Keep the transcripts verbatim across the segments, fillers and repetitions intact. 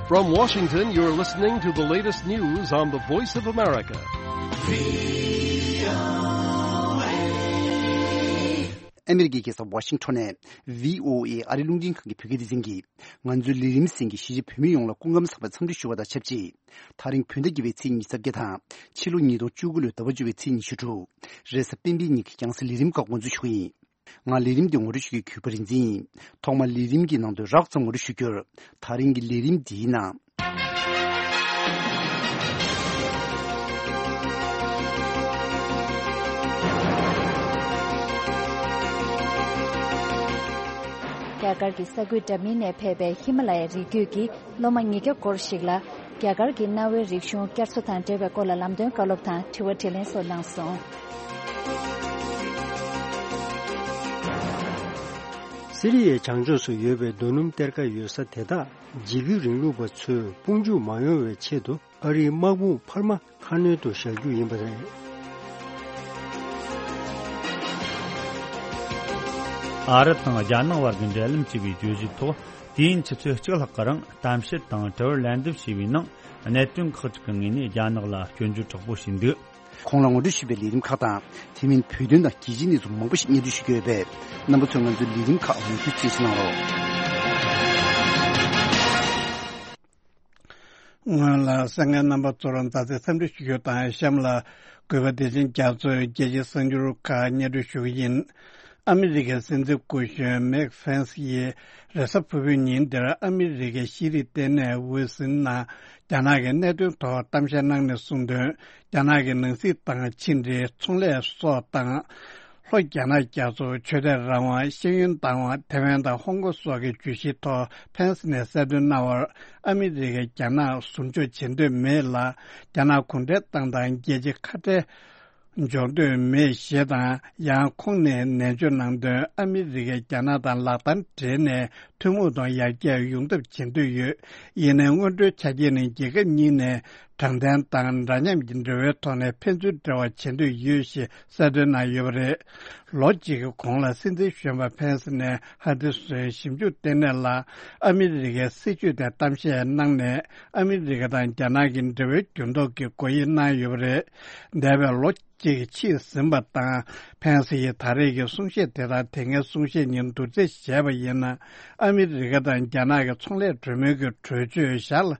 From Washington, you're listening to the latest news on the Voice of America. ཨ་མི་རི་ཀའི་རྒྱལ་ས་ཝ་ཤིང་ཊོན་ནས་བྷི་ཨོ་ཨེ་ཨ་རིའི་རླུང་འཕྲིན་ཁང་གི་བོད་སྐད་སྡེ་ཚན་གྱིས། ང་ཚོའི་ལས་རིམ་གསན་མཁན་གཞིས་བྱེས་བོད་མི་ཡོངས་ལ་སྐུ་ཁམས་བཟང་བའི་འཚམས་འདྲི་ཞུ་བ་དང་ཆབས་ཅིག་དེ་རིང་བོད་ཟླ་བརྒྱད་པའི་ཚེས་ཉི་ཤུ་རྩ་བརྒྱད་དང་། ཕྱི་ལོ་ཉིས་སྟོང་བཅུ་དགུ་ལོའི་ཟླ་བ་བཅུ་པའི་ཚེས་ཉི་ཤུ་དྲུག་རེས་གཟའ་སྤེན་པའི་ཉིན་གྱི་རྒྱང་སྲིང་ལས་རིམ་ཁག་འགོ་འཛུགས་ཞུ་གི་ཡིན། ང་ལས་རིམ་འདི་ངོ་སྤྲོད་ཞུ་མཁན་གུས་པ་རིག་འཛིན་ཡིན། ཐོག་མར་ལས་རིམ་གྱི་ནང་དོན་རགས་ཙམ་ངོ་སྤྲོད་ཞུ་རྒྱུར། དེ་རིང་གི་ལས་རིམ་འདིའི་ནང་། རྒྱ་གར་གྱི་ས་ཁུལ་འདྲ་མིན་ནས་ཕེབས་པའི་ཧི་མ་ལ་ཡའི་རི་རྒྱུད་ཀྱི་སློབ་མ་ཉིས་བརྒྱ་སྐོར་ཞིག་ལ། རྒྱ་གར་གྱི་གནའ་བོའི་རིག་གཞུང་བསྐྱར་གསོ་དང་འབྲེལ་བའི་སྐོར་ལ་ལམ་སྟོན་བཀའ་སློབ་དང་དྲི་བ་དྲིས་ལན་སོགས་གནང་སོང་། སི་རི་ཡའི་བྱང་ཕྱོགས་སུ་ཡོད་པའི་རྡོ་སྣུམ་གཏེར་ཁ་ཡོད་ས་དེ་དག་འཇིགས་སྐུལ་རིང་ལུགས་པ་ཚོས་དཔུང་འཇུག་མ་ཡོང་བའི་ཆེད་དུ། ཨ་རིའི་དམག་དཔུང་འཕར་མ་ཁ་སྣོན་དུ་བཞག་རྒྱུ་ཡིན་པ་རེད། ཨ་རི་དང་རྒྱ་ནག་བར་གྱི་འབྲེལ་ལམ་ཞེས་པའི་བརྗོད་གཞིའི་ཐོག་དུས་ཡུན་ཆུ་ཚོད་གཅིག་ལྷག་གི་རིང་གཏམ་བཤད་དང་དྲི་བར་ལན་འདེབས་བྱས་པའི་ནང་། གནད་དོན་ཁག་ཅིག་གི་ངོས་ནས་རྒྱ་ནག་ལ་སྐྱོན་བརྗོད་དྲག་པོ་བྱས་འདུག་ཁོང་ལ་ངོ་སྤྲོད་ཞུས་པའི་ལས་རིམ་ཁག་དང་། དེ་མིན་བོད་དོན་དང་རྒྱལ་སྤྱིའི་གནས་ཚུལ་མང་པོ་ཞིག་སྙན་སྒྲོན་ཞུ་རྒྱུ་ཡོད་པས། རྣམ་པ་ཚོས་ང་ཚོའི་ལས་རིམ་ཁག་མུ་མཐུད་གསན་གཟིགས་གནང་རོགས། སྔོན་ལ་གསན་མཁན་རྣམ་པ་ཚོར་མཛའ་བརྩེའི་འཚམས་འདྲི་ཞུ་རྒྱུ་དང་། གཤམ་ལ་གུས་པ་བདེ་ཆེན་རྒྱ་མཚོས་རྒྱལ་སྤྱིའི་གསར་འགྱུར་ཁག་སྙན་སྒྲོན་ཞུ་གི་ཡིན། ཨ་མི་རི་ཀའི་སྲིད་འཛིན་སྐུ་གཞོན་མེག་ཕེན་སི་ཡིས་རེས་གཟའ་ཕུར་བུའི་ཉིན་འདིར་ཨ་མི་རི་ཀའི་ཤེས་རིག་ལྟེ་གནས་ཝི་སིན་ནང་རྒྱ་ནག་གི་གནད་དོན་ཐོག་གཏམ་བཤད་གནང་ནས་གསུངས་དོན། རྒྱ་ནག་གི་ནང་སྲིད་དང་ཕྱི་འབྲེལ། ཚོང་ལས་སོགས་དང་། ལྷོ་རྒྱ་ནག་རྒྱ་མཚོ། ཆོས་དད་རང་དབང་། ཤེས་ཡོན་བདག་དབང་། ཐེ་ཝན་དང་ཧོང་ཀོང་སོགས་ཀྱི་བརྗོད་གཞིའི་ཐོག་ཕེན་སི་ནས་གསལ་སྟོན་གནང་བར། ཨ་མི་རི་ཀས་རྒྱ་ནག་ཟུར་འཇོག་བྱེད་འདོད་མེད་ལ། རྒྱ་ནག་གུང་ཁྲན་ཏང་དང་རྒྱལ་སྤྱིའི་ཁ་བྲལ་འཇོག་འདོད་མེད་ཞེས་དང་། ཡང་ཁོང་ནས་ནན་བརྗོད་གནང་དོན། ཨ་མི་རི་ཀས་རྒྱ་ནག་དང་ལག་གདང་སྦྲེལ་ནས་ཐུན་མོང་ཐོག་ཡར་རྒྱས་ཡོང་ཐབས་བྱེད་འདོད་ཡོད། ཡིན་ནའི་སྔོན་འགྲོའི་ཆ་རྐྱེན་ནི་རྒྱལ་ཁབ་གཉིས་ནས་དྲང་བདེན་དང་འདྲ་མཉམ་གྱི་འབྲེལ་བའི་ཐོག་ནས་ཕན་ཚུན་འབྲེལ་བ་བྱེད་འདོད་ཡོད་ཞེས་གསལ་སྟོན་གནང་ཡོད་པ་རེད། ལོ་གཅིག་གི་གོང་ལ་སྲིད་འཛིན་གཞོན་པ་ཕེན་སི་ནས་ཧ་ཏི་སོན་ཞིབ་འཇུག་ལྟེ་གནས་ལ་ཨ་མི་རི་ཀའི་སྲིད་བྱུས་ཐད་གཏམ་བཤད་གནང་ནས། ཨ་མི་རི་ཀ་དང་རྒྱ་ནག་གི་འབྲེལ་བའི་འགྱུར་ལྡོག་གི་དགོས་ཡིག་གནང་ཡོད་པ་རེད། འདས་པའི་ལོ་གཅིག་ཕྱིན་ཟིན་པ་དང་། ཕེན་སི་ཡིས་ད་རེས་ཀྱི་གསུང་བཤད་དེ་དག་དེ་སྔའི་གསུང་བཤད་གཉིས་བསྡུར་རྩིས་བྱས་པ་ཡིན་ན། ཨ་མི་རི་ཀ་དང་རྒྱ་ནག་གི་ཚོང་ལས་གྲོས་མོལ་གྱི་གྲོས་ཆོད་ཞར་ལ་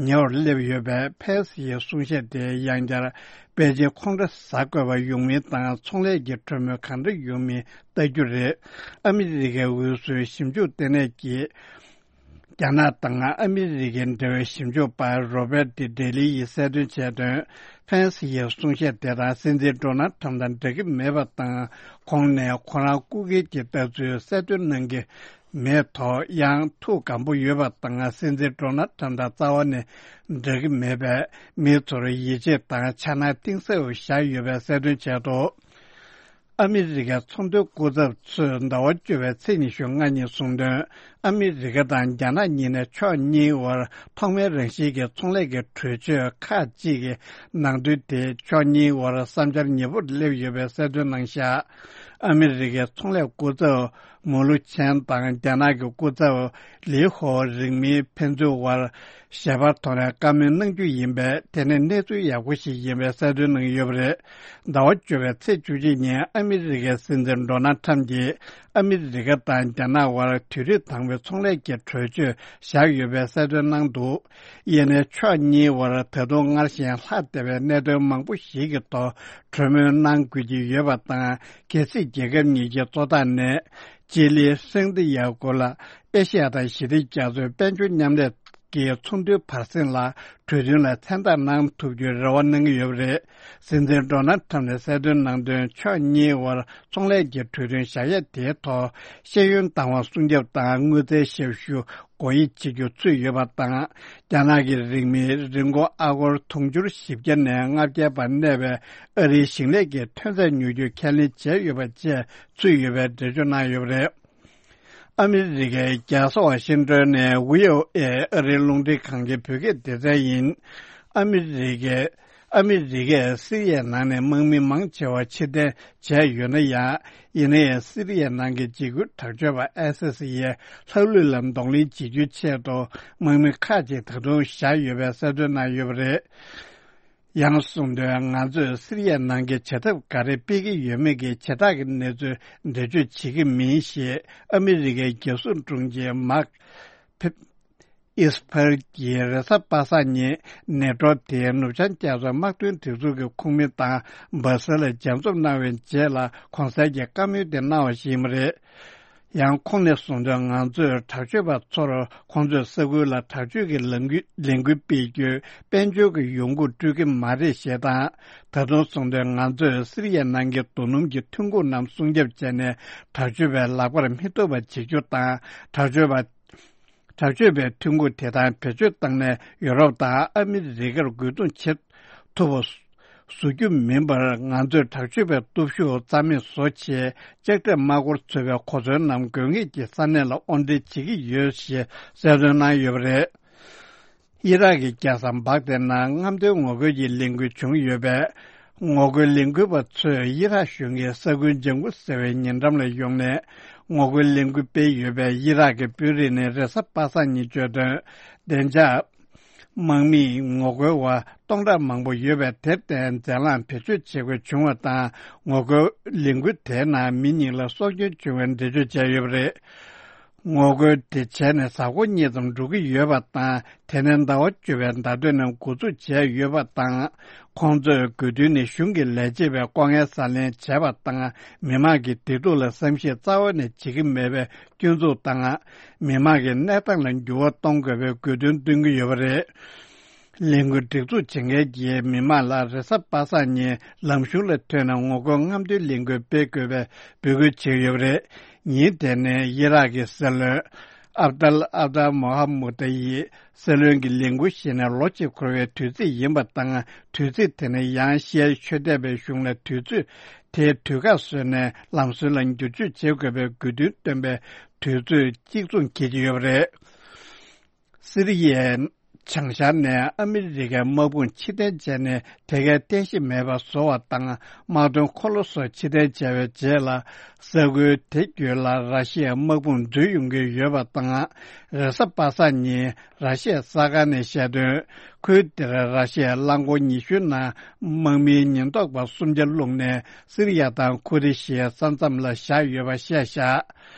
ཉེ་བར་སླེབས་ཡོད་པས། ཕེན་སི་ཡི་གསུང་བཤད་དེ་ཡང་བསྐྱར་པེ་ཅིན་ཁོང་ཁྲོ་ཟ་དགོས་པ་ཡོང་མིན་དང་། ཚོང་ལས་ཀྱི་གྲོས་མོལ་གང་འདྲ་ཡོང་མིན་ལྟ་རྒྱུ་རེད། ཨ་མི་རི་ཀའི་འོས་བཟོའི་ཞིབ་འཇུག་ལྟེ་གནས་ཀྱིས། རྒྱ་ནག་དང་ཨ་མི་རི་ཀའི་འབྲེལ་བའི་ཞིབ་འཇུག་པ་རོ་བེར་ཏི་ཌེ་ལི་ཡིས་གསལ་སྟོན་བྱས་དོན། ཕེན་སི་ཡི་གསུང་བཤད་དེ་དག་སྲིད་འཛིན་ཌོ་ནལ་ཁྲམ་དང་འབྲེལ་གྱི་མེད་པ་དང་། ཁོང་ནས་ཁོ་རང་སྐུ་སྒེར་གྱི་ལྟ་ཚུལ་གསལ་སྟོན་གནང་གི་མེད་ཐོག། ཡང་ཐུགས་སྒམ་པོ་ཡོད་པ་དང་། སྲིད་འཛིན་ཌོ་ནལ་ཁྲམ་དང་རྩ་བ་ནས་འབྲེལ་གྱི་མེད་པས། མི་ཚོར་ཡིད་ཆེས་དང་འཆར་སྣང་གཏིང་ཟབ་བཞག་ཡོད་པའི་གསལ་སྟོན་བྱས་འདུག་ཨ་མི་རི་ཀའི་ཚོང་དོན་སྐུ་ཚབ་ཚོས་ཟླ་བ་བཅུ་པའི་ཚེས་ཉི་ཤུ་ལྔ་ཉིན་གསུངས་དོན། ཨ་མི་རི་ཀ་དང་རྒྱ་ནག་གཉིས་ནས་ཕྱོགས་གཉིས་དབར་ཐོག་མའི་རང་བཞིན་གྱི་ཚོང་ལས་ཀྱི་གྲོས་ཆོད་ཁག་ཅིག་གི་ནང་དོན་དེ་ཕྱོགས་གཉིས་དབར་བསམ་འཆར་ཉེ་པོར་སླེབས་ཡོད་པའི་གསལ་སྟོན་གནང་བཞག་ཨ་མི་རི་ཀའི་ཚོང་ལས་སྐུ་ཚབ་མུ་ལུ་ཆན་དང་རྒྱ་ནག་གི་སྐུ་ཚབ་ལི་ཧོ་རིང་མིན་ཕན་ཚུན་དབར། ཞལ་པར་ཐོག་ནས་བཀའ་མོལ་གནང་རྒྱུ་ཡིན་པས། དེ་ནི་གནས་ཚུལ་ཡག་པོ་ཞིག་ཡིན་པའི་གསལ་སྟོན་གནང་ཡོད་པ་རེད། ཟླ་བ་བཅུ་པའི་ཚེས་བཅུ་གཅིག་ཉིན་ཨ་མི་རི་ཀའི་སྲིད་འཛིན་ཌོ་ནལ་ཁྲམ་གྱིས་ཨ་མི་རི་ཀ་དང་རྒྱ་ནག་དབར་དུས་རབས་དང་པོའི་ཚོང་ལས་ཀྱི་གྲོས་ཆོད་བཞག་ཡོད་པའི་གསལ་སྟོན་གནང་འདུག་ཡིན་ནའི་ཕྱོགས་གཉིས་དབར་ད་དུང་སྔར་བཞིན་ལྷག་བསྡད་པའི་གནད་དོན་མང་པོ་ཞིག་གི་ཐོག་གྲོས་མོལ་གནང་དགོས་ཀྱི་ཡོད་པ་དང་། གལ་སྲིད་རྒྱལ་ཁབ་གཉིས་ཀྱི་གཙོ་བདག་ནས་ཅི་ལི་ཧྲེང་ཏི་ཡ་གོ་ལ་ཨེ་ཤ་ཡ་དང་ཞི་བདེ་རྒྱ་མཚོའི་དཔལ་འབྱོར་མཉམ་ལས་ཀྱི་ཚོགས་འདུའི་བར་གསེང་ལ་གྲོས་མཐུན་ལ་མཚན་རྟགས་གནང་ཐུབ་རྒྱུའི་རེ་བ་གནང་གི་ཡོད་པ་རེད། སྲིད་འཛིན་ཌོ་ནལ་ཁྲམ་ནས་གསལ་སྟོན་གནང་དོན། ཕྱོགས་གཉིས་དབར་ཚོང་ལས་ཀྱི་གྲོས་མཐུན་བཞག་ཡས་དེའི་ཐོག་ཤེས་ཡོན་བདག་དབང་སྲུང་སྐྱོབ་དང་དངུལ་རྩའི་ཞབས་ཞུ་སྒོ་དབྱེ་བྱེད་རྒྱུ་ཚུད་ཡོད་པ་དང་། རྒྱ་ནག་གི་རིན་མེད་རིན་གོང་ཨ་སྒོར་དུང་ཕྱུར་བཞི་བརྒྱ་ནས་ལྔ་བརྒྱ་བར་གནས་པའི་ཨ་རིའི་ཞིང་ལས་ཀྱི་ཐོན་རྫས་ཉོ་རྒྱུ་ཁས་ལེན་བྱས་ཡོད་པ་བཅས་ཚུད་ཡོད་པའི་འགྲེལ་བརྗོད་གནང་ཡོད་པ་རེད། ཨ་མི་རི་ཀའི་རྒྱལ་ས་ཝ་ཤིང་ཏོན་ནས་ཝི་ཨོ་ཨེ་ཨ་རིའི་རླུང་འཕྲིན་ཁང་གི་བོད་སྐད་སྡེ་ཚན་ཡིན། ཨ་མི་རི་ཀའི་ ཨ་མི་རི་ཀས་སི་རི་ཡའི་ནང་ནས་དམག་མི་མང་ཆེ་བ་ཕྱིར་འཐེན་བྱས་ཡོད་ན་ཡང་། ཡིན་ན་ཡང་སི་རི་ཡའི་ནང་གི་འཇིགས་སྐུལ་དྲག་སྤྱོད་པ་ཨའི་སི་ཨེས་ཡིས་ལྷག་ལུས་ལ་གདོང་ལེན་བྱེད་རྒྱུའི་ཆེད་དུ་དམག་མི་ཁག་ཅིག་ད་དུང་བཞག་ཡོད་པའི་གསལ་སྟོན་གནང་ཡོད་པ་རེད། ཡང་གསུངས་དོན། ང་ཚོས་སི་རི་ཡའི་ནང་གི་བྱེད་ཐབས་ག་རེ་སྤེལ་གྱི་ཡོད་མེད་ཀྱི་བྱེ་བྲག་གི་གནས་ཚུལ་འགྲེལ་བརྗོད་བྱེད་ཀྱི་མིན་ཞེས་ཨ་མི་རི་ཀའི་རྒྱལ་སྲུང་དྲུང་ཆེ་མཱག་ཕེབ། ཨིས་ཕར་གྱིས་རེས་གཟའ་པ་སངས་ཉིན་ནེ་ཊོ་དེའི་ནུབ་བྱང་རྒྱལ་ཚོགས་དམག་དོན་སྒྲིག་འཛུགས་ཀྱི་ཁོངས་མི་དང་སྦ་སེལ་ལ་མཇལ་འཛོམས་གནང་བའི་རྗེས་ལ་གོང་གསལ་གྱི་བཀའ་མོལ་དེ་གནང་བ་ཞིག་ཡིན་པ་རེད། ཡང་ཁོང་ནས་གསུངས་དོན། ང་ཚོས་དྲག་སྤྱོད་པ་ཚོར་ཁོང་ཚོས་ས་ཁུལ་ལ་དྲག་སྤྱོད་ཀྱི་ལས་འགུལ་ལས་འགུལ་སྤེལ་རྒྱུའི་དཔལ་འབྱོར་གྱི་ཡོང་སྒོ་སྤྲོད་ཀྱི་མ་རེད་ཞེས་དང་། ད་དུང་གསུངས་དོན། ང་ཚོས་སི་རི་ཡའི་ནང་གི་རྡོ་སྣུམ་གྱི་ཐོན་ཁུངས་རྣམས་སྲུང་སྐྱོབ་བྱས་ནས་དྲག་སྤྱོད་པའི་ལག་པར་མི་ཐོབ་པ་བྱེད་རྒྱུ་དང་། དྲག་སྤྱོད་པ། དྲག་སྤྱོད་པའི་ཐོན་ཁུངས་དེ་དག་བེད་སྤྱོད་བཏང་ནས་ཡོ་རོབ་དང་ཨ་མི་རི་ཀར་རྒོལ་རྡུང་བྱེད་ཐུབ་པ་བཟོ་རྒྱུ་མིན་པར། ང་ཚོས་དྲག་སྤྱོད་པའི་སྟོབས་ཤུགས་རྩ་མེད་བཟོ་ཆེད་ལྕགས་ཁྲབ་དམག་འཁོར་འཚོ་བའི་གོ་མཚོན་རྣམས་དགོས་ངེས་ཀྱི་ས་གནས་ལ་དབོར་འདྲེན་བྱེད་ཀྱི་ཡོད་ཞེས་གསལ་སྟོན་གནང་ཡོད་པ་རེད། ཨི་རག་གི་རྒྱལ་ས་བག་དའི་ནང་རྔམ་སྟོན་ངོ་རྒོལ་གྱི་ལས་འགུལ་བྱུང་ཡོད་པས། ངོ་རྒོལ་ལས་འགུལ་བ་ཚོས་ཨི་རག་གཞུང་གིས་ས་ཁུལ་ལྗང་ཁུ་ཟེར་བའི་ཉེ་འགྲམ་ལ་ཡོང་ནས་ངོ་རྒོལ་ལས་འགུལ་སྤེལ་ཡོད་པས། ཨི་རག་གི་དཔོན་རིགས་ནས་རེས་གཟའ་པ་སངས་ཉིན་བརྗོད་དོན། བདེ་འཇགས་དམག་མིས་ངོ་རྒོལ་བ་སྟོང་ཕྲག་མང་པོ་ཡོད་པས། དེར་བརྟེན་འཛེམ་ལངས་བེད་སྤྱོད་བྱེད་དགོས་བྱུང་བ་དང་། ངོ་རྒོལ་ལས་འགུལ་དེའི་ནང་མི་གཉིས་ལ་སྲོག་སྐྱོན་བྱུང་བའི་འགྲེལ་བརྗོད་བྱས་ཡོད་པ་རེད། ངོ་རྒོལ་དེ་བྱས་ནས་གཟའ་འཁོར་གཉིས་ཙམ་འགྲོ་གི་ཡོད་པ་དང་། དེ་ནས་ཟླ་བ་བཅུ་པའི་ཟླ་སྟོད་ནས་འགོ་འཛུགས་བྱས་ཡོད་པ་དང་། ཁོང་ཚོས་དགོས་འདུན་ནི་གཞུང་གི་ལས་བྱེད་པའི་ལྐོག་རྔན་ཟ་ལེན་བྱས་པ་དང་། མི་དམངས་ཀྱི་བདེ་སྡུག་ལ་བསམ་ཤེས་རྩ་བ་ནས་བྱེད་ཀྱི་མེད་པའི་སྐྱོན་འཛུགས་དང་། མི་དམངས་ཀྱི་གནས་སྟངས་ལ་འགྱུར་བ་གཏོང་དགོས་པའི་དགོས་འདུན་བཏོན་གྱི་ཡོད་པ་རེད། ལས་འགུལ་སྒྲིག་འཛུགས་བྱེད་མཁན་གྱིས་མི་མང་ལ་རེས་གཟའ་པ་སངས་ཉིན་ལམ་གཞུང་ལ་ཐོན་ནས་ངོ་རྒོལ་རྔམ་སྟོན་ལས་འགུལ་སྤེལ་དགོས་པའི་འབོད་སྐུལ་བྱས་ཡོད་པ་རེད། ཉིན་དེ་ནི་ཨི་རག་གི་སྲིད་བློན་ཨབ་དལ་ཨབ་དལ་མོ་ཧ་མུ་ཏཱ་ཡིས་སྲིད་བློན་གྱི་ལས་འགུལ་བཞེས་ནས་ལོ་གཅིག་འཁོར་བའི་དུས་ཚིགས་ཡིན་པ་དང་། དུས་ཚིགས་དེ་ནི་ཡང་ཤི་ཡའི་ཆོས་དད་པའི་གཞུང་ལ་དུས་ཚོད་དེའི་དུས་བཀག་བཟོས་ནས་ལམ་སྲོལ་ལ་འགྱུར་བཅོས་བྱེད་དགོས་པའི་དགོས་འདུན་བཏོན་པའི་དུས་ཚོད་གཅིག་མཚུངས་འཁེལ་གྱི་ཡོད་པ་རེད། སི་རི་ཡའི་བྱང་ཤར་ནས་ཨ་མི་རི་ཀའི་དམག་དཔུང་ཕྱིར་འཐེན་བྱས་ནས་དེ་གའི་རྟེན་གཞི་མེད་པ་བཟོ་བ་དང་། དམག་དོན་འཁོར་ལོ་སོགས་ཕྱིར་འཐེན་བྱས་པའི་རྗེས་ལ། ས་ཁུལ་དེ་བརྒྱུད་ལ་ར་ཤི་ཡའི་དམག་དཔུང་འཛུལ་ཡོང་གི་ཡོད་པ་དང་། རེས་གཟའ་པ་སངས་ཉིན་ར་ཤི་ཡའི་གསར་ཁང་ནས་བཤད་དོན། ཁུལ་དེར་ར་ཤི་ཡས་རླངས་འཁོར་ཉི་ཤུའི་ནང་དམག་མིའི་ཉེན་རྟོག་པ་སུམ་བརྒྱ་བླུགས་ནས་སི་རི་ཡ་དང་ཁུ་རི་ཤིའི་ས་མཚམས་ལ་བཞག་ཡོད་པ་བཤད་བཞག་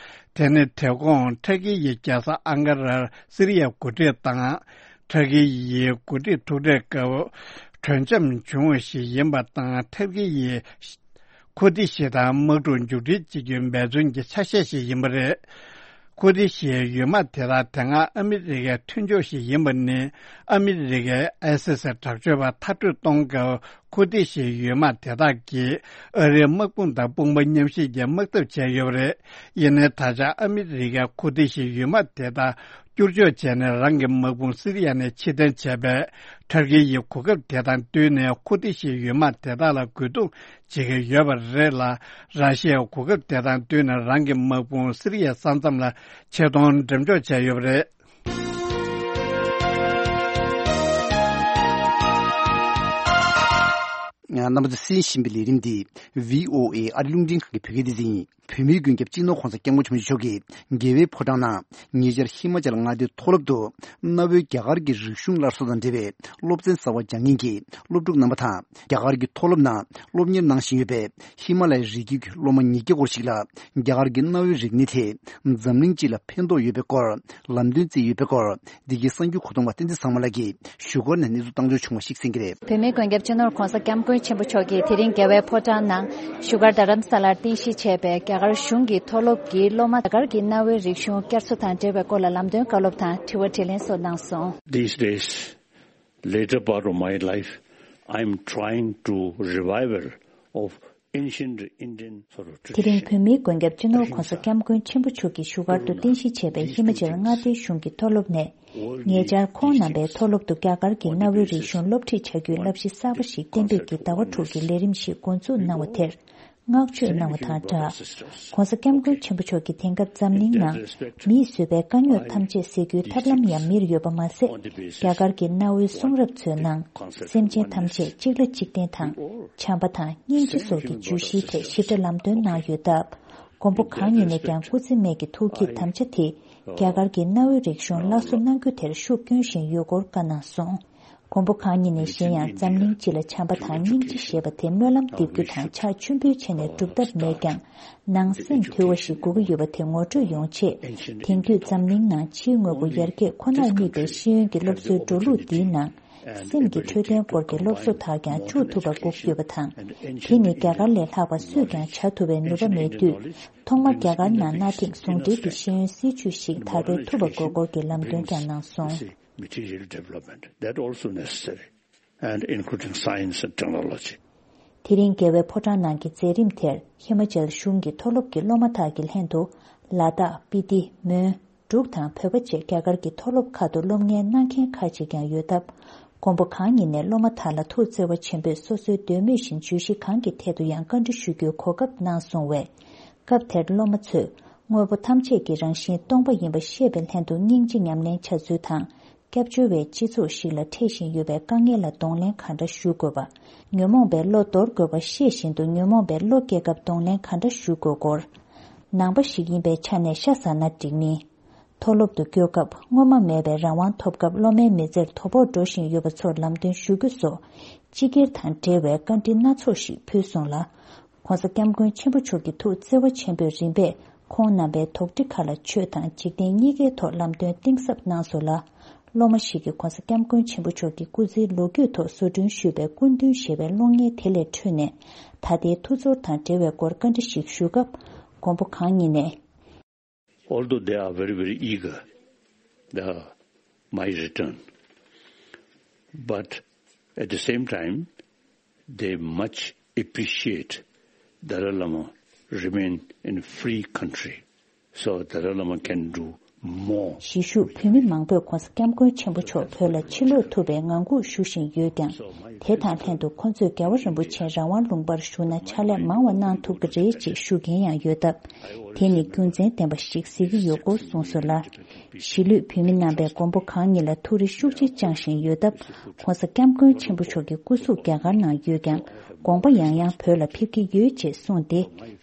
དེ་ནི་དེ་གོང་ཐ་ཀི་ཡི་རྒྱལ་ས་ཨང་ཀ་རར་སི་རི་ཡའི་འགོ་ཁྲིད་དང་། ཐ་ཀི་ཡི་འགོ་ཁྲིད་ཐུག་འཕྲད་སྐབས་གྲོས་འཆམ་བྱུང་བ་ཞིག་ཡིན་པ་དང་། ཐ་ཀི་ཡིས་ཁུར་ཏི་ཤི་དང་དམག་འཁྲུག་མཇུག་སྒྲིལ་བྱེད་རྒྱུའི་འབད་བརྩོན་གྱི་ཆ་ཤས་ཤིག་ཡིན་པ་རེད། ཁུར་ཏི་ཤིའི་ཡུལ་དམག་དེ་དག་དེ་སྔ་ཨ་མི་རི་ཀའི་མཐུན་ཕྱོགས་ཤིག་ཡིན་པ་ནི། ཨ་མི་རི་ཀས་ཨའི་སི་སི་དྲག་སྤྱོད་པ་མཐར་སྐྲོད་གཏོང་སྐབས། ཁུར་ཏི་ཤིའི་ཡུལ་དམག་དེ་དག་གིས་ཨ་རིའི་དམག་དཔུང་དང་དཔུང་པ་མཉམ་གཤིབ་ཀྱིས་དམག་འཐབ་བྱས་ཡོད་པ་རེད། ཡིན་ནའི་ད་ཆ་ཨ་མི་རི་ཀས་ཁུར་ཏི་ཤིའི་ཡུལ་དམག་དེ་དག་བསྐྱུར་བཅོས་བྱས་ནས་རང་གི་དམག་དཔུང་སི་རི་ཡ་ནས་ཕྱིར་འཐེན་བྱས་པས། ཐར་ཀི་ཡིས་གོ་སྐབས་དེ་དང་བསྟུན་ནས་ཁུར་ཏི་ཤིའི་ཡུལ་དམག་དེ་དག་ལ་རྒོལ་རྡུང་བྱེད་ཀྱི་ཡོད་པ་རེད་ལ། ར་ཤི་ཡས་གོ་སྐབས་དེ་དང་བསྟུན་ནས་རང་གི་དམག་དཔུང་སི་རི་ཡའི་ས་མཚམས་ལ་ཆེད་གཏོང་འགྲེམས་འཇོག་བྱས་ཡོད་པ་རེད། རྣམ་པ་ཚོས་གསན་བཞིན་པའི་ལས་རིམ་འདི་བྷི་ཨོ་ཨེ་ཨ་རི་རླུང་འཕྲིན་ཁང་གི་བོད་སྐད་སྡེ་ཚན་ཡིན། བོད་མིའི་མགོན་སྐྱབས་སྤྱི་ནོར་༧གོང་ས་༧སྐྱབས་མགོན་ཆེན་པོ་མཆོག་གིས་རྒྱལ་བའི་ཕོ་བྲང་ནང་ཉེ་ཆར་ཧི་མ་ཅལ་མངའ་སྡེའི་མཐོ་སློབ་ཏུ་གནའ་བོའི་རྒྱ་གར་གྱི་རིག་གཞུང་སླར་གསོ་དང་འབྲེལ་བའི་སློབ་ཚན་གསར་པ་སྦྱང་མཁན་གྱི་སློབ་ཕྲུག་རྣམ་པ་དང་། རྒྱ་གར་གྱི་མཐོ་སློབ་ནང་སློབ་གཉེར་གནང་བཞིན་ཡོད་པའི་ཧི་མ་ལ་ཡའི་རི་རྒྱུད་ཀྱི་སློབ་མ་ཉིས་བརྒྱ་སྐོར་ཞིག་ལ་རྒྱ་གར་གྱི་གནའ་བོའི་རིག་གནས་དེ་འཛམ་གླིང་སྤྱི་ལ་ཕན་ཐོགས་ཡོད་པའི་སྐོར་ལམ་སྟོན་བསྩལ་ཡོད་པའི་སྐོར། འདི་གའི་གསར་འགྱུར་གོ་བསྡུར་བ་བསྟན་འཛིན་ཚང་མ་ལགས་ཀྱིས་བཞུགས་སྒར་ནས་གནས་ཚུལ་བཏང་འབྱོར་བྱུང་བ་ཞིག་གསན་གྱི་རེད། བོད་མིའི་མགོན་སྐྱབས་སྤྱི་ནོར་༧གོང་ས་༧སྐྱབས་མགོན་ཆེན་པོ་མཆོག་གིས་དེ་རིང་རྒྱལ་བའི་ཕོ་བྲང་ནང་བཞུགས་སྒར་རྡ་རམ་ས་ལར་རྟེན་གཞི་བྱས་པའི་རྒྱ་གར་གཞུང་གི་མཐོ་སློབ་ཀྱི་སློབ་མ་རྒྱ་གར་གྱི་གནའ་བོའི་རིག་གཞུང་བསྐྱར་གསོ་དང་འབྲེལ་བའི་སྐོར་ལ་ལམ་སྟོན་བཀའ་སློབ་དང་དྲི་བ་དྲིས་ལན་སོགས་གནང་སོང་། These days, later part of my life, I am trying to revival of ancient Indian sort of tradition. དེ་རིང་བོད་མིའི་མགོན་སྐྱབས་སྤྱི་ནོར་༧གོང་ས་༧སྐྱབས་མགོན་ཆེན་པོ་མཆོག་གིས་བཞུགས་སྒར་དུ་རྟེན་གཞི་བྱས་པའི་ཧི་མ་ཅལ་མངའ་སྡེའི་གཞུང་གི་མཐོ་སློབ་ནས། ཉེ་ཆར་ཁོང་རྣམ་པའི་མཐོ་སློབ་ཏུ་རྒྱ་གར་གྱི་གནའ་བོའི་རིག་གཞུང་སློབ་ཁྲིད་བྱ་རྒྱུའི་བསླབ་གཞི་གསར་པ་ཞིག་གཏན་འབེབས་ཀྱིས་ཟླ་བ་དྲུག་གི་ལས་རིམ་ཞིག་འགོ་འཛུགས་གནང་བ་དེར། བསྔགས་བརྗོད་གནང་བ་དང་སྦྲགས། ྋགོང་ས་ྋསྐྱབས་མགོན་ཆེན་པོ་མཆོག་གིས་དེང་སྐབས་འཛམ་གླིང་ནང་མིས་བཟོས་པའི་དཀའ་རྙོག་ཐམས་ཅད་སེལ་རྒྱུའི་ཐབས་ལམ་ཡང་མིར་ཡོད་པ་མ་ཟད། རྒྱ་གར་གྱི་གནའ་བོའི་གསུང་རབ་ཚོའི་ནང་། སེམས་ཅན་ཐམས་ཅད་གཅིག་ལ་གཅིག་བརྟེན་དང་། བྱམས་པ་དང་སྙིང་རྗེ་སོགས་ཀྱི་བརྗོད་གཞིའི་ཐད་ཞིབ་ཕྲ་ལམ་སྟོན་གནང་ཡོད་སྟབས། མགོན་པོ་གང་ཉིད་ནས་ཀྱང་སྐུ་ཚེ་སྨད་ཀྱི་ཐུགས་བསྐྱེད་དམ་བཅའ་དེ། རྒྱ་གར་གྱི་གནའ་བོའི་རིག་གཞུང་སླར་གསོ་གནང་རྒྱུ་དེར་ཤུགས་བསྐྱོན་བཞིན་ཡོད་སྐོར་བཀའ་གནང་སོང་། མགོན་པོ་གང་ཉིད་ནས་གཞན་ཡང་འཛམ་གླིང་སྤྱི་ལ་བྱམས་པ་དང་སྙིང་རྗེ་ཞེས་པ་དེ་སྨོན་ལམ་འདེབས་རྒྱུ་དང་ཕྱག་མཆོད་འབུལ་བྱས་ནས་སྒྲུབ་ཐབས་མེད་ཀྱང་། ནང་སེམས་དུལ་བ་ཞིག་དགོས་ཀྱི་ཡོད་པ་དེ་ངོ་སྤྲོད་ཡོང་ཆེད། དེང་དུས་འཛམ་གླིང་ནང་ཕྱིའི་དངོས་པོ་ཡར་རྒྱས་ཁོ་ནར་དམིགས་པའི་ཤེས་ཡོན་གྱི་སློབ་གསོའི་འགྲོ་ལུགས་འདིའི་ནང་། སེམས་ཀྱི་འཕྲོད་བསྟེན་སྐོར་གྱི་སློབ་གསོ་དག་ཀྱང་བཅུག་ཐུབ་པ་དགོས་ཀྱི་ཡོད་པ་དང་། དེ་ནི་རྒྱ་གར་ལས་ལྷག་པ་སུས་ཀྱང་བྱ་ཐུབ་པའི་ནུས་པ་མེད་དུས། ཐོག་མར་རྒྱ་གར་ནང་གནའ་དེང་ཟུང་འབྲེལ་གྱི་ཤེས་ཡོན་སྲིད་བྱུས་ཤིག་དར་སྤེལ་ཐུབ་པ་དགོས་སྐོར་གྱི་ལམ་སྟོན་ཀྱང་གནང་སོང་། Material development, that also necessary, and including science and technology. དེ་རིང་རྒྱལ་བའི་ཕོ་བྲང་ནང་གི་མཛད་རིམ་དེར་ཧི་མ་ཅལ་གཞུང་གི་མཐོ་སློབ་ཀྱི་སློབ་མ་དག་གི་ལྷན་དུ། ལ་དྭགས། སྤི་ཏི། མོན། འབྲུག་དང་བོད་པ་བཅས་རྒྱ་གར་གྱི་མཐོ་སློབ་ཁག་ཏུ་སློབ་གཉེར་གནང་མཁན་ཁག་ཅིག་ཀྱང་ཡོད་སྟབས། མགོན་པོ་གང་ཉིད་ནས་སློབ་མ་དག་ལ་ཐུགས་བརྩེ་བ་ཆེན་པོས་སོ་སོའི་འདོད་མོས་བཞིན་བརྗོད་གཞི་གང་གི་ཐད་དུ་ཡང་བཀའ་འདྲི་ཞུ་རྒྱུའི་གོ་སྐབས་གནང་སོང་བས། སྐབས་དེར་སློབ་མ་ཚོས་དངོས་པོ་ཐམས་ཅད་ཀྱི་རང་བཞིན་སྟོང་པ་ཡིན་པ་ཤེས་པའི་ལྷན་དུ་སྙིང་རྗེ་ཉམས་ལེན་བྱ་ཚུལ་དང་། སྐྱབས་བཅོལ་བའི་སྤྱི་ཚོགས་ཤིག་ལ་འཕྲད་བཞིན་ཡོད་པའི་དཀའ་ངལ་ལ་གདོང་ལེན་གང་འདྲ་ཞུ་དགོས་པ། ཉོན་མོངས་པའི་བློ་དོར་དགོས་པ་ཤེས་བཞིན་དུ་ཉོན་མོངས་པའི་བློ་སྐྱེ་སྐབས་གདོང་ལེན་གང་འདྲ་ཞུ་དགོས་སྐོར། ནང་པ་ཞིག་ཡིན་པའི་ཆ་ནས་ཤ་ཟ་ན་འགྲིག་མིན། མཐོ་སློབ་ཏུ་བསྐྱོད་སྐབས་སྔོན་མ་མེད་པའི་རང་དབང་ཐོབ་སྐབས་སློབ་མའི་མི་ཚེར་དོ་ཕོག་འགྲོ་བཞིན་ཡོད་པ་ཚོར་ལམ་སྟོན་ཞུ་རྒྱུ་སོགས། སྤྱི་སྒེར་དང་འབྲེལ་བའི་བཀའ་འདྲི་སྣ་ཚོགས་ཤིག་ཕུལ་སོང་ལ། ྋགོང་ས་ྋསྐྱབས་མགོན་ཆེན་པོ་མཆོག་གི་ཐུགས་བརྩེ་བ་ཆེན་པོས་རིམ་པས་ཁོང་རྣམ་པའི་དོགས་འདྲི་ཁག་ལ་ཆོས་དང་འཇིག་རྟེན་གཉིས་ཀའི་ཐོག་ལམ་སྟོན་གཏིང་ཟབ་གནང་སོང་ལ། སློབ་མ་ཞིག་གིས་ྋགོང་ས་ྋསྐྱབས་མགོན་ཆེན་པོ་མཆོག་གི་སྐུ་ཚེའི་ལོ་རྒྱུས་ཐོག་བཟོ་སྐྲུན་ཞུས་པའི་སྐུ་མདུན་ཞེས་པའི་གློག་བརྙན་དེ་ལས་འཕྲོས་ནས། ད་ལྟའི་འཐུས་ཚོར་དང་འབྲེལ་བའི་སྐོར་བཀའ་འདྲི་ཞིག་ཞུ་སྐབས། མགོན་པོ་གང་ཉིད་ནས། Although they are very, very eager, the, my return, but at the same time, they much appreciate Dalai Lama remain in free country, so Dalai Lama can do more. གཞིས་བཞུགས་བོད་མི་མང་པོས་ྋགོང་ས་ྋསྐྱབས་མགོན་ཆེན་པོ་མཆོག་བོད་ལ་ཕྱིར་ལོག་ཐུབ་པའི་ངང་སྒུག་ཞུ་བཞིན་ཡོད་ཀྱང་། དེ་དང་ལྷན་དུ་ཁོང་ཚོས་རྒྱལ་བ་རིན་པོ་ཆེ་རང་དབང་ལུང་པར་བཞུགས་ན་ཕྱག་ལས་མང་བ་གནང་ཐུབ་ཀྱི་རེད་ཅེས་ཞུ་མཁན་ཡང་ཡོད་སྟབས། དེ་ནི་རྒྱུ་མཚན་ལྡན་པ་ཞིག་གཟིགས་ཀྱི་ཡོད་སྐོར་གསུངས་སོང་ལ། གཞིས་ལུས་བོད་མི་རྣམ་པས་མགོན་པོ་གང་ཉིད་ལ་ཐུགས་རེ་ཤུགས་ཆེ་བཅངས་བཞིན་ཡོད་སྟབས། ྋགོང་ས་ྋསྐྱབས་མགོན་ཆེན་པོ་མཆོག་གི་སྐུ་གཟུགས་རྒྱ་གར་ནང་ཡོད་ཀྱང་། དགོངས་པ་ཡང་ཡང་བོད་ལ་ཕེབས་ཀྱི་ཡོད་ཅེས་གསུངས་ཏེ།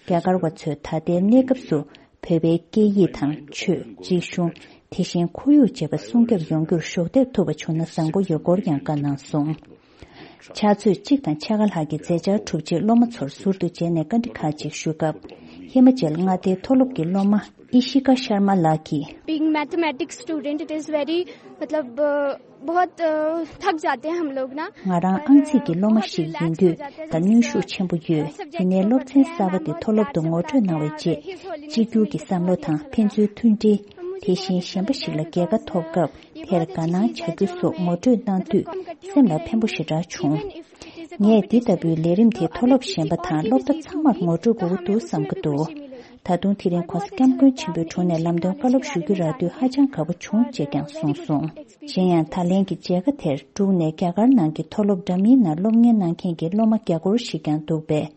རྒྱ་གར་བ་ཚོས་ད་ལྟའི་གནས་སྐབས་སུ་བོད་པའི་སྐད་ཡིག་དང་ཆོས། རིག་གཞུང་། དེ་བཞིན་ཁོར་ཡུག་བཅས་པ་སྲུང་སྐྱོབ་ཡོང་རྒྱུར་གཞོགས་འདེགས་ཐུབ་པ་བྱུང་ན་བཟང་པོ་ཡོད་སྐོར་ཡང་བཀའ་གནང་སོང་། ཕྱག་ཚོད་གཅིག་དང་ཕྱེད་ཀ་ལྷག་གི་མཛད་འཆར་གྲུབ་རྗེས་སློབ་མ་ཚོར་ཟུར་དུ་མཇལ་ནས་བཀའ་འདྲི་ཁག་ཅིག་ཞུ་སྐབས། ཧི་མ་ཅལ་མངའ་སྡེའི་མཐོ་སློབ་ཀྱི་སློབ་མ་ཨི་ཤི་ཀ་ཤར་མ་ལགས་ཀྱིས། Being mathematics student, it is very, मतलब, बहुत, अ, थक जाते हैं हम लोग ना। ང་རང་ཨང་རྩིས་ཀྱི་སློབ་མ་ཞིག་ཡིན་དུས་ད་གནོན་ཤུགས་ཆེན་པོ་ཡོད། ཡིན་ནའི་སློབ་ཚན་གསར་པ་དེ་མཐོ་སློབ་ཏུ་ངོ་སྤྲོད་གནང་བའི་རྗེས། གཅིག་གྱུར་གྱི་བསམ་བློ་དང་ཕན་ཚུན་མཐུན་སྒྲིལ། དེ་བཞིན་གཞན་པ་ཞིག་ལ་རྒྱལ་ཁ་ཐོབ་སྐབས་དེར་དགའ་སྣང་བྱ་རྒྱུ་སོགས་ངོ་སྤྲོད་གནང་དུས་སེམས་ལ་ཕན་པོ་ཞེ་དྲག་བྱུང་། ངས་འདི་ལྟ་བུའི་ལས་རིམ་དེ་མཐོ་སློབ་གཞན་པ་དང་སློབ་གྲྭ་ཚང་མར་ངོ་སྤྲོད་དགོས་ཀྱི་འདུག་བསམ་གྱི་འདུག་ད་དུང་དེ་རིང་ྋགོང་ས་ྋསྐྱབས་མགོན་ཆེན་པོའི་དྲུང་ནས་ལམ་སྟོན་བཀའ་སློབ་ཞུ་རྒྱུ་རག་དུས་ཧ་ཅང་དགའ་པོ་བྱུང་ཅེས་ཀྱང་གསུངས་སོང་། གཞན་ཡང་ད་ལན་གྱི་མཇལ་ཁ་དེར་འབྲུག་ནས་རྒྱ་གར་ནང་གི་མཐོ་སློབ་འདྲ་མིན་ནང་སློབ་གཉེར་གནང་མཁན་གྱི་སློབ་མ་བརྒྱ་སྐོར་ཞིག་ཀྱང་འདུག་པས།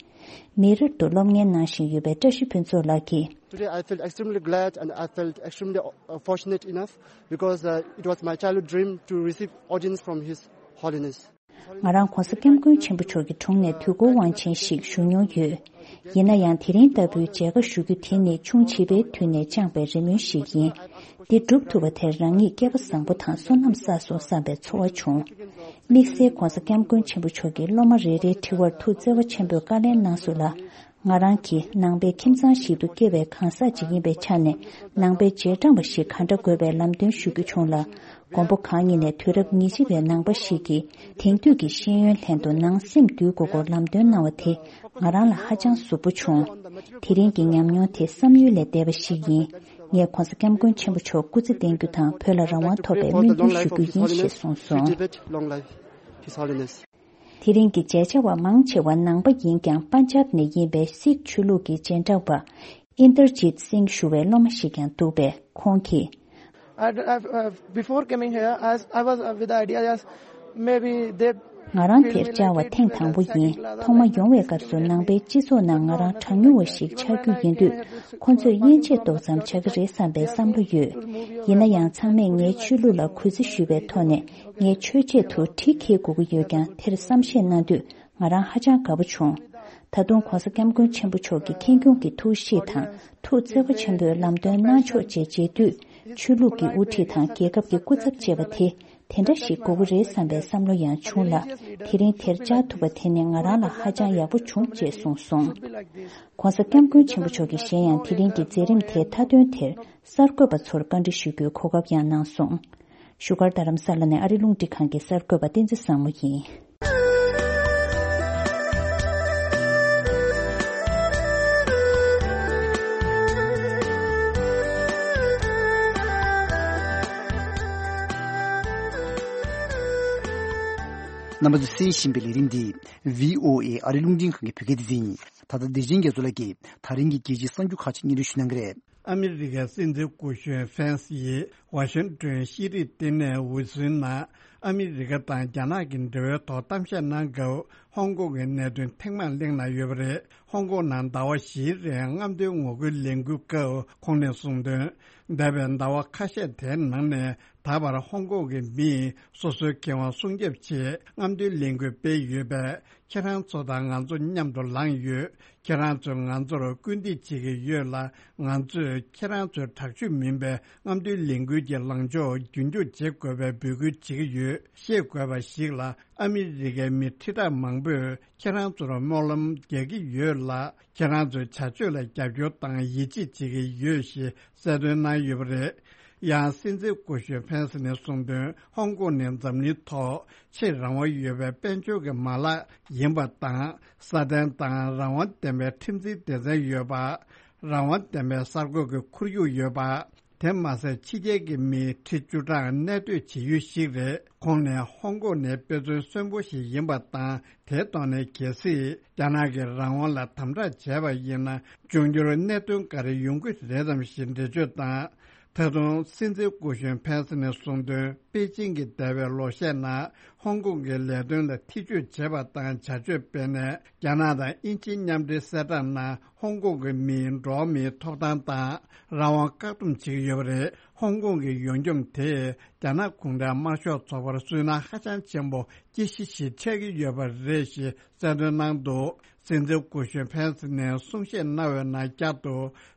མི་རབས་ཏུ་སློབ་གཉེར་གནང་བཞིན་ཡོད་པའི་བཀྲ་ཤིས་ཕུན་ཚོགས་ལགས་ཀྱིས། Today I felt extremely glad and I felt extremely, uh, fortunate enough because, uh, it was my childhood dream to receive audience from His Holiness. ང་རང་ྋགོང་ས་ྋསྐྱབས་མགོན་ཆེན་པོ་མཆོག་གི་དྲུང་ནས་དུས་འཁོར་དབང་ཆེན་ཞིག་ཞུ་མྱོང་ཡོད། ཡིན་ན་ཡང་དེ་རིང་ལྟ་བུའི་མཇལ་ཁ་ཞུ་རྒྱུ་དེ་ནི་ཆུང་བྱིས་པའི་དུས་ནས་བཅངས་པའི་རེ་སྨོན་ཞིག་ཡིན། འདི་འགྲུབ་ཐུབ་པ་དེར་རང་ཉིད་སྐལ་པ་བཟང་པོ་དང་བསོད་ནམས་བསགས་སོང་བསམ་པའི་ཚོར་བ་བྱུང་། དམིགས་བསལ་ྋགོང་ས་ྋསྐྱབས་མགོན་ཆེན་པོ་མཆོག་གིས་སློབ་མ་རེ་རེའི་དྲི་བར་ཐུགས་བརྩེ་བ་ཆེན་པོས་བཀའ་ལན་གནང་སོང་ལ། ང་རང་གིས་ནང་པའི་ཁྱིམ་ཚང་ཞིག་ཏུ་སྐྱེས་པའི་གང་ཟག་ཅིག་ཡིན་པའི་ཆ་ནས་ནང་པའི་རྗེས་འབྲང་བ་ཞིག་གང་འདྲ་དགོས་པའི་ལམ་སྟོན་ཞུ་རྒྱུ་བྱུང་ལ། མགོན་པོ་གང་ཉིད་ནས་དུས་རབས་ཉེར་གཅིག་པའི་ནང་པ་ཞིག་གིས་དེང་དུས་ཀྱི་ཤེས་ཡོན་ལྷན་དུ་ནང་སེམས་འདུལ་དགོས་སྐོར་ལམ་སྟོན་གནང་བ་དེ་ང་རང་ལ་ཧ་ཅང་ཟུག་པོ་བྱུང་། དེ་རིང་གི་ཉམས་མྱོང་དེ་བསམ་ཡུལ་ལས་འདས་པ་ཞིག་ཡིན། ངས་ྋགོང་ས་ྋསྐྱབས་མགོན་ཆེན་པོ་མཆོག་སྐུ་ཚེ་བརྟན་རྒྱུ་དང་བོད་ལ་རང་དབང་ཐོབ་པའི་སྨོན་འདུན་ཞུ་རྒྱུ་ཡིན་ཞེས་གསུངས་སོང་། དེ་རིང་གི་མཇལ་བཅར་བ་མང་ཆེ་བ་ནང་པ་ཡིན་ཀྱང་པན་ཇབ་ནས་ཡིན་པའི་སིག་ཆོས་ལུགས་ཀྱི་རྗེས་འབྲང་བ་ཨིན་དར་ཇིད་སིང་ཞུ་བའི་སློབ་མ་ཞིག་ཀྱང་འདུག་པས་ཁོང་གིས། I, I, uh, before coming here, I, I was, uh, with the idea, yes, maybe they ང་རང་དེར་བཅར་བ་ཐེངས་དང་པོ་ཡིན། ཐོག་མ་ཡོང་བའི་སྐབས་སུ་ནང་པའི་སྤྱི་ཚོགས་ནང་ང་རང་གྲངས་ཉུང་བ་ཞིག་ཆགས་རྒྱུ་ཡིན་དུས། ཁོ་ཚོས་དབྱེ་འབྱེད་ཏོག་ཙམ་བྱ་གི་རེད་བསམ་པའི་བསམ་བློ་ཡོད། ཡིན་ན་ཡང་ཚང་མས་ངའི་ཆོས་ལུགས་ལ་གུས་བརྩི་ཞུས་པའི་ཐོག་ནས་ངས་ཆོས་ཆེད་དུ་གྲི་འཁྱེར་དགོས་ཀྱི་ཡོད་ཀྱང་། དེར་བསམ་ཤེས་གནང་དུས་ང་རང་ཧ་ཅང་དགའ་པོ་བྱུང་། ད་དུང་༧གོང་ས་༧སྐྱབས་མགོན་ཆེན་པོ་མཆོག་གི་ཁེངས་སྐྱུང་གི་ཐུགས་གཤིས་དང་། ཐུགས་བརྩེ་བ་ཆེན་པོས་ལམ་སྟོན་གནང་ཕྱོགས་བཅས་མཇལ་དུས། ཆོས་ལུགས་ཀྱི་དབུ་ཁྲིད་དང་རྒྱལ་ཁབ་ཀྱི་སྐུ་ཚབ་ཅེས་པ་དེ། དེ་འདྲ་ཞིག་དགོས་ཀྱི་རེད་བསམ་པའི་བསམ་བློ་ཡང་བྱུང་ལ། དེ་རིང་དེར་བཅར་ཐུབ་པ་དེ་ནི་ང་རང་ལ་ཧ་ཅང་ཡག་པོ་བྱུང་ཅེས་གསུངས་སོང་། ༧གོང་ས་༧སྐྱབས་མགོན་ཆེན་པོ་མཆོག་གིས་གཞན་ཡང་དེ་རིང་གི་མཛད་རིམ་དེའི་མཐའ་དོན་དེར་གསར་འགོད་པ་ཚོར་བཀའ་འདྲི་ཞུ་རྒྱུའི་གོ་སྐབས་ཡང་གནང་སོང་། བཞུགས་སྒར་རྡ་རམ་ས་ལ་ནས་ཨ་རི་རླུང་འཕྲིན་ཁང་གི་གསར་འགོད་པ་བསྟན་འཛིན་བཟང་མོ་ཡིན། རྣམ་པ་ཚོས་གསན་བཞིན་པའི་ལས་རིམ་འདི་བྷི་ཨོ་ཨེ་ཨ་རི་རླུང་འཕྲིན་ཁང་གི་བོད་སྐད་སྡེ་ཚན་ཡིན། ད་ལྟ་བདེ་ཆེན་རྒྱ་མཚོ་ལགས་ཀྱིས་ད་རིང་གི་རྒྱལ་སྤྱིའི་གསར་འགྱུར་ཁག་ཅིག་སྙན་སྒྲོན་ཞུ་གནང་གི་རེད། ཨ་མི་རི་ཀའི་སྲིད་འཛིན་སྐུ་གཞོན་ཕེན་སི་ཡིས་ཝ་ཤིང་ཏོན་ཤེས་རིག་ལྟེ་གནས་འོས་ཚུལ་ནང་ཨ་མི་རི་ཀ་དང་རྒྱ་ནག་གི་འབྲེལ་བའི་ཐོག་གཏམ་བཤད་གནང་སྐབས། ཧོང་ཀོང་གི་གནད་དོན་ཐེངས་མང་གླེང་གནང་ཡོད་པ་རེད། ཧོང་ཀོང་ནང་ཟླ་བ་བཞིའི་རིང་རྔམ་སྟོན་ངོ་རྒོལ་ལས་འགུལ་སྐབས་ཁོང་ནས་གསུངས་དོན། འདས་པའི་ཟླ་བ་ཁ་ཤས་དེའི་ནང་ནས་ད་བར་ཧོང་ཀོང་གི་མིས་སོ་སོའི་ཁེ་དབང་སྲུང་སྐྱོབ་ཆེད་རྔམ་སྟོན་ལས་འགུལ་སྤེལ་ཡོད་པས། ཁྱེད་རང་ཚོ་དང་ང་ཚོ་མཉམ་དུ་ལངས་ཡོད། ཁྱེད་རང་ཚོས་ང་ཚོར་སྐུལ་འདེད་བྱེད་ཀྱི་ཡོད་ལ། ང་ཚོས་ཁྱེད་རང་ཚོའི་དྲག་སྤྱོད་མིན་པའི་རྔམ་སྟོན་ལས་འགུལ་གྱི་ལངས་ཕྱོགས་རྒྱུན་འཁྱོངས་བྱེད་དགོས་པའི་འབོད་སྐུལ་བྱེད་ཀྱི་ཡོད། ཤེས་དགོས་པ་ཞིག་ལ། ཨ་མི་རི་ཀའི་མི་ཁྲི་ཕྲག་མང་པོས་ཁྱེད་རང་ཚོར་སྨོན་ལམ་རྒྱག་གི་ཡོད་ལ། ཁྱེད་རང་ཚོའི་བྱ་སྤྱོད་ལ་རྒྱབ་སྐྱོར་དང་ཡིད་ཆེས་བྱེད་ཀྱི་ཡོད་ཞེས་གསལ་སྟོན་གནང་ཡོད་པ་རེད། ཡང་སྲིད་འཛིན་སྐུ་གཞོན་ཕེན་སི་ནས་གསུངས་དོན། ཧོང་ཀོང་ནི་འཛམ་གླིང་ཐོག་ཆེས་རང་དབང་ཡོད་པའི་དཔལ་འབྱོར་གྱི་མ་ལག་ཡིན་པ་དང་། སྲ་བརྟན་དང་རང་དབང་ལྡན་པའི་ཁྲིམས་འཛིན་སྡེ་ཚན་ཡོད་པ། རང་དབང་ལྡན་པའི་གསར་འགོད་ཀྱི་ཁོར་ཡུག་ཡོད་པ། དེ་མ་ཟད། ཕྱི་རྒྱལ་གྱི་མིའི་ཁྲི་བཅུ་གྲངས་གནས་སྡོད་བྱེད་ཡུལ་ཞིག་རེད། ཁོང་ནས་ཧོང་ཀོང་ནི་དཔེ་མཚོན་གསོན་པོ་ཞིག་ཡིན་པ་དང་། དེའི་ཐོག་ནས་གལ་སྲིད་རྒྱ་ནག་གིས་རང་དབང་ལ་དམ་དྲག་བྱས་པ་ཡིན་ན། འབྱུང་འགྱུར་གནད་དོན་ག་རེ་ཡོང་གི་རེད་དམ་ཞེས་འགྲེལ་བརྗོད་དང་། ད་དུང་སྲིད་འཛིན་སྐུ་གཞོན་ཕེན་སི་ནས་གསུངས་དོན། པེ་ཅིང་གིས་འདས་པའི་ལོ་ཤས་ནང་ཧོང་ཀོང་གི་ལས་དོན་ལ་ཐེ་བྱུས་བྱས་པ་དང་། བྱ་སྤྱོད་སྤེལ་ནས། རྒྱ་ནག་དང་དབྱིན་ཇིའི་མཉམ་འབྲེལ་གསལ་བསྒྲགས་ནང་ཧོང་ཀོང་གི་མིའི་འགྲོ་བ་མིའི་ཐོབ་ཐང་དང་རང་དབང་བཀག་སྡོམ་བྱེད་ཀྱི་ཡོད་པ་རེད། ཧོང་ཀོང་གི་ཡོངས་འཁྱོངས་དེས་རྒྱ་ནག་གུང་ཁྲན་དམར་ཤོག་ཚོགས་པར་སུན་སྣང་ཧ་ཅང་ཆེན་པོ་སྐྱེ་གཞི་ཞིག་ཆགས་ཀྱི་ཡོད་པ་རེད་ཞེས་གསལ་སྟོན་གནང་འདུག། སྲིད་འཛིན་སྐུ་གཞོན་ཕེན་སི་ནས་གསུང་བཤད་གནང་བའི་ནང་བསྐྱར་དུ།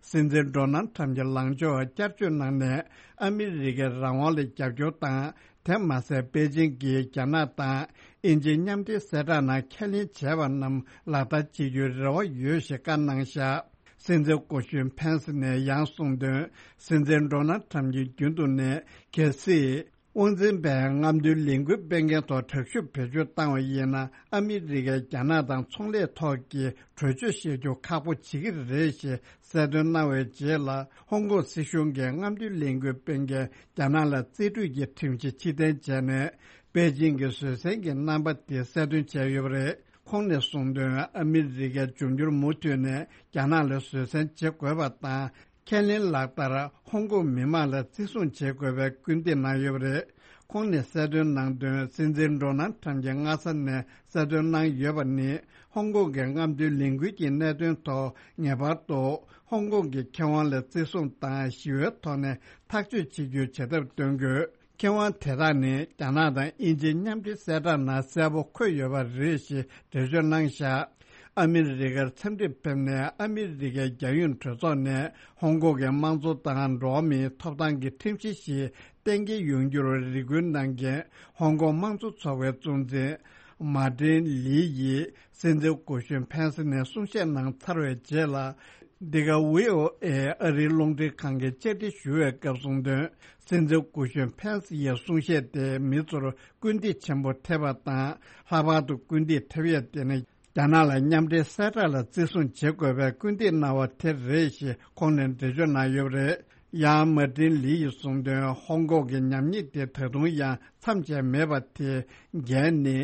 སྲིད་འཛིན་ཌོ་ནལ་ཁྲམ་གྱི་ལངས་ཕྱོགས་བསྐྱར་བཅོས་གནང་ནས། ཨ་མི་རི་ཀའི་རང་དབང་ལ་རྒྱབ་སྐྱོར་དང་། དེ་མ་ཟད། པེ་ཅིང་གིས་རྒྱ་ནག་དང་དབྱིན་ཇིའི་མཉམ་འབྲེལ་གསལ་བསྒྲགས་ནང་ཁས་ལེན་བྱས་པ་རྣམས་ལག་བསྟར་བྱེད་རྒྱུའི་རེ་བ་ཡོད་ཞེས་བཀའ་གནང་བཞག། སྲིད་འཛིན་སྐུ་གཞོན་ཕེན་སི་ནས་ཡང་གསུངས་དོན། སྲིད་འཛིན་ཌོ་ནལ་ཁྲམ་གྱིས་རྒྱུན་དུ་ནས། གལ་སྲིད་དབང་འཛིན་པས་རྔམ་སྟོན་ལས་འགུལ་སྤེལ་མཁན་ཐོག་དྲག་ཤུགས་བེད་སྤྱོད་བཏང་བ་ཡིན་ན། ཨ་མི་རི་ཀས་རྒྱ་ནག་དང་ཚོང་ལས་ཐོག་གི་གྲོས་ཆོད་བཞག་རྒྱུ་ཁག་པོ་བྱེད་ཀྱི་རེད་ཞེས་གསལ་སྟོན་གནང་བའི་རྗེས་ལ། ཧོང་ཀོང་སྲིད་གཞུང་གིས་རྔམ་སྟོན་ལས་འགུལ་སྤེལ་མཁན་རྒྱ་ནག་ལ་རྩིས་སྤྲོད་ཀྱི་ཁྲིམས་གཞི་ཕྱིར་འཐེན་བྱས་ནས། པེ་ཅིང་གི་བཟོད་བསྲན་གྱི་རྣམ་པ་དེ་གསལ་སྟོན་བྱས་ཡོད་པ་རེད། ཁོང་ནས་གསུངས་དོན། ཨ་མི་རི་ཀས་འབྱུང་འགྱུར་མུ་མཐུད་ནས་རྒྱ་ནག་ལ་བཟོད་བསྲན་བྱེད་དགོས་པ་དང་། ཁས་ལེན་ལག་བསྟར། ཧོང་ཀོང་མི་མང་ལ་བརྩི་སྲུང་བྱེད་དགོས་པའི་སྐུལ་འདེད་གནང་ཡོད་པ་རེད། ཁོང་ནས་གསལ་སྟོན་གནང་དོན། སྲིད་འཛིན་ཌོ་ནལ་ཁྲམ་གྱིས་སྔ་ས་ནས་གསལ་སྟོན་གནང་ཡོད་པ་ནི། ཧོང་ཀོང་གི་རྔམ་སྟོན་ལས་འགུལ་གྱི་གནད་དོན་ཐོག་ངེས་པར་དུ་ཧོང་ཀོང་གི་ཁེ་དབང་ལ་བརྩི་སྲུང་དང་། ཞི་བའི་ཐོག་ནས་ཐག་གཅོད་བྱེད་རྒྱུའི་བྱེད་ཐབས་སྟོན་དགོས། ཁེ་དབང་དེ་དག་ནི་རྒྱ་ནག་དང་དབྱིན་ཇིའི་མཉམ་འབྲེལ་གསལ་བསྒྲགས་ནང་གསལ་པོ་འཁོད་ཡོད་པ་རེད་ཞེས་འགྲེལ་བརྗོད་གནང་བཞག། ཨ་མི་རི་ཀར་འཚམས་འདྲིར་ཕེབས་ནས། ཨ་མི་རི་ཀའི་རྒྱལ་ཡོངས་གྲོས་ཚོགས་ནས་ཧོང་ཀོང་གི་དམངས་གཙོ་དང་འགྲོ་བ་མིའི་ཐོབ་ཐང་གི་ཁྲིམས་གཞི་ཞིག་གཏན་འཁེལ་ཡོང་རྒྱུར་རེ་སྐུལ་གནང་མཁན་ཧོང་ཀོང་དམངས་གཙོ་ཚོགས་པའི་གཙོ་འཛིན་མཱ་ཏིན་ལི་ཡིས། སྲིད་འཛིན་སྐུ་གཞོན་ཕན་སི་ནས་གསུང་བཤད་གནང་ཚར་བའི་རྗེས་ལ། འདི་ག་ཝི་ཨོ་ཨེ་ཨ་རིའི་རླུང་འཕྲིན་ཁང་གིས་བཅར་འདྲི་ཞུ་བའི་སྐབས་གསུངས་དོན། སྲིད་འཛིན་སྐུ་གཞོན་ཕན་སི་ཡི་གསུང་བཤད་དེས་མི་ཚོར་སྐུལ་འདེད་ཆེན་པོ་ཐེབས་པ་དང་། ལྷག་པར་དུ་སྐུལ་འདེད་ཐེབས་ཡས་དེ་ནི། རྒྱ་ནག་ལ་མཉམ་འབྲེལ་གསལ་བསྒྲགས་ལ་བརྩི་སྲུང་བྱེད་དགོས་པའི་སྐུལ་འདེད་གནང་བ་དེ་རེད་ཞེས་ཁོང་ནས་འགྲེལ་བརྗོད་གནང་ཡོད་པ་རེད། ཡང་མཱ་ཏིན་ལི་ཡིས་གསུངས་དོན། ཧོང་ཀོང་གི་ཉམས་ཉེས་དེ་ད་དུང་ཡང་མཚམས་ཆད་མེད་པ་དེའི་འགན་ནི།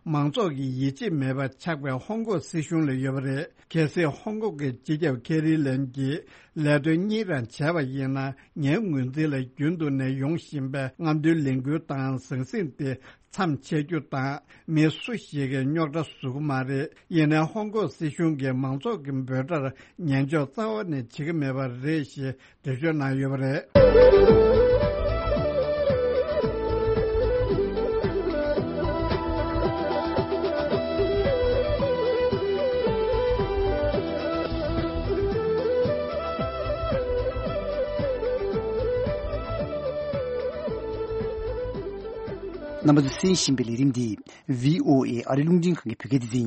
མང་ཚོགས་ཀྱི་ཡིད་ཆེས་མེད་པ་ཆགས་པའི་ཧོང་ཀོང་སྲིད་གཞུང་ལ་ཡོད་པ་རེད། གལ་སྲིད་ཧོང་ཀོང་གི་སྤྱི་ཁྱབ་ཁེ་རི་ལེམ་གྱིས་ལས་དོན་གཉིས་རང་བྱས་པ་ཡིན་ན། ངའི་ངོས་འཛིན་ལ་རྒྱུན་དུ་ནས་ཡོང་བཞིན་པའི་རྔམ་སྟོན་ལས་འགུལ་དང་ཟང་ཟིང་དེ་མཚམས་ཆད་རྒྱུ་དང་། མི་སུ་ཞིག་གིས་རྙོག་དྲ་བཟོ་གི་མ་རེད། ཡིན་ནའི་ཧོང་ཀོང་སྲིད་གཞུང་གིས་མང་ཚོགས་ཀྱི་འབོད་སྒྲར་ཉན་འཇོག་རྩ་བ་ནས་བྱེད་ཀྱི་མེད་པ་རེད་ཞེས་འགྲེལ་བརྗོད་གནང་ཡོད་པ་རེད། རྣམ་པ་ཚོས་གསན་བཞིན་པའི་ལས་རིམ་འདི་བྷི་ཨོ་ཨེ་ཨ་རི་རླུང་འཕྲིན་ཁང་གི་བོད་སྐད་སྡེ་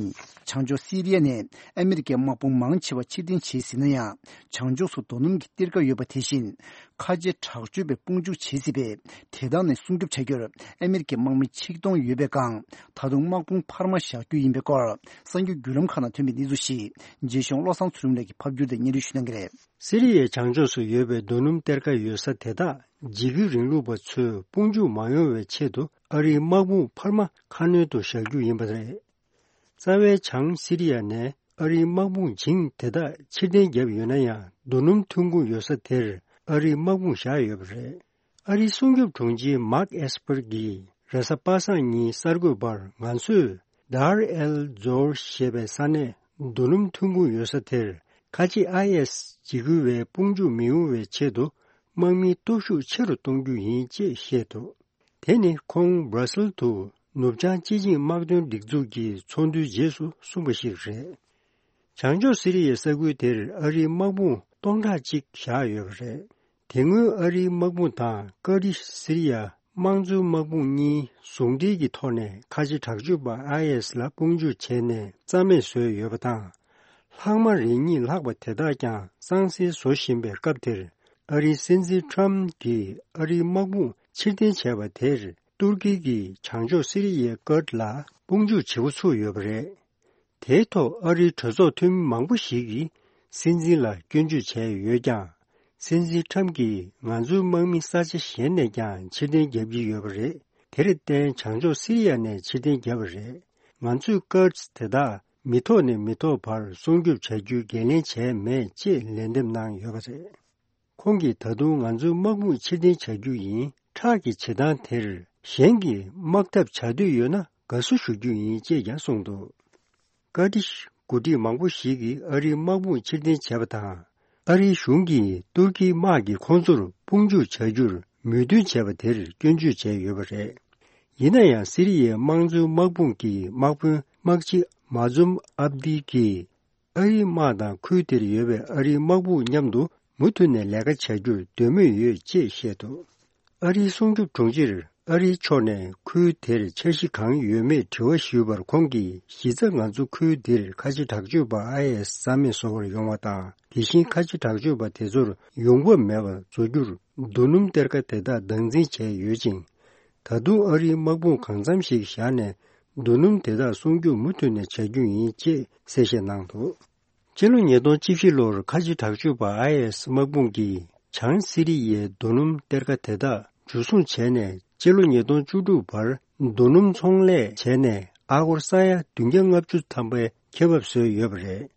ཚན་ཡིན། བྱང་ཕྱོགས་སི་རི་ཡ་ནས་ཨ་མི་རི་ཀའི་དམག་དཔུང་མང་ཆེ་བ་ཕྱིར་འཐེན་བྱས་ཟིན་ན་ཡང་། བྱང་ཕྱོགས་སུ་རྡོ་སྣུམ་གྱི་གཏེར་ཁ་ཡོད་པ་དེ་བཞིན། ཁ་ཆེ་དྲག་སྤྱོད་པས་དཔུང་འཇུག་བྱས་སྲིད་པས། དེ་དག་ནས་སྲུང་སྐྱོབ་བྱ་རྒྱུར་ཨ་མི་རི་ཀའི་དམག་མི་ཆིག་སྟོང་ཡོད་པའི་སྒང་། ད་དུང་དམག་དཔུང་འཕར་མ་བཞག་རྒྱུ་ཡིན་པའི་སྐོར། གསར་འགྱུར་བརྒྱུད་ལམ་ཁག་ནང་ཐོན་པའི་གནས་ཚུལ་ཞིག་རྗེས་གཞུང་བློ་བཟང་ཚུལ་ཁྲིམས་ལགས་ཀྱིས་ཕབ་བསྒྱུར་དང་སྙན་སྒྲོན་ཞུ་གནང་གི་རེད། སི་རི་ཡའི་བྱང་ཕྱོགས་སུ་ཡོད་པའི་རྡོ་སྣུམ་གཏེར་ཁ་ཡོད་ས་དེ་དག་འཇིགས་སྐུལ་རིང་ལུགས་པ་ཚོས་དཔུང་འཇུག་མ་ཡོང་བའི་ཆེད་དུ། ཨ་རིའི་དམག་དཔུང་འཕར་མ་ཁ་སྣོན་དུ་བཞག་རྒྱུ་ཡིན་པ་རེད། རྩ་བའི་བྱང་སི་རི་ཡ་ནས་ཨ་རིའི་དམག་དཔུང་བྱིངས་དེ་དག་ཕྱིར་འཐེན་བརྒྱབ་ཡོད་ན་ཡང་། རྡོ་སྣུམ་ཐོན་ཁུངས་ཡོད་ས་དེར་ཨ་རིའི་དམག་དཔུང་བཞག་ཡོད་པ་རེད། ཨ་རིའི་སྲུང་སྐྱོབ་དྲུང་ཆེ་མཱརྐ་ཨེས་པར་གྱིས་རེས་གཟའ་པ་སངས་ཉིན་གསར་འགོད་པར། ང་ཚོས་དར་ཨེལ་ཛོར་ཞེས་པའི་ས་གནས་རྡོ་སྣུམ་ཐོན་ཁུངས་ཡོད་ས་དེར། ཁ་ཆེ་ཨའི་ཨེས་འཇིགས་སྐུལ་བས་དཔུང་འཇུག་མི་ཡོང་བའི་ཆེད་དུ། དམག་མིའི་སྟོབས་ཤུགས་ཆེ་རུ་གཏོང་རྒྱུ་ཡིན་ཅེས་བཤད་འདུག་དེ་ནི་ཁོང་སྦྲ་སིལ་དུ་ནུབ་བྱང་སྤྱི་བྱིངས་དམག་དོན་སྒྲིག་འཛུགས་ཀྱི་ཚོགས་འདུའི་རྗེས་སུ་གསུངས་པ་ཞིག་རེད། བྱང་ཕྱོགས་སི་རི་ཡའི་ས་ཁུལ་དེར་ཨ་རིའི་དམག་དཔུང་སྟོང་ཕྲག་གཅིག་བཞག་ཡོད་པ་རེད། དེ་སྔོན་ཨ་རིའི་དམག་དཔུང་དང་ཀར་ཏི་ཤི་སི་རི་ཡ་དམངས་གཙོའི་དམག་དཔུང་གཉིས་ཟུང་འབྲེལ་གྱི་ཐོག་ནས་ཁ་ཆེ་དྲག་སྤྱོད་པ་ཨའི་ཨེས་ལ་དཔུང་འཇུག་བྱས་ནས་རྩ་མེད་བཟོས་ཡོད་པ་དང་། ལྷག་མ་རེ་གཉིས་ལྷག་པ་དེ་དག་ཀྱང་གཙང་སེལ་བཟོ་བཞིན་པའི་སྐབས་དེར། ཨ་རིའི་སྲིད་འཛིན་ཁྲམ་གྱིས་ཨ་རིའི་དམག་དཔུང་ཕྱིར་འཐེན་བྱས་པ་དེར། ཏུར་ཀི་གིས་བྱང་ཕྱོགས་སི་རི་ཡའི་ཀར་ཌི་ལ་དཔུང་འཇུག་བྱེད་འགོ་ཚུགས་ཡོད་པ་རེད། དེའི་ཐོག་ཨ་རིའི་གྲོས་ཚོགས་འཐུས་མི་མང་པོ་ཞིག་གིས་སྲིད་འཛིན་ལ་སྐྱོན་བརྗོད་བྱས་ཡོད་ཀྱང་། སྲིད་འཛིན་ཁྲམ་གྱིས་ང་ཚོའི་དམག་མི་ས་ཆ་གཞན་ནས་ཀྱང་ཕྱིར་འཐེན་བརྒྱབ་ཀྱི་ཡོད་པ་རེད། དེར་བརྟེན་བྱང་ཕྱོགས་སི་རི་ཡ་ནས་ཕྱིར་འཐེན་བརྒྱབ་པ་རེད། ང་ཚོས་ཀར་ཌི་དེ་དག་མི་ཐོག་ནས་མི་ཐོག་བར་སྲུང་སྐྱོབ་བྱ་རྒྱུའི་འགན་ལེན་བྱས་མེད་ཅེས་ལན་འདེབས་གནང་ཡོད་པ་རེད། ཁོང་གིས་ད་དུང་ང་ཚོའི་དམག་དཔུང་ཕྱིར་འཐེན་བྱ་རྒྱུ་ཡིན། ཁྲག་གི་བྱེད་སྟངས་དེར་གཞན་གྱིས་དམག་འཐབ་བྱ་འདོད་ཡོད་ན་དགའ་བསུ་ཞུ་རྒྱུ་ཡིན་ཅེས་ཀྱང་གསུངས་འདུག་ཀར་ཏི་ཤི་འགོ་ཁྲིད་མང་པོ་ཞིག་གིས་ཨ་རིའི་དམག་དཔུང་ཕྱིར་འཐེན་བྱས་པ་དང་། ཨ་རིའི་གཞུང་གིས་ཏུར་ཀིའི་དམག་གིས་ཁོང་ཚོར་དཔུང་འཇུག་བྱ་རྒྱུར་མོས་མཐུན་བྱས་པ་དེར་སྐྱོན་བརྗོད་བྱས་ཡོད་པ་རེད། ཡིན་ན་ཡང་སི་རི་ཡའི་དམངས་གཙོའི་དམག་དཔུང་གི་དམག་དཔོན་དམག་སྤྱི་མཱ་ཛུམ་ཨབ་དི་གིས། ཨ་རིའི་དམག་དང་ཁུལ་དེར་ཡོད་པའི་ཨ་རིའི་དམག་དཔུང་མཉམ་དུ་མུ་མཐུད་ནས་ལས་ཀ་བྱ་རྒྱུར་འདོད་མོས་ཡོད་ཅེས་བཤད་འདུག་ཨ་རིའི་སྲུང་སྐྱོབ་དྲུང་ཆེར་ཨ་རིའི་ཕྱོགས་ནས་ཁུལ་དེར་འཆར་གཞི་གང་ཡོད་མེད་དྲི་བ་ཞུས་པར། ཁོང་གིས་གཞི་རྩ་ང་ཚོ་ཁུལ་འདིར་ཁ་ཆེ་དྲག་སྤྱོད་པ་ཨའི་ཨེས་རྩ་མེད་བཟོ་བར་ཡོང་བ་དང་། དེ་བཞིན་ཁ་ཆེ་དྲག་སྤྱོད་པ་དེ་ཚོར་ཡོང་འབབ་མེད་པ་བཟོ་རྒྱུར་རྡོ་སྣུམ་གཏེར་ཁ་དེ་དག་བདག་འཛིན་བྱས་ཡོད་ཅིང་། ད་དུང་ཨ་རིའི་དམག་དཔུང་གང་འཚམ་ཞིག་བཞག་ནས་རྡོ་སྣུམ་དེ་དག་སྲུང་སྐྱོབ་མུ་མཐུད་ནས་བྱ་རྒྱུ་ཡིན་ཅེས་གསལ་བཤད་གནང་འདུག་སྤྱི་ལོ་ཉིས་སྟོང་བཅུ་བཞི་ལོར་ཁ་ཆེ་དྲག་སྤྱོད་པ་ཨའི་ཨེས་དམག་དཔུང་གིས་བྱང་སི་རི་ཡའི་རྡོ་སྣུམ་གཏེར་ཁ་དེ་དག་འཇུ་བཟུང་བྱས་ནས། སྤྱི་ལོ་ཉིས་སྟོང་བཅུ་དྲུག་བར་རྡོ་སྣུམ་ཚོང་ལས་བྱས་ནས་ཨ་སྒོར་ས་ཡ་བདུན་བརྒྱ་ལྔ་བཅུ་ཐམ་པའི་ཁེ་བབ་བཟོས་ཡོད་པ་རེད།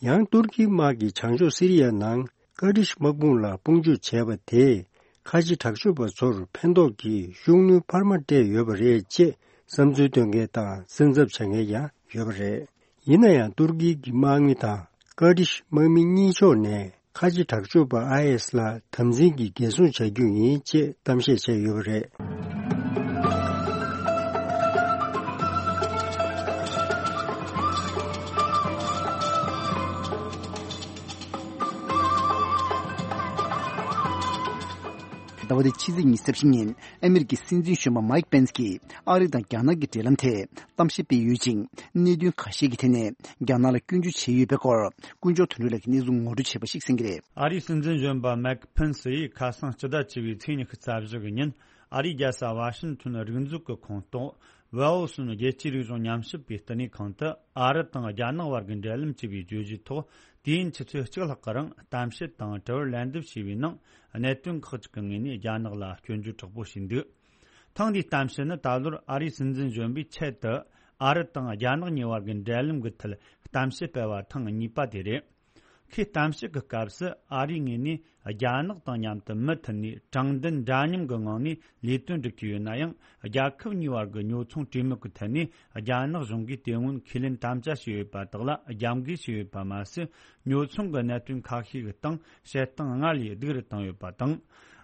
ཡང་ཏུར་ཀིའི་དམག་གིས་བྱང་ཕྱོགས་སི་རི་ཡ་ནང་ཀར་ཏིཤ་དམག་དཔུང་ལ་དཔུང་འཇུག་བྱས་པ་དེས་ཁ་ཆེ་དྲག་སྤྱོད་པ་ཚོར་ཕན་ཐོགས་ཀྱི་ཤུགས་སྣོན་འཕར་མ་སྤྲད་ཡོད་པ་རེད་ཅེས་བསམ་ཚུལ་འདོན་མཁན་དང་སེམས་འཚབ་བྱེད་མཁན་ཡང་ཡོད་པ་རེད། ཡིན་ན་ཡང་ཏུར་ཀི་གི་དམག་མི་དང་ཀར་ཏིཤ་དམག་མི་གཉིས་ཕྱོགས་ནས་ཁ་ཆེ་དྲག་སྤྱོད་པ་ཨའི་ཨེས་ལ་དམ་འཛིན་གྱིས་འགན་སྲུང་བྱ་རྒྱུ་ཡིན་ཅེས་གཏམ་བཤད་བྱས་ཡོད་པ་རེད། ཟླ་བ་འདིའི་ཕྱི་ཚེས་ཉི་ཤུ་རྩ་བཞི་ཉིན་ཨ་མི་རི་ཀའི་སྲིད་འཛིན་གཞོན་པ་མཱིག་པེན་སི་གིས་ཨ་རི་དང་རྒྱ་ནག་གི་འབྲེལ་ལམ་ཐད་གཏམ་བཤད་སྤེལ་ཡོད་ཅིང་། གནད་དོན་ཁ་ཤས་ཀྱི་ཐད་ནས་རྒྱ་ནག་ལ་སྐྱོན་བརྗོད་བྱས་ཡོད་པའི་སྐོར་དཀོན་མཆོག་དོན་གྲུབ་ལགས་ཀྱིས་གནས་ཚུལ་ངོ་སྤྲོད་བྱས་པ་ཞིག་གསན་གྱི་རེད། ཨ་རིའི་སྲིད་འཛིན་གཞོན་པ་མཱིག་པེན་སི་ཡིས་ཁ་སང་སྤྱི་ཟླ་བཅུ་པའི་ཚེས་ཉི་ཤུ་རྩ་བཞི་གི་ཉིན་ཨ་རིའི་རྒྱལ་ས་ཝ་ཤིང་ཊོན་རིག་འཛུགས་ཀྱི་ཁོངས་གཏོགས་ཝེ་ཨོ་སུན་རྒྱལ་སྤྱིའི་རིག་གཞུང་ཉམས་ཞིབ་པའི་བསྟི་གནས་ཁང་དུ་ཨ་རི་དང་རྒྱ་ནག་བར་གྱི་འབྲེལ་ལམ་ཅེས་པའི་བརྗོད་གཞིའི་ཐོག་དུས་ཡུན་ཆུ་ཚོད་གཅིག་ལྷག་གི་རིང་གཏམ་བཤད་དང་དྲི་བར་ལན་འདེབས་བྱས་པའི་ནང་། གནད་དོན་ཁག་ཅིག་གི་ངོས་ནས་རྒྱ་ནག་ལ་སྐྱོན་བརྗོད་དྲག་པོ་བྱས་འདུག་ཐེངས་འདིའི་གཏམ་བཤད་ནི་ད་ལོར་ཨ་རིའི་སྲིད་འཛིན་གཞོན་པས་ཆེད་དུ་ ཨ་རི་དང་རྒྱ་ནག་གཉིས་བར་གྱི་འབྲེལ་ལམ་གྱི་ཐད་གཏམ་བཤད་སྤེལ་བ་ཐེངས་གཉིས་པ་དེ་རེད། ཁོས་གཏམ་བཤད་ཀྱི་སྐབས་སུ་ཨ་རིའི་ངོས་ནས་རྒྱ་ནག་དང་མཉམ་དུ་མུ་མཐུད་ནས་དྲང་བདེན་འདྲ་མཉམ་གྱི་ངང་ནས་ལས་དོན་སྒྲུབ་ཀྱི་ཡོད་ན་ཡང་། རྒྱལ་ཁབ་གཉིས་བར་གྱི་ཉོ་ཚོང་གྲོས་མོལ་གྱི་ཐད་ནས་རྒྱ་ནག་གཞུང་གིས་དེ་སྔོན་ཁས་ལེན་དམ་བཅའ་བྱས་ཡོད་པ་དག་ལ་རྒྱབ་འགལ་བྱས་ཡོད་པ་མ་ཟད། ཉོ་ཚོང་གི་གནད་དོན་ཁ་ཤས་ཀྱི་སྟེང་བཤད་སྟངས་སྔར་ལས་སྡུག་རུ་བཏང་ཡོད་པ་དང་།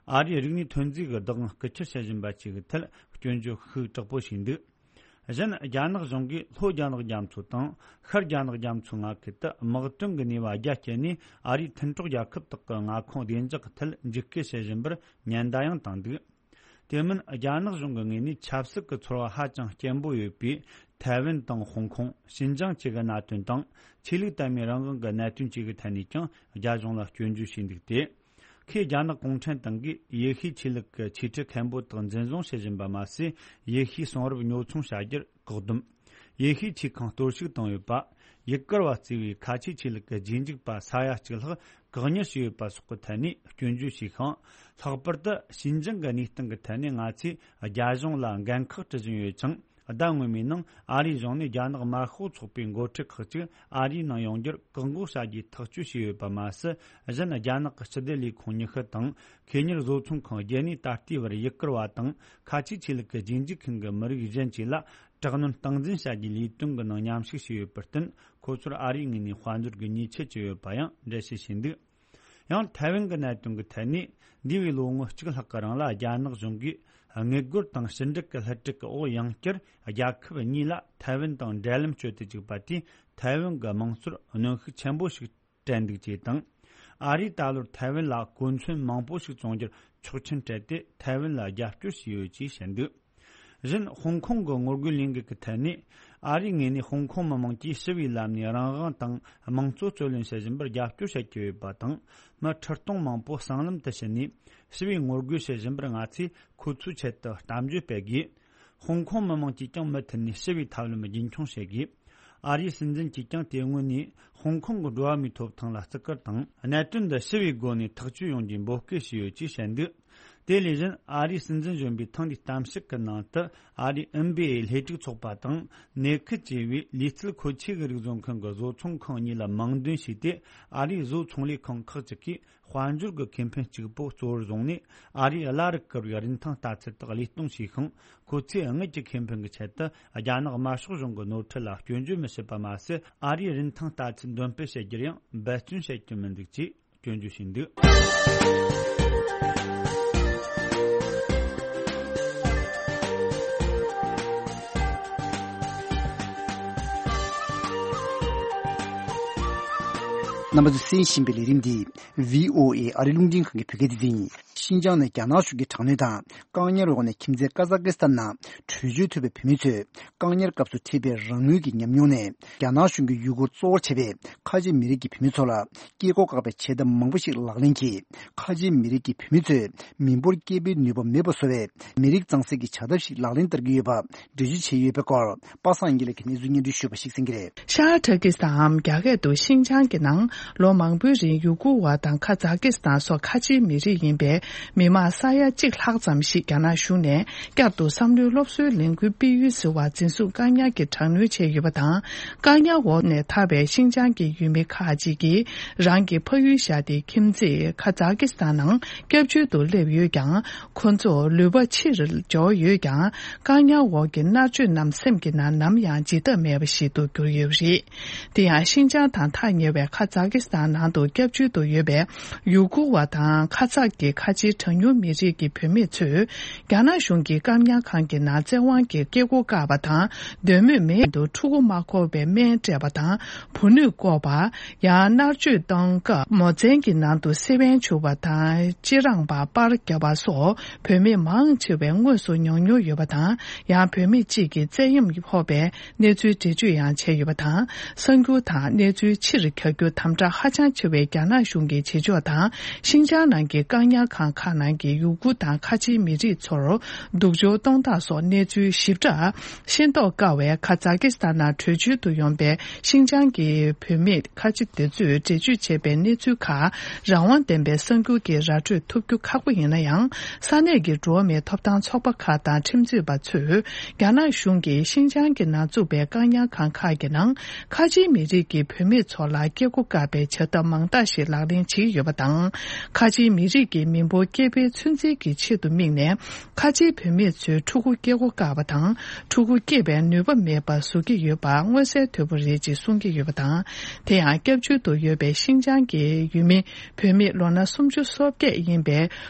ཨ་རིའི་རིག་གནས་ཐོན་རྫས་ཀྱི་བདག་དབང་རྐུ་འཁྱེར་བྱེད་བཞིན་པ་བཅས་ཀྱི་ཐད་སྐྱོན་བརྗོད་ཤུགས་དྲག་པོ་བྱས་འདུག་གཞན། རྒྱ་ནག་གཞུང་གིས་ལྷོ་རྒྱ་ནག་རྒྱ་མཚོ་དང་ཤར་རྒྱ་ནག་རྒྱ་མཚོའི་མངའ་ཁུལ་དུ་དམག་དོན་གྱི་ནུས་པ་རྒྱ་བསྐྱེད་ནས་ཨ་རིའི་མཐུན་གྲོགས་རྒྱལ་ཁབ་དག་གི་མངའ་ཁོངས་བདེ་འཇགས་ཀྱི་ཐད་འཇིགས་སྐུལ་བྱེད་བཞིན་པར་ཉེན་བརྡ་ཡང་བཏང་འདུག་དེ་མིན། རྒྱ་ནག་གཞུང་གི་ངོས་ནས་ཆབ་སྲིད་ཀྱི་ཚོར་བ་ཧ་ཅང་སྐྱེན་པོ་ཡོད་པའི་ཐའེ་ཝན་དང་ཧོང་ཀོང་། ཞིན་ཅང་བཅས་ཀྱི་གནད་དོན་དང་། ཆོས་ལུགས་དད་མོས་རང་དབང་གི་གནད་དོན་བཅས་ཀྱི་ཐད་ནས་ཀྱང་རྒྱ་གཞུང་ལ་སྐྱོན་བརྗོད་བྱས་འདུག་སྟེ། ཁོས་རྒྱ་ནག་གུང་ཁྲན་ཏང་གིས་ཡེ་ཤུའི་ཆོས་ལུགས་ཀྱི་ཆོས་ཁྲི་མཁན་པོ་དག་འཛིན་བཟུང་བྱེད་བཞིན་པ་མ་ཟད། ཡེ་ཤུའི་གསུང་རབ་ཉོ་ཚོང་བྱ་རྒྱུར་བཀག་སྡོམ། ཡེ་ཤུའི་ཆོས་ཁང་གཏོར་བཤིག་བཏང་ཡོད་པ། ཡུ་གུར་བ་གཙོས་པའི་ཁ་ཆེའི་ཆོས་ལུགས་ཀྱི་རྗེས་འཇུག་པ་ས་ཡ་གཅིག་ལྷག་བཀག་ཉར་བྱས་ཡོད་པ་སོགས་ཀྱི་ཐད་ནས་སྐྱོན་བརྗོད་བྱས་ཤིང་། ལྷག་པར་དུ་ཞིན་ཅང་གི་གནས་སྟངས་ཀྱི་ཐད་ནས་ང་ཚོས་རྒྱ་གཞུང་ལ་འགན་ཁག་སྤྲོད་བཞིན་ཡོད་ཅིང་། ཟླ་སྔོན་མའི་ནང་ཨ་རིའི་གཞུང་ནས་རྒྱ་ནག་དམར་ཤོག་ཚོགས་པའི་འགོ་ཁྲིད་ཁག་ཅིག་ཨ་རིའི་ནང་ཡོང་རྒྱུར་བཀག་འགོག་བྱ་རྒྱུའི་ཐག་གཅོད་བྱས་ཡོད་པ་མ་ཟད། གཞན། རྒྱ་ནག་གི་སྤྱི་བདེ་ལས་ཁུངས་ཉི་ཤུ་དང་། ཁེ་གཉེར་བཟོ་ཚོང་ཁང་བརྒྱད་ནས་ད་ལྟའི་བར་ཡུ་གུར་བ་དང་ཁ་ཆེའི་ཆོས་ལུགས་ཀྱི་རྗེས་འཇུག་མཁན་གྱི་མི་རིགས་གཞན་བཅས་ལ་དྲག་གནོན་སྟངས་འཛིན་བྱ་རྒྱུའི་ལས་དོན་གྱི་ནང་མཉམ་ཞུགས་བྱས་ཡོད་པར་བརྟེན། ཁོ་ཚོར་ཨ་རིའི་ངོས་ནས་དཔལ་འབྱོར་གྱི་ཉེས་ཆད་བཅད་ཡོད་པ་ཡང་འགྲེལ་བཤད་བྱས་འདུག་ཡང་། ཐའེ་ཝན་གྱི་གནད་དོན་གྱི་ཐད་ནས། འདས་པའི་ལོ་ངོ་གཅིག་ལྷག་གི་རིང་ལ་རྒྱ་ནག་གཞུང་གིས་དངུལ་སྒོར་དང་ཕྱི་འབྲེལ་གྱི་བསླུ་བྲིད་ཀྱི་འོག་ཡང་བསྐྱར་རྒྱལ་ཁབ་གཉིས་ལ་ཐའེ་ཝན་དང་འབྲེལ་ལམ་གཅོད་དུ་བཅུག་པ་དེས་ཐའེ་ཝན་གྱི་དམངས་སྲོལ་གནོན་ཤུགས་ཆེན་པོ་ཞིག་སྤྲད་འདུག་ཅེས་དང་། ཨ་རིས་ད་ལོར་ཐའེ་ཝན་ལ་གོ་མཚོན་མང་པོ་ཞིག་བཙོང་རྒྱུར་ཆོག་མཆན་སྤྲད་དེ་ཐའེ་ཝན་ལ་རྒྱབ་སྐྱོར་བྱས་ཡོད་ཅེས་བཤད་འདུག་གཞན། ཧོང་ཀོང་གི་ངོ་རྒོལ་ལས་འགུལ་གྱི་ཐད་ནས། ཨ་རིའི་ངོས་ནས་ཧོང་ཀོང་མི་དམངས་ཀྱིས་ཞི་བའི་ལམ་ནས་རང་དབང་དང་དམངས་གཙོ་རྩོད་ལེན་བྱེད་བཞིན་པར་རྒྱབ་སྐྱོར་བྱེད་ཀྱི་ཡོད་པ་དང་། མི་ཁྲི་སྟོང་མང་པོ་སྲང་ལམ་དུ་ཕྱིན་ནས་ཞི་བའི་ངོ་རྒོལ་བྱེད་བཞིན་པར་ང་ཚོས་ཁོ་ཚོའི་ཆེད་དུ་གཏམ་བརྗོད་སྤེལ་དགོས། ཧོང་ཀོང་མི་དམངས་ཀྱིས་ཀྱང་མུ་མཐུད་ནས་ཞི་བའི་ཐབས་ལམ་རྒྱུན་འཁྱོངས་བྱེད་དགོས། ཨ་རིའི་སྲིད་འཛིན་གྱིས་ཀྱང་དེ་སྔོན་ནས་ཧོང་ཀོང་གི་འགྲོ་བ་མིའི་ཐོབ་ཐང་ལ་བརྩི་བཀུར་དང་། གནད་དོན་འདི་ཞི་བའི་སྒོ་ནས་ཐག་གཅོད་ཡོང་རྒྱུའི་འབོད་སྐུལ་བྱས་ཡོད་ཅེས་བཤད་འདུག་དེ་ལས་གཞན། ཨ་རིའི་སྲིད་འཛིན་གཞོན་པས་ཐེངས་འདིའི་གཏམ་བཤད་ཀྱི་ནང་དུ། ཨ་རིའི་ཨེན་བི་ཨེ་ལྷེ་སྒྲིག་ཚོགས་པ་དང་། ནེ་ཁི་ཅེས་པའི་ལུས་རྩལ་མཁོ་ཆས་ཀྱི་རིགས་བཟོ་མཁན་གྱི་བཟོ་ཚོང་ཁང་གཉིས་ལ་མིང་འདོན་བྱས་ཏེ། ཨ་རིའི་བཟོ་ཚོང་ལས་ཁང་ཁག་ཅིག་གིས་དཔལ་འབྱོར་གྱི་ཁེ་ཕན་གཅིག་པོ་གཙོ་བོར་བཟུང་ནས། ཨ་རིས་གླ་རུ་བསྐུར་བའི་རིན་ཐང་ལྟ་ཚུལ་དག་བློས་གཏོང་བྱས་ཤིང་། ཁོ་ཚོས་དངུལ་གྱི་ཁེ་ཕན་གྱི་ཆེད་དུ་རྒྱ་ནག་དམར་ཤོག་གཞུང་གི་ནོར་འཁྲུལ་ལ་སྐྱོན་བརྗོད་མི་བྱེད་པ་མ་ཟད། ཨ་རིས་རིན་ཐང་ལྟ་ཚུལ་འདོན་སྤེལ་བྱེད་རྒྱུར་ཡང་འབད་བརྩོན་བྱེད་ཀྱི་མི་འདུག་ཅེས་སྐྱོན་བརྗོད་བྱས་འདུག་རྣམ་པ་ཚོས་གསན་བཞིན་པའི་ལས་རིམ་འདི་བྷི་ཨོ་ཨེ་ཨ་རི་རླུང་འཕྲིན་ཁང་གི་བོད་སྐད་སྡེ་ཚན་ཡིན། ཤིན་ཅང་ནི་རྒྱ་ནག་གཞུང་གི་དྲག་གནོན་དང་བཀག་ཉར་འོག་ནས་ཁྱིམ་མཚེས་ཀ་ཛ་ཀི་སི་ཐན་ནང་བྲོས་བྱོལ་ཐུབ་པའི་བོད་མི་ཚོས། བཀག་ཉར་སྐབས་སུ་འཕྲད་པའི་རང་ངོས་ཀྱི་ཉམས་མྱོང་ནས། རྒྱ་ནག་གཞུང་གིས་ཡུ་གུར་གཙོ་བོར་བྱས་པའི་ཁ་ཆེ་མི་རིགས་ཀྱི་བུད་མེད་ཚོ་ལ་སྐྱེ་སྒོ་བཀག་པའི་བྱེད་ཐབས་མང་པོ་ཞིག་ལག་ལེན་གྱིས། ཁ་ཆེ་མི་རིགས་ཀྱི་བུད་མེད་ཚོས་མི་འབོར་སྐྱེ་འཕེལ་ནུས་པ་མེད་པ་བཟོ་བའི་མི་རིགས་གཙང་སེལ་གྱི་བྱ་ཐབས་ཤིག་ལག་ལེན་བསྟར་གྱི་ཡོད་པ་འགྲེལ་བརྗོད་བྱས་ཡོད་པའི་སྐོར། པ་སངས་དགེ་ལེགས་ཀྱིས་གནས་ཚུལ་སྙན་སྒྲོན་ཞུས་པ་ཞིག་གསན་གྱི་རེད། ཤར་ཏུར་ཀི་སི་ཐན་ནམ་རྒྱ་སྐད་དུ་ཤིན་ཅང་གི་ནང་ལོ་མང་པོའི་རིང་ཡུ་གུར་བ་དང་ཁ་ཛ་ཀི་སི་ཐན་སོགས་ཁ་ཆེའི་མི་རིགས་ཡིན་པའི་མི་མང་ས་ཡ་གཅིག་ལྷག་ཙམ་ཞིག་རྒྱ་ནག་གཞུང་ནས་བསྐྱར་དུ་བསམ་བློའི་སློབ་གསོའི་ལས་འགུལ་སྤེལ་ཡུལ་ཟེར་བར་འཛིན་བཟུང་བཀག་ཉར་གྱིས་དྲག་གནོན་བྱས་ཡོད་པ་དང་། བཀག་ཉར་འོག་ནས་ཐར་བའི་ཤིན་ཅང་གི་ཡུལ་མི་ཁག་ཅིག་གིས་རང་གི་ཕ་ཡུལ་བཞག་སྟེ་ཁྱིམ་མཚེས་ཁ་ཛ་ཀི་སི་ཐན་ནང་སྐྱབས་བཅོལ་དུ་སླེབས་ཡོད་ཀྱང་། ཁོ་ཚོ་ལུས་པ་ཕྱིར་འབྱོར་ཡོད་ཀྱང་། བཀག་ཉར་འོག་གི་མནར་གཅོད་རྣམས་སེམས་ཀྱི་ནང་ནམ་ཡང་བརྗེད་ཐབས་མེད་པ་ཞིག་ཏུ་གྱུར་ཡོད་པ་རེད། དེ་ཡང་ཤིན་ཅང་དང་ཐག་ཉེ་བའི་ཁ་ཛ་ཀི་སི་ཐན་ནང་དུ་སྐྱབས་བཅོལ་དུ་ཡོད་པའི་ཡུ་གུར་བ་དང་ཁ་ཛ་གི་ཁ་ཆེའི་གྲངས་ཉུང་མི་རིགས་ཀྱི་བུད་མེད་ཚོས་རྒྱ་ནག་གཞུང་གི་བཀག་ཉར་ཁང་གི་ནང་བཙན་དབང་གིས་སྐྱེ་སྒོ་བཀག་པ་དང་། འདོད་མོས་མེད་དུ་ཕྲུ་གུ་མ་འཁོར་བའི་སྨན་སྤྲད་པ་དང་བུ་སྣོད་བཀོག་པ། ཡང་མནར་གཅོད་གཏོང་སྐབས་མོ་ཚན་གྱི་ནང་དུ་སེ་བན་འཁྱུ་བ་དང་། གཅེས་རང་པ་པར་བརྒྱབ་པ་སོགས་བུད་མེད་མང་ཆེ་བས་དངོས་སུ་མྱོང་མྱོང་ཡོད་པ་དང་། ཡང་བུད་མེད་གཅིག་གིས་བཙན་གཡེམ་ཕོག་པའི་གནས་ཚུལ་འགྲེལ་བརྗོད་ཡང་བྱས་ཡོད་པ་དང་། གསར་འགྱུར་དང་གནས་ཚུལ་ཕྱིར་གྱར་རྒྱུ་དམ་དྲག་ཧ་ཅང་ཆེ་བའི་རྒྱ་ནག་གཞུང་གི་བྱེད་ཕྱོགས་དང་། ཤིན་ཅང་ནང་གི་བཀག་ཉར་ཁང་ ཁག་ནང་གི་ཡུ་གུར་དང་ཁ་ཆེའི་མི་རིགས་ཚོར་སྡུག་སྦྱོར་གཏོང་སྟངས་སོགས་གནས་ཚུལ་ཞིབ་ཕྲ་ཤེས་རྟོགས་དཀའ་བས། ཁ་ཛ་ཀི་སི་ཐན་ནང་བྲོས་བྱོལ་དུ་ཡོང་པའི་ཤིན་ཅང་གི་བོད་མི་ཁ་ཆེ་དེ་ཚོས་འགྲེལ་བརྗོད་བྱས་པའི་གནས་ཚུལ་ཁག་རང་དབང་ལྡན་པའི་གསར་འགྱུར་གྱིས་ར་སྤྲོད་ཐུབ་རྒྱུ་ཁག་པོ་ཡིན་ན་ཡང་། ས་གནས་ཀྱི་འགྲོ་བ་མིའི་ཐོབ་ཐང་ཚོགས་པ་ཁག་དང་ཁྲིམས་རྩོད་པ་ཚོས་རྒྱ་ནག་གཞུང་གིས་ཤིན་ཅང་གི་ནང་བཙུགས་པའི་བཀག་ཉར་ཁང་ཁག་གི་ནང་ཁ་ཆེའི་མི་རིགས་ཀྱི་བུད་མེད་ཚོ་ལ་སྐྱེ་སྒོ་བཀག་པའི་བྱ་ཐབས་མང་དག་ཞིག་ལག་ལེན་བྱེད་ཀྱི་ཡོད་པ་དང་། ཁ་ཆེའི་མི་རིགས་ཀྱི་མི་འབོར་སྐྱེ་འཕེལ་ཚོད་འཛིན་གྱི་ཆེད་དུ་དམིགས་ནས། ཁ་ཆེའི་བུད་མེད་ཚོའི་ཕྲུ་གུ་སྐྱེ་སྒོ་བཀག་པ་དང་། ཕྲུ་གུ་སྐྱེས་པའི་ནུས་པ་མེད་པར་བཟོ་གི་ཡོད་པ་མངོན་གསལ་དོད་པོ་རེད་ཅེས་གསུང་གི་ཡོད་པ་དང་། དེ་ཡང་སྐྱབས་བཅོལ་དུ་ཡོད་པའི་ཤིན་ཅང་གི་ཡུལ་མི་བུད་མེད་ལོ་ན་སུམ་ཅུ་སོ་བརྒྱད་ཡིན་པའི་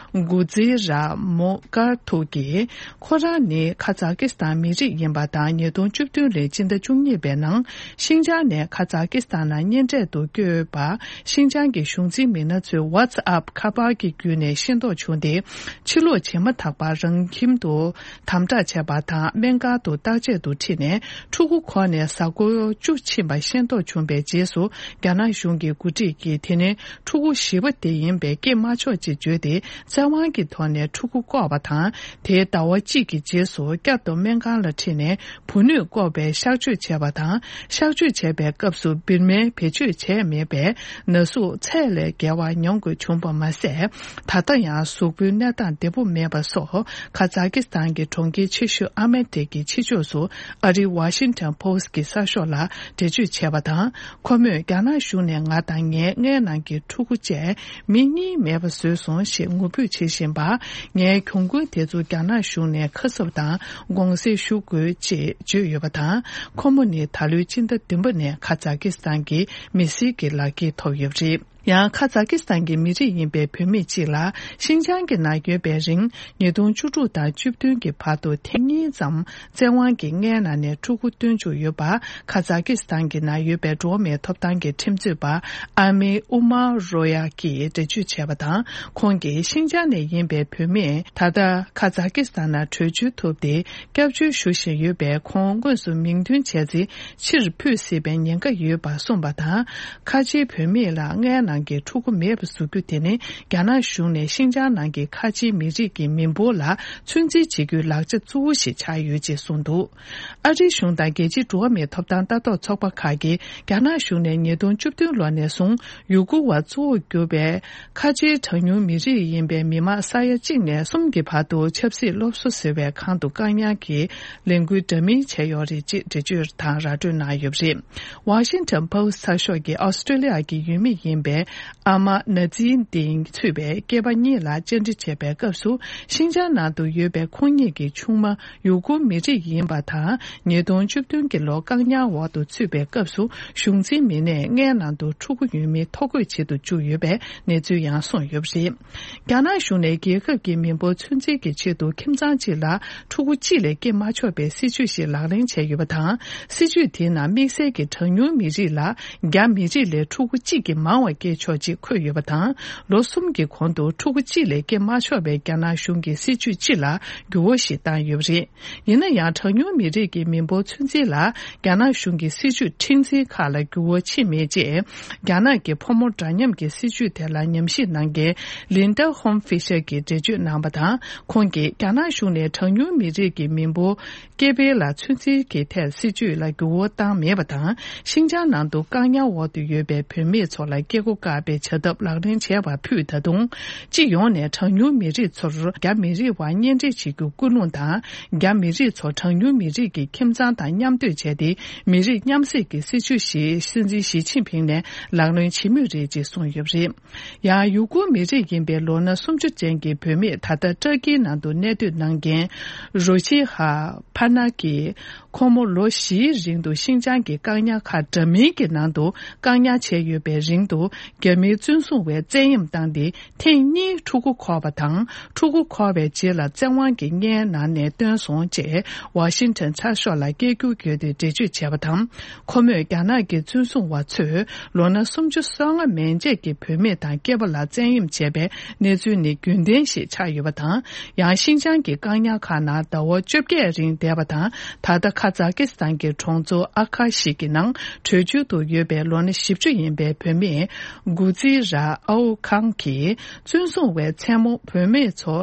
གུ་ཛི་ར་མོ་ཀར་ཐུག་གིས། ཁོ་རང་ནི་ཁ་ཛ་ཀི་སི་ཐན་མི་རིགས་ཡིན་པ་དང་། ཉིས་སྟོང་བཅུ་བདུན་ལོའི་སྤྱི་ཟླ་བཅུ་གཉིས་པའི་ནང་ཤིན་ཅང་ནས་ཁ་ཛ་ཀི་སི་ཐན་ནང་གཉེན་འཕྲད་དུ་བསྐྱོད་པ། ཤིན་ཅང་གི་གཞུང་འཛིན་མི་སྣ་ཚོས་ཝ་ཙི་ཨབ་ཁ་པར་གྱི་བརྒྱུད་ནས་ཤེས་རྟོགས་བྱུང་སྟེ། ཕྱིར་ལོག་བྱེད་མ་ཐག་པར་རང་ཁྱིམ་དུ་དམ་དྲག་བྱས་པ་དང་། སྨན་ཁང་དུ་བརྟག་དཔྱད་དུ་ཁྲིད་ནས་ཕྲུ་གུ་ཁོ་ནས་གཟའ་འཁོར་བཅུ་ཕྱིན་པ་ཤེས་རྟོགས་བྱུང་བའི་རྗེས་སུ། རྒྱ་ནག་གཞུང་གི་འགོ་ཁྲིད་ཀྱིས་དེ་ནི་ཕྲུ་གུ་བཞི་པ་དེ་ཡིན་པས་སྐྱེ་མ་ཆོག་ཅེས་བརྗོད་དེ། བཙན་དབང་གི་ཐོག་ནས་ཕྲུ་གུ་བཀོག་པ་དང་། དེའི་ཟླ་བ་གཅིག་གི་རྗེས་སུ་བསྐྱར་དུ་སྨན་ཁང་ལ་ཁྲིད་ནས་བུ་སྣོད་བཀོག་པའི་གཤག་བཅོས་བྱས་པ་དང་། གཤག་བཅོས་བྱས་པའི་སྐབས་སུ་བིར་མའི་བེད་སྤྱོད་བྱས་མེད་པས། ན་ཟུག་ཚད་ལས་བརྒལ་བ་མྱོང་དགོས་བྱུང་བ་མ་ཟད། ད་ལྟ་ཡང་གཟུགས་པོའི་གནས་སྟངས་བདེ་པོ་མེད་པ་སོགས། ཁ་ཛ་ཀི་སི་ཐན་གྱི་གྲོང་ཁྱེར་ཆེ་ཤོས་ཨ་མེ་ཐི་གི་ཕྱི་ཕྱོགས་སུ་ཨ་རིའི་ཝ་ཤིང་ཊོན་པོ་སི་གི་གསར་ཤོག་ལ་འགྲེལ་བརྗོད་བྱས་པ་དང་། ཁོ་མོས་རྒྱ་ནག་གཞུང་ནས་ང་དང་ངའི་མངལ་ནང་གི་ཕྲུ་གུ་བཅས་མི་གཉིས་མེད་པ་བཟོས་སོང་ཞེས་ངུ་འབོད་བྱེད་བཞིན་པ། ངའི་གྱོང་གུན་དེ་ཚོ་རྒྱ་ནག་གཞུང་ནས་ཁ་གསབ་དང་དགོངས་སེལ་ཞུ་དགོས་ཅེས་བརྗོད་ཡོད་པ་དང་། ཁོ་མོ་ནི་ད་ལོའི་སྤྱི་ཟླ་བདུན་པ་ནས་ཁ་ཛ་ཀི་སི་ཐན་གྱི་མི་སེར་གྱི་ལག་འཁྱེར་ཐོབ་ཡོད་པ་རེད། ཡང་ཁ་ཛ་ཀི་སི་ཐན་གྱི་མི་རིགས་ཡིན་པའི་བུད་མེད་ཅིག་ལ། ཤིན་ཅང་གི་ནང་ཡོད་པའི་རིང་ཉིས་སྟོང་བཅུ་དྲུག་དང་བཅུ་བདུན་གྱི་བར་དུ་ཐེངས་གཉིས་ཙམ་བཙན་དབང་གིས་མངལ་ནང་ནས་ཕྲུ་གུ་བཏོན་བཅུག་ཡོད་པ། ཁ་ཛ་ཀི་སི་ཐན་གྱི་ནང་ཡོད་པའི་འགྲོ་བ་མིའི་ཐོབ་ཐང་གི་ཁྲིམས་རྩོད་པ་ཨ་མི་ཨུ་མ་རོ་ཡ་གིས་འགྲེལ་བརྗོད་བྱས་པ་དང་། ཁོང་གིས་ཤིན་ཅང་ནས་ཡིན་པའི་བུད་མེད་ད་ལྟ་ཁ་ཛ་ཀི་སི་ཐན་ནང་བྲོས་བྱོལ་ཐུབ་སྟེ། སྐྱབས་བཅོལ་ཞུ་བཞིན་ཡོད་པས། ཁོང་དངོས་སུ་མིང་འདོན་བྱས་ཚེ་ཕྱིར་འཕུད་སྲིད་པའི་ཉེན་ཁ་ཡོད་པ་གསུངས་པ་དང་། ཁ་ཆེའི་བུད་མེད་ལ་མངལ་ནང་གི་ཕྲུ་གུ་མེད་པ་བཟོ་རྒྱུ་དེ་ནི། རྒྱ་ནག་གཞུང་ནས་ཤིན་ཅང་ནང་གི་ཁ་ཆེའི་མི་རིགས་ཀྱི་མི་འབོར་ལ་ཚོད་འཛིན་བྱེད་རྒྱུའི་ལག་ཆ་གཙོ་བོ་ཞིག་ཆགས་ཡོད་ཅེས་གསུངས་འདུག་ཨ་རིའི་གཞུང་དང་རྒྱལ་སྤྱིའི་འགྲོ་བ་མིའི་ཐོབ་ཐང་ལྟ་རྟོག་ཚོགས་པ་ཁག་གིས། རྒྱ་ནག་གཞུང་ནས་ཉིས་སྟོང་བཅུ་བདུན་ལོ་ནས་བཟུང་ཡུ་གུར་བ་གཙོ་བོར་གྱུར་པའི་ཁ་ཆེའི་གྲངས་ཉུང་མི་རིགས་ཡིན་པའི་མི་མང་ས་ཡ་གཅིག་ནས་གསུམ་གྱི་བར་དུ་ཆབ་སྲིད་སློབ་གསོ་ཟེར་བའི་ཁང་དུ་བཀག་ཉར་གྱི་ལས་འགུལ་འདྲ་མིན་བྱས་ཡོད་རེད་ཅེས་འགྲེལ་བརྗོད་དང་ར་སྤྲོད་གནང་ཡོད་པ་རེད། ཝ་ཤིང་ཊོན་པོ་སི་ཊི་ཚགས་ཤོག་གིས་ཨོ་སི་ཀྲོ་ལི་ཡ་གི་ཡུལ་མི་ཡིན་པའི་ཨ་མ་ན་ཛི་ཏིང་ཚུད་པའི་སྐྱེས་པ་གཉིས་ལ་བཅར་འདྲི་བྱས་པའི་སྐབས་སུ། ཤིན་ཅང་ནང་དུ་ཡོད་པའི་ཁོང་གཉིས་ཀྱི་ཆུང་མ་ཡུ་གུར་མི་རིགས་ཡིན་པ་དང་། ཉིས་སྟོང་བཅུ་བདུན་གྱི་ལོ་བཀག་ཉར་འོག་ཏུ་ཚུད་པའི་སྐབས་སུ། གཞུང་འཛིན་མི་སྣས་མངལ་ནང་དུ་ཕྲུ་གུ་ཡོད་མེད་ཐོ་འགོད་བྱེད་དུ་བཅུག་ཡོད་པའི་གནས་ཚུལ་ཡང་གསུངས་ཡོད་པ་རེད། རྒྱ་ནག་གཞུང་ནས་རྒྱལ་ཁབ་ཀྱི་མི་འབོར་ཚོད་འཛིན་གྱི་ཆེད་དུ་ཁྱིམ་ཚང་གཅིག་ལ་ཕྲུ་གུ་གཅིག་ལས་སྐྱེ་མ་ཆོག་པའི་སྲིད་ཇུས་ཤིག་ལག་ལེན་བྱས་ཡོད་པ་དང་། སྲིད་ཇུས་དེའི་ནང་དམིགས་བསལ་གྱི་གྲངས་ཉུང་མི་རིགས་ལ་རྒྱ་མི་རིགས་ལས་ཕྲུ་གུ་གཅིག་གིས་མང་བ་སྐྱེ་ཆོག་ཅེས་འཁོད་ཡོད་པ་དང་། ལོ་གསུམ་གྱི་གོང་དུ་ཕྲུ་གུ་གཅིག་ལས་སྐྱེ་མ་ཆོག་པའི་རྒྱ་ནག་གཞུང་གི་སྲིད་ཇུས་སྤྱི་ལ་འགྱུར་བ་ཞིག་བཏང་ཡོད་པ་རེད། ཡིན་ན་ཡང་། གྲངས་ཉུང་མི་རིགས་ཀྱི་མི་འབོར་ཚོད་འཛིན་ལ་རྒྱ་ནག་གཞུང་གི་སྲིད་ཇུས་ཁྲིམས་འཛིན་ཁག་ལ་འགྱུར་བ་ཕྱིན་མེད་ཅེས། རྒྱ་ནག་གི་ཕོ་མོ་འདྲ་མཉམ་གྱི་སྲིད་ཇུས་དེ་ལ་ཉམས་ཞིབ་གནང་མཁན་ལིན་ཌ་ཧོམ་ཧྥི་ཤར་གྱིས་འགྲེལ་བརྗོད་གནང་བ་དང་། ཁོང་གིས་རྒྱ་ནག་གཞུང་ནས་གྲངས་ཉུང་མི་རིགས་ཀྱི་མི་འབོར་སྐྱེ་འཕེལ་ལ་ཚོད་འཛིན་གྱི་ཐད་སྲིད་ཇུས་ལ་འགྱུར་བ་བཏང་མེད་པ་དང་། ཤིན་ཅང་ནང་དུ་བཀག་ཉར་འོག་ཏུ་ཡོད་པའི་བུད་མེད་ཚོ་ལ་སྐྱེ་སྒོ་བཀག་པའི་བྱ་ཐབས་ལག་ལེན་བྱས་པ་ཕུད། ད་དུང་། སྤྱི་ཡོངས་ནས་གྲངས་ཉུང་མི་རིགས་ཚོར་རྒྱ་མི་རིགས་བར་གཉེན་སྒྲིག་བྱེད་རྒྱུ་སྐུལ་སློང་དང་། རྒྱ་མི་རིགས་ཚོ་གྲངས་ཉུང་མི་རིགས་ཀྱི་ཁྱིམ་ཚང་དང་མཉམ་སྡོད་བྱས་ཏེ། མི་རིགས་མཉམ་བསྲེས་ཀྱི་སྲིད་ཇུས་ཤིག་སྲིད་འཛིན་ཞི་ཅིན་ཕིང་ནས་ལག་ལེན་བྱེད་མུས་རེད་ཅེས་གསུངས་ཡོད་པ་རེད། ཡང་། ཡུ་གུར་མི་རིགས་ཡིན་པའི་ལོ་ན་སུམ་ཅུ་ཅན་གྱི་བུད་མེད་ད་ལྟ་ཏྲ་ཀིའི་ནང་དུ་གནས་སྡོད་གནང་མཁན་རོ་ཆི་ཧ་ཕ་ན་གིས། ཁོ་མོ་ལོ་བཞིའི་རིང་དུ་ཤིན་ཅང་གི་བཀག་ཉར་ཁང་འདྲ་མིན་གྱི་ནང་དུ་བཀག་ཉར་བྱས་ཡོད་པའི་རིང་དུ། རྒྱ་མིའི་བཙོན་སྲུང་བས་བཙན་གཡེམ་བཏང་སྟེ། ཐེངས་གཉིས་ཕྲུ་གུ་འཁོར་བ་དང་། ཕྲུ་གུ་འཁོར་བའི་རྗེས་ལ་བཙན་དབང་གིས་མངལ་ནང་ནས་བཏོན་སོང་ཅེས་ཝ་ཤིང་ཊོན་ཚགས་ཤོག་ལ་སྐད་སྒྱུར་བརྒྱུད་དེ་འགྲེལ་བརྗོད་བྱས་པ་དང་། ཁོ་མོས་རྒྱ་ནག་གི་བཙོན་སྲུང་བ་ཚོས་ལོ་ན་སུམ་ཅུ་སོ་ལྔ་མན་ཆད་ཀྱི་བུད་མེད་དང་སྐྱེས་པ་ལ་བཙན་གཡེམ་བྱས་པའི་གནས་ཚུལ་ནི་རྒྱུན་ལྡན་ཞིག་ཆགས་ཡོད་པ་དང་། ཡང་ཤིན་ཅང་གི་བཀག་ཉར་ཁང་ནང་ཟླ་བ་བཅོ་བརྒྱད་རིང་བསྡད་པ་དང་། ད་ལྟ་ཁ་ཛ་ཀི་སི་ཐན་གྱི་གྲོང་ཚོ་ཨ་ཁ་ཞིག་གི་ནང་བྲོས་བྱོལ་དུ་ཡོད་པའི་ལོ་ན་བཞི་བཅུ་ཡིན་པའི་བུད་མེད་ འགོ་ཁྲིད་ར་ཨའོ་ཁང་གིས་བཙོན་སྲུང་བས་མཚན་མོ་བུད་མེད་ཚོ་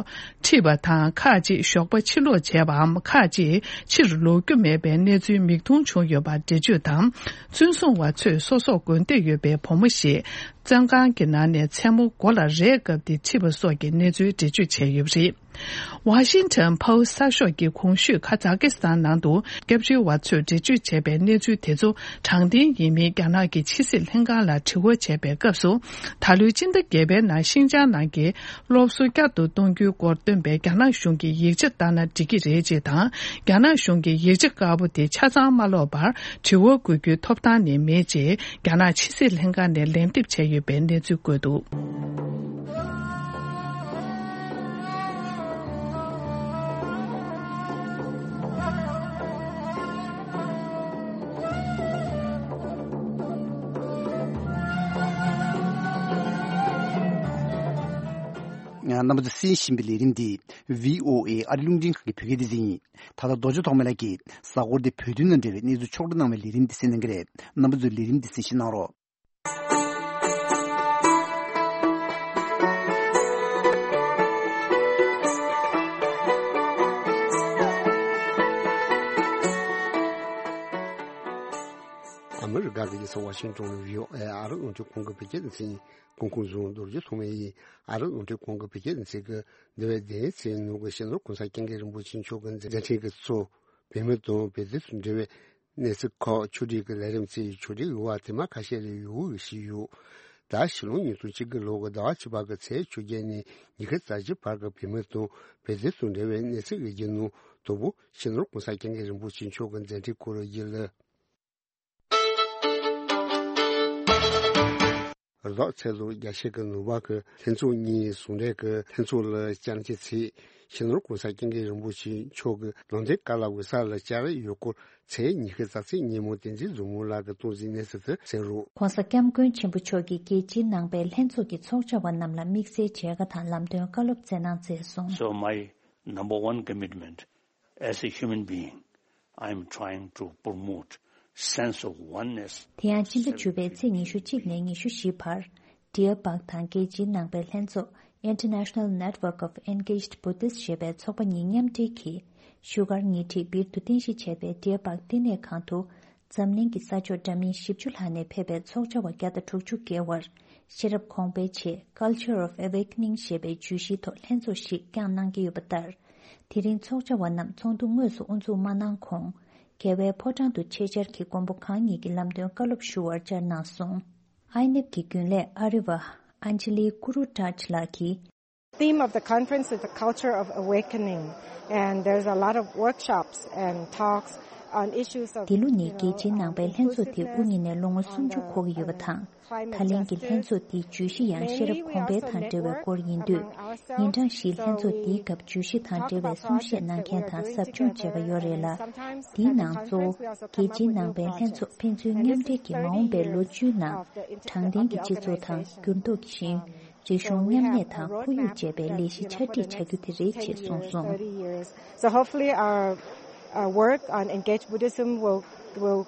ཁྲིད་པ་དང་ཁག་ཅིག་ཞོགས་པ་ཕྱིར་ལོག་བྱས་པའམ་ཁག་ཅིག་ཕྱིར་ལོག་རྒྱུ་མེད་པའི་གནས་ཚུལ་མིག་མཐོང་བྱུང་ཡོད་པ་འགྲེལ་བརྗོད་དང་། བཙོན་སྲུང་བ་ཚོས་སོ་སོར་དགོས་འདོད་ཡོད་པའི་བུ་མོ་ཞིག་བཙོན་ཁང་གི་ནང་ནས་མཚན་མོ་སྒོ་ལ་རས་བཀབ་སྟེ་ཁྲིད་པ་སོགས་ཀྱི་གནས་ཚུལ་འགྲེལ་བརྗོད་བྱས་ཡོད་པ་རེད། Washington Post གསར་ཤོག་གིས་གོང་ཞུས་ཁ་ཛ་ཀི་སི་ཐན་ནང་དུ་སྐྱབས་བཅོལ་བ་ཚོས་འགྲེལ་བརྗོད་བྱས་པའི་གནས་ཚུལ་དེ་ཚོ་དྲང་བདེན་ཡིན་མིན་རྒྱ་ནག་གི་ཕྱི་སྲིད་ལྷན་ཁང་ལ་དྲི་བ་བྱས་པའི་སྐབས་སུ། ད་ལོའི་སྤྱི་ཟླ་བརྒྱད་པའི་ནང་ཤིན་ཅང་ནང་གི་སློབ་གསོ་བསྐྱར་དུ་གཏོང་རྒྱུའི་སྐོར་བཏོན་པའི་རྒྱ་ནག་གཞུང་གི་ཡིག་ཆ་ལྟར་ན་འགྲིག་གི་རེད་ཅེས་དང་། རྒྱ་ནག་གཞུང་གི་ཡིག་ཆ་དཀར་པོ་དེ་ཆ་ཚང་མ་ཀློག་པར་དྲི་བ་འགོད་རྒྱུའི་ཐོབ་ཐང་ནི་མེད་ཅེས་རྒྱ་ནག་ཕྱི་སྲིད་ལྷན་ཁང་ནས་ལན་འདེབས་བྱས་ཡོད་པའི་གནས་ཚུལ་བཀོད་འདུག། རྣམ་པ་ཚོས་གསན་བཞིན་པའི་ལས་རིམ་འདི་བྷི་ཨོ་ཨེ་ཨ་རི་རླུང་འཕྲིན་ཁང་གི་བོད་སྐད་སྡེ་ཚན་ཡིན། ད་ལྟ་རྡོ་རྗེ་ཐོགས་མེད་ལགས་ཀྱིས་གཟའ་འཁོར་འདི་བོད་དོན་དང་འབྲེལ་བའི་གནས་ཚུལ་ཕྱོགས་བསྒྲིགས་གནང་བའི་ལས་རིམ་འདི་གསན་གནང་གི་རེད། རྣམ་པ་ཚོས་ལས་རིམ་འདི་གསན་བཞེས་གནང་རོགས། ཨ་མི་རི་ཀ་གི་རྒྱལ་ས་ཝ་ཤིང་ཏོན་ནས་བྷི་ཨོ་ཨེ་ཨ་རི་རླུང་འཕྲིན་ཁང་གི་བོད་སྐད་སྡེ་ཚན་གོང་ཁོངས་བཟུང་རྡོ་རྗེ་ཐོགས་མེད་ཡིན། ཨ་རི་རླུང་འཕྲིན་ཁང་གི་བོད་སྐད་སྡེ་ཚན་གྱིས་འདས་པའི་བདུན་ཕྲག་ནང་གི་སྤྱི་ནོར་༸གོང་ས་༸སྐྱབས་མགོན་རིན་པོ་ཆེ་མཆོག་གི་མཛད་འཕྲིན་གྱི་ཚོགས། བོད་མི་དང་བོད་དོན་དང་འབྲེལ་བའི་གནས་ཚུལ་ཁག་ཕྱོགས་སྒྲིག་གི་ལས་རིམ་བཅས་ཕྱོགས་སྒྲིག་ཡོད་པ་དེ་མ་ཁ་ཤས་ལས་ཡོད་ཞུས་ཡོད། ད་ཕྱི་ལོ་ཉིས་སྟོང་བཅུ་དགུ་ལོ་གི་ཟླ་བ་བཅུ་པ་གི་ཚེས་བཅོ་བརྒྱད་ནས་ཉི་ཤུ་རྩ་བཞི་བར་གྱི་བོད་མི་དང་བོད་དོན་དང་འབྲེལ་བའི་གནས་ཚུལ་ཡོད་རྒྱུ་ནང་དང་པོ་སྤྱི་ནོར་༸གོང་ས་༸སྐྱབས་མགོན་རིན་པོ་ཆེ་མཆོག་གི་མཛད་འཕྲིན་སྐོར་ཡིན་ལ། རྫོགས་ཚེས་ལོ་བརྒྱད་ཅུ་གི་ནང་པ་གི་ལྷན་ཚོགས་གཉིས་ཟུང་འབྲེལ་གྱི་ལྷན་ཚོགས་ལ་བཅར་འཆམ་ཚེ་ཕྱི་ནང་༸གོང་ས་༸སྐྱབས་མགོན་རིན་པོ་ཆེ་མཆོག་གི་ལུང་བསྟན་བཀའ་སློབ་གི་ས་ལ་བཅར་ཡོད་སྐོར་ཚེས་ཉི་ཤུ་རྩ་གཅིག་ཉིན་མོ་བསྟན་འཛིན་བཟང་མོ་ལགས་ཀྱིས་གཏོང་ཟིན་གནས་ཚུལ་དུ་གསལ་རོགས། ༸གོང་ས་༸སྐྱབས་མགོན་ཆེན་པོ་མཆོག་གིས་རྒྱལ་སྤྱིའི་ནང་པའི་ལྷན་ཚོགས་ཀྱི་ཚོགས་བཅར་བ་རྣམས་ལ་དམིགས་བསལ་མཇལ་ཁ་དང་ལམ་སྟོན་བཀའ་སློབ་སྩལ་གནང་མཛད་སོང་། So my number one commitment as a human being, I am trying to promote sense of oneness. དེ་ཡང་སྤྱི་ཟླ་བཅུ་པའི་ཚེས་ཉི་ཤུ་གཅིག་ནས་ཉི་ཤུ་བཞི་བར། Deer Park དང་རྒྱལ་སྤྱིའི་ནང་པའི་ལྷན་ཚོགས་International Network of Engaged Buddhists ཞེས་པའི་ཚོགས་པ་གཉིས་མཉམ་འབྲེལ་གྱིས། བཞུགས་སྒར་ཉེ་འཁྲིས་སྦིར་དུ་རྟེན་གཞི་བྱས་པའི་Deer Park བསྟི་གནས་ཁང་དུ། འཛམ་གླིང་གི་ས་ཕྱོགས་འདྲ་མིན་བཞི་བཅུ་ལྷག་ནས་ཕེབས་པའི་ཚོགས་བཅར་བ་བརྒྱ་དང་དྲུག་ཅུ་བརྒལ་བར། ཤེས་རབ་གོང་འཕེལ་ཆེད་Culture of Awakening ཞེས་པའི་བརྗོད་གཞིའི་ཐོག་ལྷན་ཚོགས་ཤིག་བསྐྱངས་གནང་གི་ཡོད་པ་ལྟར། དེ་རིང་ཚོགས་བཅར་བ་རྣམས་ཚོགས་འདུ་དངོས་སུ་དབུ་འཛུགས་མ་གནང་གོང་། རྒྱལ་བའི་ཕོ་བྲང་དུ་ཆེད་བཅར་གྱིས་མགོན་པོ་གང་ཉིད་ཀྱི་ལམ་སྟོན་བཀའ་སློབ་ཞུ་བར་བཅར་གནང་སོང་། ཨའི་ནེབ་ཀྱི་རྒྱུན་ལས་ཨ་རི་བ་ཨན་ཇི་ལི་ཀུ་རུ་ཏཱཇ་ལགས་ཀྱིས། Theme of the conference is the culture of awakening, and there's a lot of workshops and talks on issues of འདི་ལོ་ནི་རྒྱལ་སྤྱིའི་ནང་པའི་ལྷན་ཚོགས་དེ་དབུ་བརྙེས་ནས་ལོ་ངོ་སུམ་ཅུ་འཁོར་གྱི་ཡོད་པ་དང་། ད་ལན་གྱི་ལྷན་ཚོགས་འདིའི་བརྗོད་གཞི་ཡང་ཤེས་རབ་གོང་འཕེལ་དང་འབྲེལ་བའི་སྐོར་ཡིན་དུས། ཉིན་གྲངས་བཞིའི་ལྷན་ཚོགས་འདིའི་སྐབས་བརྗོད་གཞི་དང་འབྲེལ་བའི་གསུང་བཤད་གནང་མཁན་དང་ཟབ་སྦྱོང་བྱས་པ་ཡོད་རེད་ལ། འདིའི་ནང་གཙོ་བོ་རྒྱལ་སྤྱིའི་ནང་པའི་ལྷན་ཚོགས་ཕན་ཚུན་མཉམ་འབྲེལ་གྱིས་མ་འོངས་པའི་ལོ་བཅུའི་ནང་དྲང་བདེན་གྱི་སྤྱི་ཚོགས་དང་འགྱུར་ལྡོག་གི་ཞིང་། རིག་གཞུང་མཉམ་གནས་དང་ཁོར་ཡུག་ཅེས་པའི་ལས་གཞི་ཆ་སྒྲིག་བྱ་རྒྱུ་དེ་རེད་ཅེས་གསུངས་སོང་། So hopefully our uh, work on Engaged Buddhism will will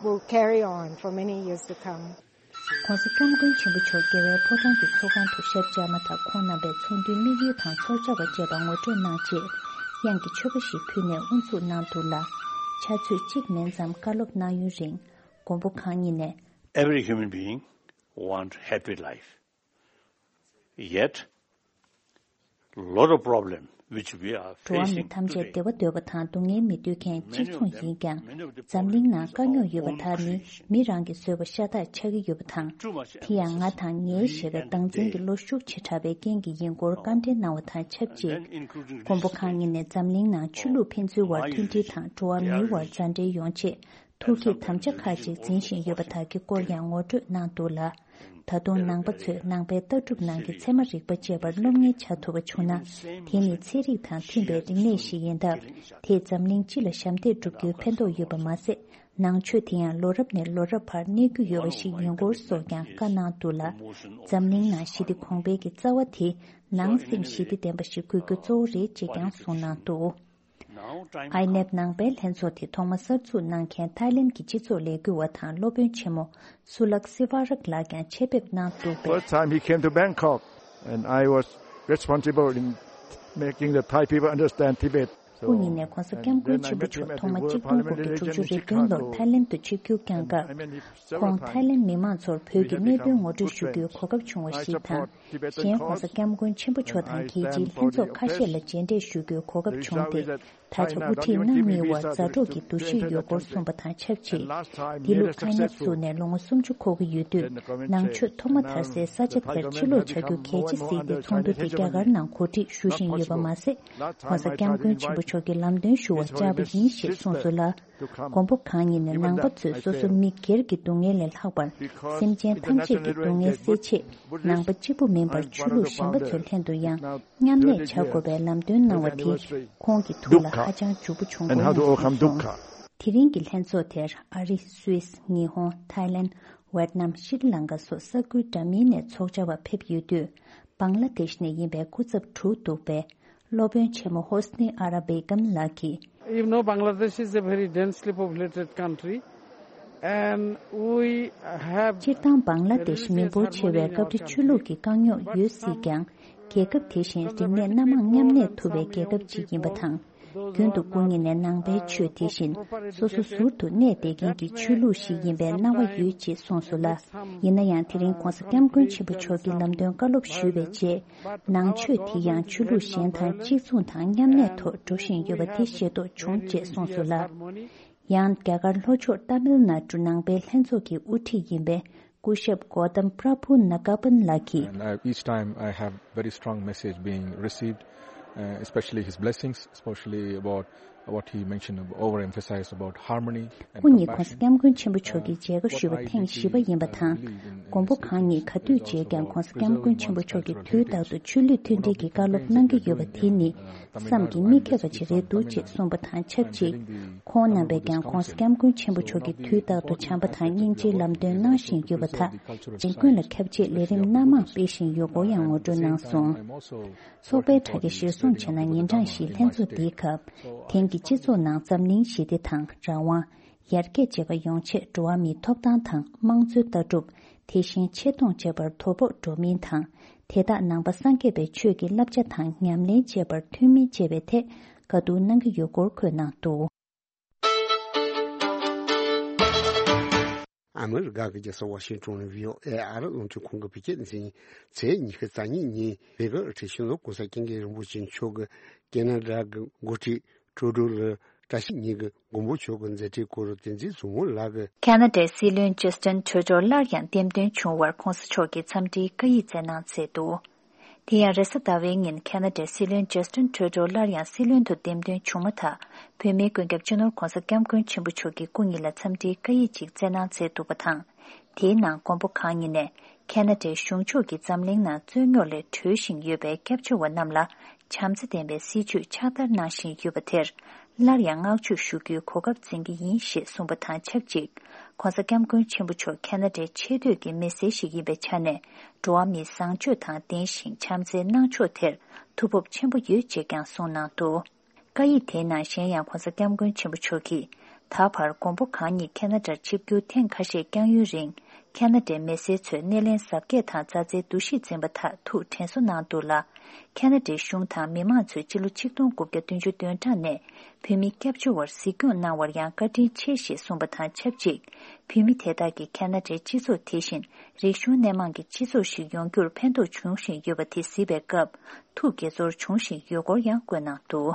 will carry on for many years to come. ༸གོང་ས་༸སྐྱབས་མགོན་ཆེན་པོ་མཆོག་རྒྱལ་བའི་ཕོ་བྲང་གི་ཚོགས་ཁང་དུ་ཞབས་བཅར་མ་ཐག་ཁོང་རྣམ་པའི་ཚོགས་འདུའི་དམིགས་ཡུལ་དང་ཚོགས་བཅར་བ་བཅས་པ་ངོ་སྤྲོད་གནང་རྗེས། དབྱངས་ཀྱི་མཆོད་པ་ཞིག་ཕུལ་ནས་དབུ་འཛུགས་གནང་འདུག་ལ། ཕྱག་ཚོད་གཅིག་མིན་ཙམ་བཀའ་སློབ་གནང་ཡུན་རིང་། མགོན་པོ་གང་ཉིད་ནས། Every human being want happy life. Yet, lot of problem which we are འགྲོ་བ་མི་facing ཐམས་ཅད་today, བདེ་བ་འདོད་པ་དང་སྡུག་བསྔལ་མི་འདོད་མཁན་གཅིག་མཚུངས་ཡིན་ཀྱང་། འཛམ་གླིང་ནང་དཀའ་རྙོག་ཡོད་པ་དག་ནི་མི་རང་གིས་བཟོས་པ་ཤ་སྟག་ཆགས་ཀྱི་ཡོད་པ་དང་། དེ་ཡང་ང་དང་ངའི་ཞེས་པའི་བདག་འཛིན་གྱི་བློ་ཤུགས་ཆེ་དྲགས་པའི་རྐྱེན་གྱིས་ཡིན་སྐོར་བཀའ་འདྲི་གནང་བ་དང་ཆབས་ཅིག་མགོན་པོ་གང་ཉིད་ནས་འཛམ་གླིང་ནང་ཆོས་ལུགས་ཕན་ཚུན་བར་མཐུན་སྒྲིལ་དང་འགྲོ་བ་མིའི་བར་མཛའ་འབྲེལ་ཡོང་ཆེད། ཐུགས་བསྐྱེད་དམ་བཅའ་ཁག་ཅིག་འཛིན་བཞིན་ཡོད་པ་དག་གི་སྐོར་ཡང་ངོ་སྤྲོད་གནང་འདུག་ལ། ད་དུང་ནང་པ་ཚོས་ནང་པའི་ལྟ་གྲུབ་ནང་གི་ཚད་མ་རིག་པ་བཅས་པར་སློབ་གཉེར་བྱ་ཐུབ་པ་བྱུང་ན། དེ་ནི་ཚན་རིག་དང་མཐུན་པའི་རིག་གནས་ཤིག་ཡིན་སྟབས། དེས་འཛམ་གླིང་སྤྱི་ལ་ཞབས་འདེགས་སྒྲུབ་རྒྱུའི་ཕན་ཐོགས་ཡོད་པ་མ་ཟད། ནང་ཆོས་དེ་ཡང་ལོ་རབས་ནས་ལོ་རབས་བར་གནས་རྒྱུ་ཡོད་པ་ཞིག་ཡིན་སྐོར་སོགས་ཀྱང་བཀའ་གནང་འདུག་ལ། འཛམ་གླིང་ནང་ཞི་བདེ་གོང་འཕེལ་གྱི་རྩ་བ་དེ། ནང་སེམས་ཞི་བདེ་ལྡན་པ་ཞིག་དགོས་རྒྱུ་གཙོ་བོ་རེད་ཅེས་ཀྱང་གསུངས་གནང་འདུག་ཨའི་ནེབ་ནང་པའི་ལྷན་ཚོགས་དེ་ཐོག་མ་གསར་འཛུགས་གནང་མཁན་ཐའི་ལེན་གྱི་སྤྱི་ཚོགས་ལས་འགུལ་བ་དང་སློབ་དཔོན་ཆེན་མོ་སུ་ལག་སི་ཝ་རག་ལགས་ཀྱང་ཆེད་ཕེབས་གནང་འདུག་པས། First time he came to Bangkok, and I was responsible in making the Thai people understand Tibet. སྐུ་ཉིད་ནས་༸གོང་ས་༸སྐྱབས་མགོན་ཆེན་པོ་མཆོག་ཐོག་མ་གཅིག་སྟོང་དགུ་བརྒྱ་དྲུག་ཅུ་རེ་བདུན་ལོར་ཐའི་ལེན་དུ་ཆིབས་བསྒྱུར་བསྐྱངས་སྐབས། ཁོང་ཐའི་ལེན་མི་མང་ཚོར་བོད་ཀྱི་གནད་དོན་ངོ་སྤྲོད་ཞུ་རྒྱུའི་གོ་སྐབས་བྱུང་བ་ཞིག་དང་། གཞན་༸གོང་ས་༸སྐྱབས་མགོན་ཆེན་པོ་མཆོག་དང་རྒྱལ་སྤྱིའི་ལྷན་ཚོགས་ཁ་ཤས་ལ་མཇལ་འཕྲད་ཞུ་རྒྱུའི་གོ་སྐབས་བྱུང་སྟེ། ད་ཆ་དབུ་ཁྲིད་རྣམ་གཉིས་བར་མཛའ་གྲོགས་ཀྱི་འདུ་ཤེས་ཡོད་སྐོར་གསུངས་པ་དང་ཆབས་ཅིག་འདི་ལོ་ཨའི་ནེབ་བཙུགས་ནས་ལོ་ངོ་སུམ་ཅུ་འཁོར་གྱི་ཡོད་དུས། ནང་ཆོས་ཐོག་མ་དར་སའི་ས་ཆ་དེར་ཕྱིར་ལོག་བྱ་རྒྱུ་གལ་ཆེ་གཟིགས་ཏེ་ཚོགས་འདུ་དེ་རྒྱ་གར་ནང་གོ་སྒྲིག་ཞུ་བཞིན་ཡོད་པ་མ་ཟད། ༸གོང་ས་༸སྐྱབས་མགོན་ཆེན་པོ་མཆོག་གི་ལམ་སྟོན་ཞུ་བར་བཅར་བ་ཡིན་ཞེས་གསུངས་སོང་ལ། མགོན་པོ་གང་ཉིད་ནས་ནང་པ་ཚོས་སོ་སོ་མི་སྒེར་གྱི་སྡུག་བསྔལ་ལས་ལྷག་པར། སེམས་ཅན་ཐམས་ཅད་ཀྱི་སྡུག་བསྔལ་སེལ་ཆེད། ནང་པ་གཅིག་པུ་མིན་པར་ཆོས་ལུགས་གཞན་པ་ཚོའི་ལྷན་དུ་ཡང་མཉམ་གནས་བྱ་དགོས་པའི་ལམ་སྟོན་གནང་བ་དེ་ཁོང་གི་ཐུགས་ལ་ཧ་ཅང་འཇུག་པོ་བྱུང་དགོས་སྙམ་གསུངས་སོང་། དེ་རིང་གི་ལྷན་ཚོགས་དེར་ཨ་རི། སུད་སི། ཉི་ཧོང་། ཐའི་ལེན། ཝེད་ནམ། ཤྲི་ལང་ཀ་སོགས་ས་ཁུལ་འདྲ་མིན་ནས་ཚོགས་བཅར་བ་ཕེབས་ཡོད་དུས། བང་ལ་དེཤ་ནས་ཡིན་པའི་སྐུ་ཚབ་དྲུག་འདུག་པས། སློབ་དཔོན་ཆེན་མོ་ཧོ་སི་ནི་ཨ་ར་བྷེ་གམ་ལགས་ཀྱིས། You know, Bangladesh is a very densely populated country, and we have སྤྱིར་བཏང་བང་ལ་དེཤ་མི་འབོར་ཆེ་བས་སྐབས་རེ་ཆོས་ལུགས་ཀྱི་དཀའ་རྙོག་ཡོད་སྲིད་ཀྱང་། རྒྱལ་ཁབ་དེ་བཞིན་རིག་གནས་སྣ་མང་མཉམ་གནས་ཐུབ་པའི་རྒྱལ་ཁབ་ཅིག་ཡིན་པ་དང་། རྒྱུན་དུ་སྐུ་ཉིད་ནས་ནང་པའི་ཆོས་དེ་བཞིན་སོ་སོ་ཟུར་དུ་གནས་བསྡད་མཁན་གྱི་ཆོས་ལུགས་ཤིག་ཡིན་པའི་སྣང་བ་ཡོད་ཅེས་གསུངས་སོང་ལ། ཡིན་ན་ཡང་དེ་རིང་༸གོང་ས་༸སྐྱབས་མགོན་ཆེན་པོ་མཆོག་གིས་ལམ་སྟོན་བཀའ་སློབ་ཞུས་པའི་རྗེས། ནང་ཆོས་དེ་ཡང་ཆོས་ལུགས་གཞན་དང་གཅིག་མཚུངས་དང་མཉམ་གནས་ཐོག་འགྲོ་བཞིན་ཡོད་པ་དེ་ཤེས་རྟོགས་བྱུང་ཅེས་གསུངས་སོང་ལ། ཡང་རྒྱ་གར་ལྷོ་ཕྱོགས་ཏཱ་མིལ་ནཱ་ཌུ་ནང་པའི་ལྷན་ཚོགས་ཀྱི་དབུ་ཁྲིད་ཡིན་པའི་སྐུ་ཞབས་གོ་ཏམ་པྲ་བྷུ་ན་ག་པན་ལགས་ཀྱིས། And I, each time I have very strong message being received, uh, especially his blessings, especially about what he mentioned, overemphasized about harmony and སྐུ་ཉིད་༸གོང་ས་༸སྐྱབས་མགོན་ཆེན་པོ་མཆོག་གིས་མཇལ་ཁ་ཞུས་པ་ཐེངས་བཞི་པ་ཡིན་པ་དང་། མགོན་པོ་གང་ཉིད་ག་དུས་མཇལ་ཀྱང་༸གོང་ས་༸སྐྱབས་མགོན་ཆེན་པོ་མཆོག་གིས་དུས་རྟག་ཏུ་ཆོས་ལུགས་མཐུན་སྒྲིལ་གྱི་བཀའ་སློབ་གནང་གི་ཡོད་པ་དེ་ནི་བསམ་གྱིས་མི་ཁྱབ་པ་ཅིག་རེད་འདུག་ཅེས་གསུངས་པ་དང་ཆབས་ཅིག་ཁོང་རྣམ་པས་ཀྱང་༸གོང་ས་༸སྐྱབས་མགོན་ཆེན་པོ་མཆོག་གིས་དུས་རྟག་ཏུ་བྱམས་པ་དང་སྙིང་རྗེའི་ལམ་སྟོན་གནང་བཞིན་ཡོད་པ་དག་གཞན་ཀུན་ལ་ཁྱབ་ཆེད་ལས་རིམ་སྣ་མང་སྤེལ་བཞིན་ཡོད་སྐོར་ཡང་ངོ་སྤྲོད་གནང་སོང་། ཚོགས་པའི་དྲ་རྒྱ་གཞིར་བཟུང་བྱས་ན། ཉིན་གྲངས་བཞིའི་ལྷན་ཚོགས་འདིའི་སྐབས། དེང་གི་སྤྱི་ཚོགས་ནང་འཛམ་གླིང་ཞི་བདེ་དང་། རང་དབང་། ཡར་རྒྱས་བཅས་པ་ཡོང་ཆེད་འགྲོ་བ་མིའི་ཐོབ་ཐང་དང་། དམངས་གཙོའི་ལྟ་གྲུབ། དེ་བཞིན་ཆེ་མཐོང་བཅས་པར་དོ་ཕོག་འགྲོ་མིན་དང་། དེ་དག་ནང་པ་སངས་རྒྱས་པའི་ཆོས་ཀྱི་བསླབ་བྱ་དང་ཉམས་ལེན་བཅས་པར་མཐུན་མིན་བཅས་པའི་ཐད་བཀའ་བསྡུར་གནང་གི་ཡོད་སྐོར་འཁོད་གནང་འདུག་ཨ་མི་རི་ཀ་གི་རྒྱལ་ས་ཝ་ཤིང་ཊོན་ནས་བྷི་ཨོ་ཨེ་ཨ་རི་རླུང་འཕྲིན་ཁང་གིས་བོད་སྐད་སྡེ་ཚན་ཉིན་ཚེས་ཉི་ཤུ་རྩ་གཉིས་ཉིན་བོད་ཀྱི་དབུ་ཁྲིད་སྤྱི་ནོར་༸གོང་ས་༸སྐྱབས་མགོན་རིན་པོ་ཆེ་མཆོག་གིས་ཁེ་ན་ཌ་གི་འགོ་ཁྲིད་ཀྲུ་ཌོ་ལགས་བཀྲ་ཤིས་ཉིན་གྱི་མགོན་པོ་མཆོག་གི་མཛད་འཕྲིན་སྐོར་བསྟན་འཛིན་བཟང་མོ་ལགས་ཀྱིས། ཁེ་ན་ཌའི་སྲིད་བློན་ཇ་སི་ཊིན་ཁྲུ་ཌོ་སླར་ཡང་འདེམས་ཐོན་བྱུང་བར་༸གོང་ས་མཆོག་གིས་འཚམས་འདྲིའི་བཀའ་ཡིག་བསྩལ་གནང་མཛད་འདུག་དེ་ཡང་རེས་གཟའ་ཟླ་བའི་ཉིན་ཁེ་ན་ཌའི་སྲིད་བློན་ཇ་སི་ཊིན་ཁྲུ་ཌོ་སླར་ཡང་སྲིད་བློན་དུ་འདེམས་ཐོན་བྱུང་མ་ཐག་བོད་མིའི་མགོན་སྐྱབས་སྤྱི་ནོར་༸གོང་ས་༸སྐྱབས་མགོན་ཆེན་པོ་མཆོག་གིས་སྐུ་ཉིད་ལ་འཚམས་འདྲིའི་བཀའ་ཡིག་ཅིག་བསྩལ་གནང་མཛད་འདུག་པ་དང་། དེའི་ནང་མགོན་པོ་གང་ཉིད་ནས་ཁེ་ན་ཌའི་གཞུང་ཕྱོགས་ཀྱིས་འཛམ་གླིང་ནང་རྩོད་རྙོག་ལས་གྲོལ་བཞིན་ཡོད་པའི་སྐྱབས་བཅོལ་བ་རྣམས་ལ་བྱམས་བརྩེ་ལྡན་པའི་སྲིད་བྱུས་ཕྱག་བསྟར་གནང་བཞིན་ཡོད་པ་དེར་སླར་ཡང་བསྔགས་བརྗོད་ཞུ་རྒྱུའི་གོ་སྐབས་འཛིན་གྱི་ཡིན་ཞེས་གསུངས་པ་དང་ཆབས་ཅིག ༸གོང་ས་༸སྐྱབས་མགོན་ཆེན་པོ་མཆོག་ཁེ་ན་ཌའི་ཆེས་མཐོའི་གི་མི་སེར་ཞིག་ཡིན་པའི་ཆ་ནས་འགྲོ་བ་མིའི་བཟང་སྤྱོད་དང་ལྡན་ཞིང་བྱམས་བརྩེའི་གནང་ཕྱོགས་དེར་ཐུགས་ཕོབ་ཆེན་པོ་ཡོད་ཅེས་ཀྱང་གསུངས་གནང་འདུག་བཀའ་ཡིག་དེའི་ནང་གཞན་ཡང་༸གོང་ས་༸སྐྱབས་མགོན་ཆེན་པོ་མཆོག་གིས་ད་བར་མགོན་པོ་གང་ཉིད་ཁེ་ན་ཌར་ཆིབས་བསྒྱུར་ཐེངས་ཁ་ཤས་བསྐྱངས་ཡུན་རིང་ཁེ་ན་ཌའི་མི་སེར་ཚོས་སྣེ་ལེན་གཟབ་རྒྱས་དང་མཛའ་བརྩེའི་འདུ་ཤེས་འཛིན་པ་དག་ཐུགས་དྲན་གསོ་གནང་འདུག་ལ། ཁེ་ན་ཌའི་གཞུང་དང་མི་མང་ཚོས་སྤྱི་ལོ་ཆིག་སྟོང་དགུ་བརྒྱ་བདུན་ཅུ་དོན་གྲངས་ནས་བོད་མི་སྐྱབས་བཅོལ་བར་གཟིགས་སྐྱོང་གནང་བར་ཡང་བཀའ་དྲིན་ཆེ་ཞེས་གསུངས་པ་དང་ཆབས་ཅིག་བོད་མི་དེ་དག་གིས་ཁེ་ན་ཌའི་སྤྱི་ཚོགས་དེ་བཞིན་རིག་གཞུང་སྣེ་མང་གི་སྤྱི་ཚོགས་ཤིག་ཡོང་རྒྱུར་ཕན་ཐོགས་འབྱུང་བཞིན་ཡོད་པ་དེ་གཟིགས་པའི་སྐབས་ཐུགས་དགྱེས་ཚོར་བྱུང་བཞིན་ཡོད་སྐོར་ཡང་བཀོད་གནང་འདུག་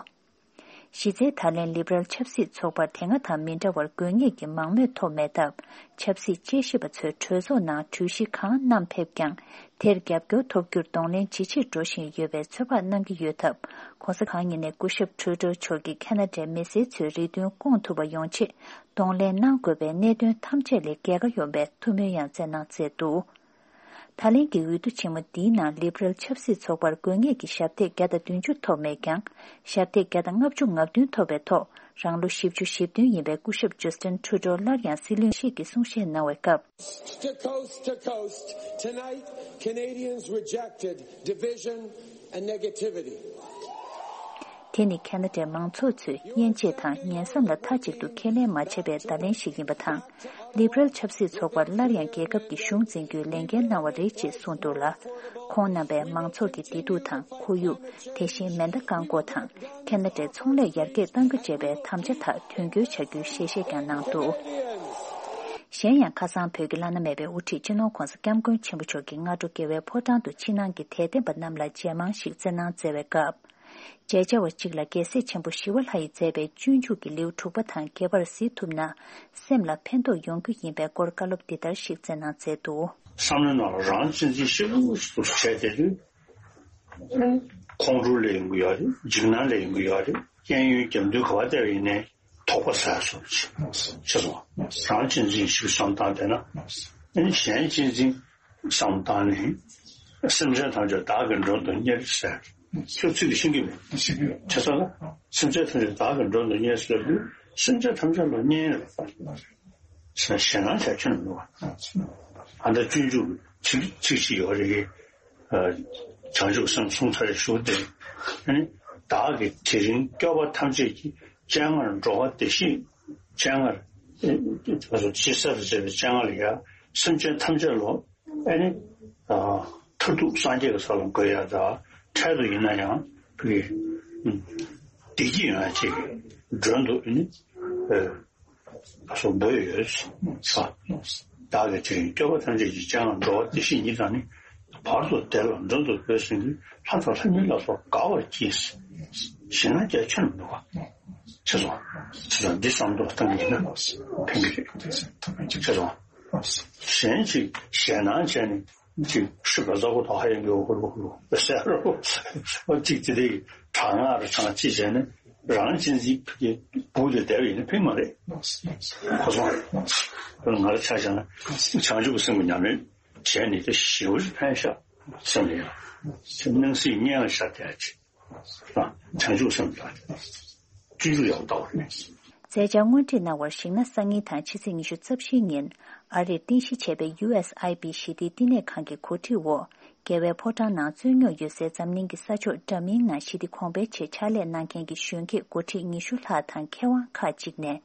གཞི་རྩའི་ད་ལན་ལིབ་རལ་ཆབ་སྲིད་ཚོགས་པར་དེ་སྔ་དང་མི་འདྲ་བར་དགོས་ངེས་ཀྱི་མང་མོས་ཐོབ་མེད་སྟབས། ཆབ་སྲིད་དཔྱད་ཞིབ་པ་ཚོས་གྲོས་ཚོགས་ནང་གྲོས་གཞི་གང་བསྣམས་ཕེབས་ཀྱང་། དེར་རྒྱབ་སྐྱོར་ཐོབ་རྒྱུར་གདོང་ལེན་ཇི་ཆེར་འགྲོ་བཞིན་ཡོད་པའི་ཚོད་དཔག་གནང་གི་ཡོད་སྟབས། ༸གོང་ས་གང་ཉིད་ནས་སྐུ་ཞབས་ཁྲུ་ཌོ་མཆོག་གིས་ཁེ་ན་ཌའི་མི་སེར་ཚོའི་རེ་འདུན་སྐོང་ཐུབ་པ་ཡོང་ཆེད་གདོང་ལེན་གནང་དགོས་པའི་གནད་དོན་ཐམས་ཅད་ལས་རྒྱལ་ཁ་ཡོང་བའི་ཐུགས་སྨོན་ཡང་བསྩལ་གནང་མཛད་འདུག་ད་ལན་གྱི་འོས་བསྡུ་ཆེན་མོ་འདིའི་ནང་ལིབ་རལ་ཆབ་སྲིད་ཚོགས་པར་དགོས་ངེས་ཀྱི་ཞབས་སྟེགས་བརྒྱ་དང་བདུན་ཅུ་ཐོབ་མེད་ཀྱང་། ཞབས་སྟེགས་བརྒྱ་དང་ལྔ་བཅུ་ང་བདུན་ཐོབ་པའི་ཐོག་རང་ལོ་བཞི་བཅུ་ཞེ་བདུན་ཡིན་པའི་སྐུ་ཞབས་ཇོ་སི་ཊིན་ཁྲུ་ཌོ་སླར་ཡང་སྲིད་བློན་ཞིག་གི་གསུང་བཤད་གནང་བའི་སྐབས། To coast to coast, tonight, Canadians rejected division and negativity. དེ་ནི་ཁ་ན་ཌའི་མང་ཚོགས་ཚོས་དབྱེ་འབྱེད་དང་ཉེན་བསམ་ལ་མཐའ་གཅིག་ཏུ་ཁས་ལེན་མ་བྱས་པའི་བརྡ་ལན་ཞིག་ཡིན་པ་དང་། ལི་བྷ་རལ་ཆབ་སྲིད་ཚོགས་པར་སླར་ཡང་རྒྱལ་ཁབ་ཀྱི་གཞུང་འཛིན་རྒྱུའི་ལས་འགན་གནང་བ་རེད་ཅེས་གསུངས་འདུག་ལ། ཁོང་རྣམ་པས་མང་ཚོགས་ཀྱི་བདེ་སྡུག་དང་ཁོར་ཡུག་དེ་བཞིན་མེ་མདའ་བཀག་འགོག་དང་ཁ་ན་ཌའི་ཚོང་ལས་ཡར་རྒྱས་གཏང་རྒྱུ་བཅས་པའི་དམ་བཅའ་དག་དོན་འཁྱོལ་བྱ་རྒྱུའི་ཞལ་བཞེས་ཀྱང་གནང་འདུག་གཞན་ཡང་ཁ་སང་བོད་ཀྱི་བླ་ན་མེད་པའི་དབུ་ཁྲིད་སྤྱི་ནོར་༧གོང་ས་༧སྐྱབས་མགོན་ཆེན་པོ་མཆོག་གིས་སྔ་དྲོ་རྒྱལ་བའི་ཕོ་བྲང་དུ་ཕྱི་ནང་གི་དད་ལྡན་པ་རྣམས་ལ་མཇལ་མང་ཞིག་བསྩལ་གནང་མཛད་པའི་སྐབས། མཇལ་བཅར་བ་གཅིག་ལ་རྒྱལ་སྲས་ཆེན་པོ་ཞི་བ་ལྷ་ཡིས་མཛད་པའི་སྤྱོད་འཇུག་གི་ལེའུ་དྲུག་པ་དང་བརྒྱད་པར་གཟིགས་ཐུབ་ན། སེམས་ལ་ཕན་ཐོགས་ཡོང་རྒྱུ་ཡིན་པའི་སྐོར་བཀའ་སློབ་འདི་ལྟར་ཞིག་སྩལ་གནང་མཛད་འདུག་བསམ་བློའི་ནང་ལ་རང་གཅེས་འཛིན་ཞེ་པོ་ཞིག་བྱས་བསྡད་དུས། ཁོང་ཁྲོ་སླེབས་ཡོང་གི་ཡོད་རེད། འཇིགས་སྣང་སླེབས་ཡོང་གི་ཡོད་རེད། གཡས་གཡོན་རྒྱབ་མདུན་ག་པར་བལྟས་པ་ཡིན་ནའི་དོགས་པ་ཟ་སོང་ཆེ་སོང་། རང་གཅེས་འཛིན་ཞིག་བསམ་བཏང་བསྡད་ན། ཨ་ནི་གཞན་གཅེས་འཛིན་བསམ་བཏང་ནས། སེམས་ཅན་ཐམས་ཅད་བདག་གིས་མགྲོན་དུ་གཉེར་ཟེར། ཁྱོད་ཚིག་འདི་ཤེས་ཀྱི་མེད། ཤེས་ཀྱི་ཡོད། བྱས་ཙང་ལ། སེམས་ཅན་ཐམས་ཅད་བདག་གིས་མགྲོན་དུ་གཉེར་ཟེར་དུས་སེམས་ཅན་ཐམས་ཅད་ལ་གཉེར་རེད། ཞེད་སྣང་བྱ་ཁྱོན་མི་འདུག་བ། ཨ་ད་སྤྱོད་འཇུག་ཚིག་ཚིག་ཅིག་ཡོད་རེད། བྱང་ཆུབ་སེམས་གསུང་ཚར་ཞུ་སྟེ། ཨ་ནི་བདག་གིས་དེ་རིང་སྐྱོབ་པ་ཐམས་ཅད་ཀྱི་སྤྱན་སྔར་འགྲོ་བ་བདེ་གཤེགས་སྤྱན་སྔར། ཅི་ཟེར་བྱས་པའི་སྤྱན་སྔར་ལ་ཡ་སེམས་ཅན་ཐམས་ཅད་ལ། ཨ་ནི། མཐར་ཐུག་སངས་རྒྱས་ཀྱི་ས་ལ་འགོད་ཡ་ད། འཕྲལ་དུ་ཡིན་ན་ཡང་བོད་ཀྱི། བདེ་སྐྱིད་ཡོང་ཡ་ཅིག་གི་མགྲོན་དུ་ཨ་ནི། ཨ་སོགས་འབོད་ཡོད་ས། བདག་གིས་དེ་རིང་སྐྱོབ་པ་ཐམས་ཅད་ཀྱི་སྤྱན་སྔར་འགྲོ་བ་བདེ་གཤེགས་ཉིད་དང་ནི། བར་དུ་བདེ་ལ་མགྲོན་དུ་བོས་ཟིན་གྱི་ལྷ་དང་ལྷ་མིན་ལ་སོགས་དགའ་བར་གྱིས། ཞེད་སྣང་རྒྱ་ཆེར་མི་འདུག་བ། ཆེ་སོང་། ཆེ་སོང་། འདི་བསམ་བློ་བཏང་གི་ཡིན་ན་ཕན་གྱི་རེད། ཆེ་སོང་། གཞན་ཅིག་ཞེད་སྣང་བྱས་ནས་ཅིག་ཤི་བ་ཟ་གོ་ད་ཧ་ཡང་གི་འོ་ཧུ་རུ་ཧུ་རུ་ཟེར་རོ། ཅིག་དེ་དེ་གྲང་ངར་གྲང་ཅིག་བྱས་ནས་རང་གཅེས་འཛིན་གྱི་སྦུག་དེ་བསྡད་པ་ཡིན་ན་ཕན་མ་རེད། གོ་སོང་། ང་ལ་ཆ་བཞག་ན་བྱང་ཆུབ་སེམས་ཀྱི་ཉམས་ལེན་བྱས་ནས་དེ་ཞེ་པོ་ཅིག་ཕན་ཤག་སེམས་ལ་ཡང་སྣང་སྲིད་གཉེན་ལ་ཤར་བསྡད་ཡ་ཅིག་བྱང་ཆུབ་སེམས་དང་སྤྱོད་འཇུག་ཡག་པོ་ལྟ་བ་རེད། མཛད་འཆར་སྔོན་ཁྲིད་གནང་བར་གཞིགས་ན། སང་ཉིན་དང་ཕྱི་ཚེས་ཉི་ཤུ་རྩ་བཞིའི་ཉིན་ཨ་རིར་རྟེན་གཞི་བྱས་པའི་ཡུ་ཨེས་ཨའི་བི་ཞི་བདེའི་བསྟི་གནས་ཁང་གི་གོ་སྒྲིག་འོག་རྒྱལ་བའི་ཕོ་བྲང་ནང་རྩོད་རྙོག་ཡོད་སའི་འཛམ་གླིང་གི་ས་ཕྱོགས་འདྲ་མིན་ནང་ཞི་བདེ་གོང་འཕེལ་ཆེད་ཕྱག་ལས་གནང་མཁན་གྱི་གཞོན་སྐྱེས་འགོ་ཁྲིད་ཉི་ཤུ་ལྷག་དང་མཁས་དབང་ཁག་ཅིག་ནས།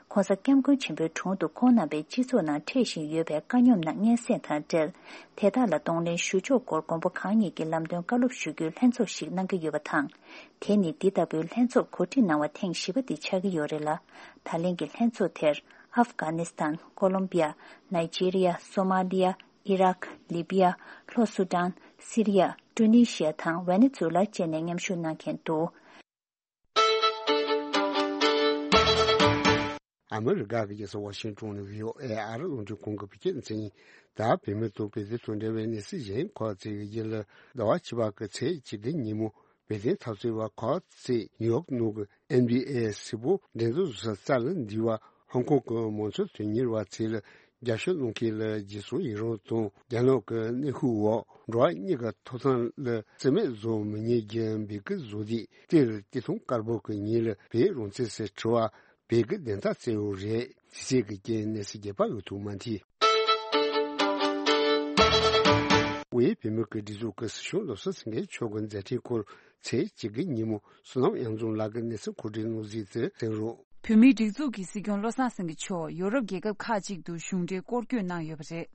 ྋགོང་ས་ྋསྐྱབས་མགོན་ཆེན་པོའི་དྲུང་དུ་ཁོང་རྣམ་པས་སྤྱི་ཚོགས་ནང་འཕྲད་བཞིན་ཡོད་པའི་དཀའ་རྙོག་དང་སྙན་སེང་དང་འབྲེལ། དེ་དག་ལ་གདོང་ལེན་ཞུ་ཕྱོགས་སྐོར་མགོན་པོ་གང་ཉིད་ཀྱིས་ལམ་སྟོན་བཀའ་སློབ་ཞུ་རྒྱུའི་ལྷན་ཚོགས་ཤིག་གནང་གི་ཡོད་པ་དང་། དེ་ནི་འདི་ལྟ་བུའི་ལྷན་ཚོགས་གོ་སྒྲིག་གནང་བ་ཐེངས་བཞི་པ་འདི་ཆགས་ཀྱི་ཡོད་རེད་ལ། ད་ལན་གྱི་ལྷན་ཚོགས་དེར་ཨབ་གྷ་ནི་སི་ཐན། ཀོ་ལོམ་བི་ཡ། ནཱི་ཇི་རི་ཡ། སོ་མ་ལི་ཡ། ཨི་རག། ལི་བི་ཡ། ལྷོ་སུ་ཌན། སི་རི་ཡ། ཀྲུ་ནི་ཤི་ཡ་དང་ཝེ་ནེ་ཛུ་ལ་བཅས་ནས་མཉམ་ཞུགས་གནང་མཁན་འདུག་ཨ་མི་རི་ཀ་གི་རྒྱལ་ས་ཝ་ཤིང་ཏོན་ནས་བྷི་ཨོ་ཨེ་ཨ་རི་རླུང་འཕྲིན་ཁང་གི་བོད་སྐད་སྡེ་ཚན་ཡིན། ད་བོད་མི་དང་བོད་དོན་དང་འབྲེལ་བའི་གནས་ཚུལ་གཞན་ཁག་ཅིག་གི་རྒྱུད་ལ། ཟླ་བ་བཅུ་པ་གི་ཚེས་བཅུ་དགུ་ཉིན་མོ་བོད་དོན་འཐབ་རྩོད་པ་ཁག་ཅིག་ནིའུ་ཡོག་ནང་གི་ཨེན་བྷི་ཨེ་སིལ་བུ་འགྲན་བསྡུར་བཟོ་ས་རྩ་ལ་འདུས་པ་ཧོང་ཀོང་གི་མང་གཙོ་དོན་གཉེར་བ་ཚོས་ལ་རྒྱབ་སྐྱོར་གནང་མཁན་ལ་རྗེས་སུ་ཡི་རང་དང་། རྒྱ་ནག་གི་གནོན་ཤུགས་འོག་འགྲོ་བ་མིའི་ཐོབ་ཐང་ལ་བརྩི་མེད་བཟོ་མི་ཉན་རྒྱུའི་འབོད་སྐུལ་བཟོ་དུས། དེར་སྟོད་ཐུང་དཀར་པོ་གི་ཉིན་ལ་བོད་རང་བཙན་ཟེར་དྲི་བ་བོད་སྐད་བདེན་མཐའ་གསལ་བོ་རེད། དེ་ཚེ་གི་རྐྱེན་གནས་ཚུལ་རྒྱས་པ་འོས་ཐུག་མ་མཐིལ། དབུས་བོད་མིའི་སྒྲིག་འཛུགས་ཀྱི་སྲིད་སྐྱོང་བློ་བཟང་སེང་གེ་མཆོག་གི་མཛད་འཕྲིན་སྐོར་ཚེས་བཅུ་དགུ་ཉིན་མོ་བསོད་ནམས་དབྱངས་འཛོམས་ལགས་ཀྱིས་གནས་ཚུལ་མཁོ་སྒྲིག་གནང་གཟིགས་དེ་གསན་རོགས། བོད་མིའི་སྒྲིག་འཛུགས་ཀྱི་སྲིད་སྐྱོང་བློ་བཟང་སེང་གེ་མཆོག་ཡོ་རོབ་རྒྱལ་ཁབ་ཁག་ཅིག་ཏུ་གཞུང་འབྲེལ་སྐོར་སྐྱོད་གནང་ཡོད་པ་རེད།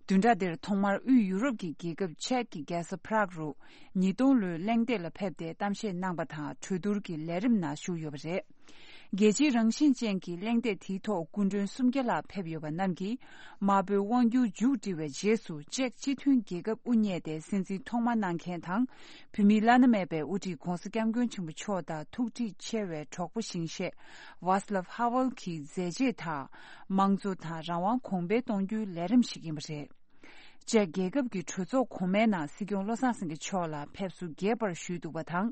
བདུན་ཕྲག་འདིར་ཐོག་མར་དབུས་ཡུ་རོབ་ཀྱི་རྒྱལ་ཁབ་ཅེཀ་གི་རྒྱལ་ས་པ་རག་རུ་ཉིས་སྟོང་ལོའི་གླེང་སྟེགས་ལ་ཕེབས་ཏེ་གཏམ་བཤད་གནང་བ་དང་། གྲོས་བསྡུར་གྱི་ལས་རིམ་ནང་ཞུགས་ཡོད་པ་རེད། རྒྱལ་སྤྱིའི་རང་བཞིན་ཅན་གྱི་གླེང་སྟེགས་དེའི་ཐོག་སྐུ་མགྲོན་སུམ་བརྒྱ་ལྷག་ཕེབས་ཡོད་པ་རྣམས་ཀྱིས། དམར་པོའི་དབང་སྒྱུར་མཇུག་སྒྲིལ་བའི་རྗེས་སུ་ཅེཀ་སྤྱི་མཐུན་རྒྱལ་ཁབ་དབུ་བརྙེས་ཏེ་སྲིད་འཛིན་ཐོག་མ་གནང་མཁན་དང་། བོད་མིའི་བླ་ན་མེད་པའི་དབུ་ཁྲིད་ྋགོང་ས་ྋསྐྱབས་མགོན་ཆེན་པོ་མཆོག་དང་ཐུགས་འདྲིས་ཆེ་བའི་གྲོགས་པོ་ཞིང་གཤེགས་ཝཱ་སི་ལབ་ཧ་ཝེལ་གྱི་མཛད་རྗེས་དང་། དམངས་གཙོ་དང་རང་དབང་གོང་འཕེལ་གཏོང་རྒྱུའི་ལས་རིམ་ཞིག་ཡིན་པ་རེད། ཅེཀ་རྒྱལ་ཁབ་ཀྱི་གྲོས་ཚོགས་གོང་མའི་ནང་སྲིད་སྐྱོང་བློ་བཟང་སེང་གེ་མཆོག་ལ་ཕེབས་བསུ་རྒྱས་པར་ཞུས་འདུག་པ་དང་།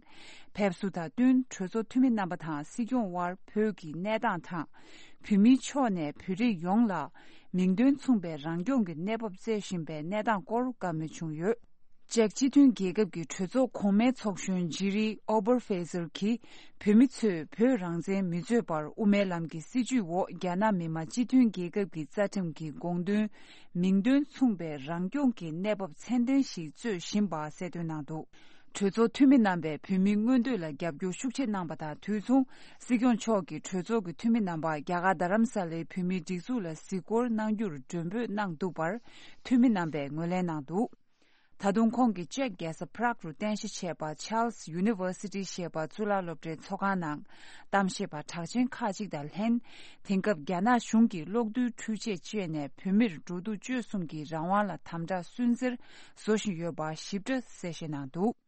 ཕེབས་བསུ་དང་བསྟུན་གྲོས་ཚོགས་འཐུས་མི་རྣམ་པ་དང་སྲིད་སྐྱོང་དབར་བོད་ཀྱི་གནས་སྟངས་དང་། བོད་མིའི་ཕྱོགས་ནས་བོད་རིགས་ཡོངས་ལ་མིང་དོན་མཚུངས་པའི་རང་སྐྱོང་གི་གནས་བབ་བསྩལ་བཞིན་པའི་གནས་སྟངས་སྐོར་བཀའ་མོལ་བྱུང་ཡོད། ཅེཀ་སྤྱི་མཐུན་རྒྱལ་ཁབ་ཀྱི་གྲོས་ཚོགས་གོང་མའི་ཚོགས་གཞོན་ཇི་རི་ཨོ་བར་ཕེ་ཟེར་གྱིས། བོད་མི་ཚོས་བོད་རང་བཙན་མི་རྩོད་པར་དབུ་མའི་ལམ་གྱི་སྲིད་བྱུས་འོག་རྒྱ་ནག་མི་དམངས་སྤྱི་མཐུན་རྒྱལ་ཁབ་ཀྱི་རྩ་ཁྲིམས་ཀྱི་དགོངས་དོན་མིང་དོན་མཚུངས་པའི་རང་སྐྱོང་གི་གནས་བབ་ཚད་ལྡན་ཞིག་རྩོད་བཞིན་པ་གསལ་སྟོན་གནང་འདུག་གྲོས་ཚོགས་འཐུས་མི་རྣམ་པས་བོད་མིའི་མངོན་འདོད་ལ་རྒྱབ་སྐྱོར་ཤུགས་ཆེ་གནང་པ་དང་དུས་མཚུངས། སྲིད་སྐྱོང་མཆོག་གིས་གྲོས་ཚོགས་ཀྱི་འཐུས་མི་རྣམ་པ་རྒྱ་གར་རྡ་རམ་ས་ལའི་བོད་མིའི་སྒྲིག་འཛུགས་ལ་གཟིགས་སྐོར་གནང་རྒྱུར་མགྲོན་འབོད་གནང་འདུག་པར། འཐུས་མི་རྣམ་པས་ངོས་ལེན་གནང་འདུག་ད་དུང་ཁོང་གིས་ཅེཀ་རྒྱལ་ས་Prague རུ་རྟེན་གཞི་བྱས་པ་Charles University ཞེས་པ་གཙུག་ལག་སློབ་གྲྭའི་ཚོགས་ཁང་ནང་གཏམ་བཤད་པ་གྲགས་ཅན་ཁག་ཅིག་དང་ལྷན། དེང་སྐབས་རྒྱ་ནག་གཞུང་གིས་གློག་རྡུལ་འཕྲུལ་ཆས་སྤྱད་ནས་བོད་མིར་འགྲོ་འདུག་སྤྱོད་གསུམ་གྱི་རང་དབང་ལ་དམ་དྲག་སུན་གཙེར་བཟོ་བཞིན་ཡོད་པ་ཞིབ་ཕྲ་གསལ་བཤད་གནང་འདུག་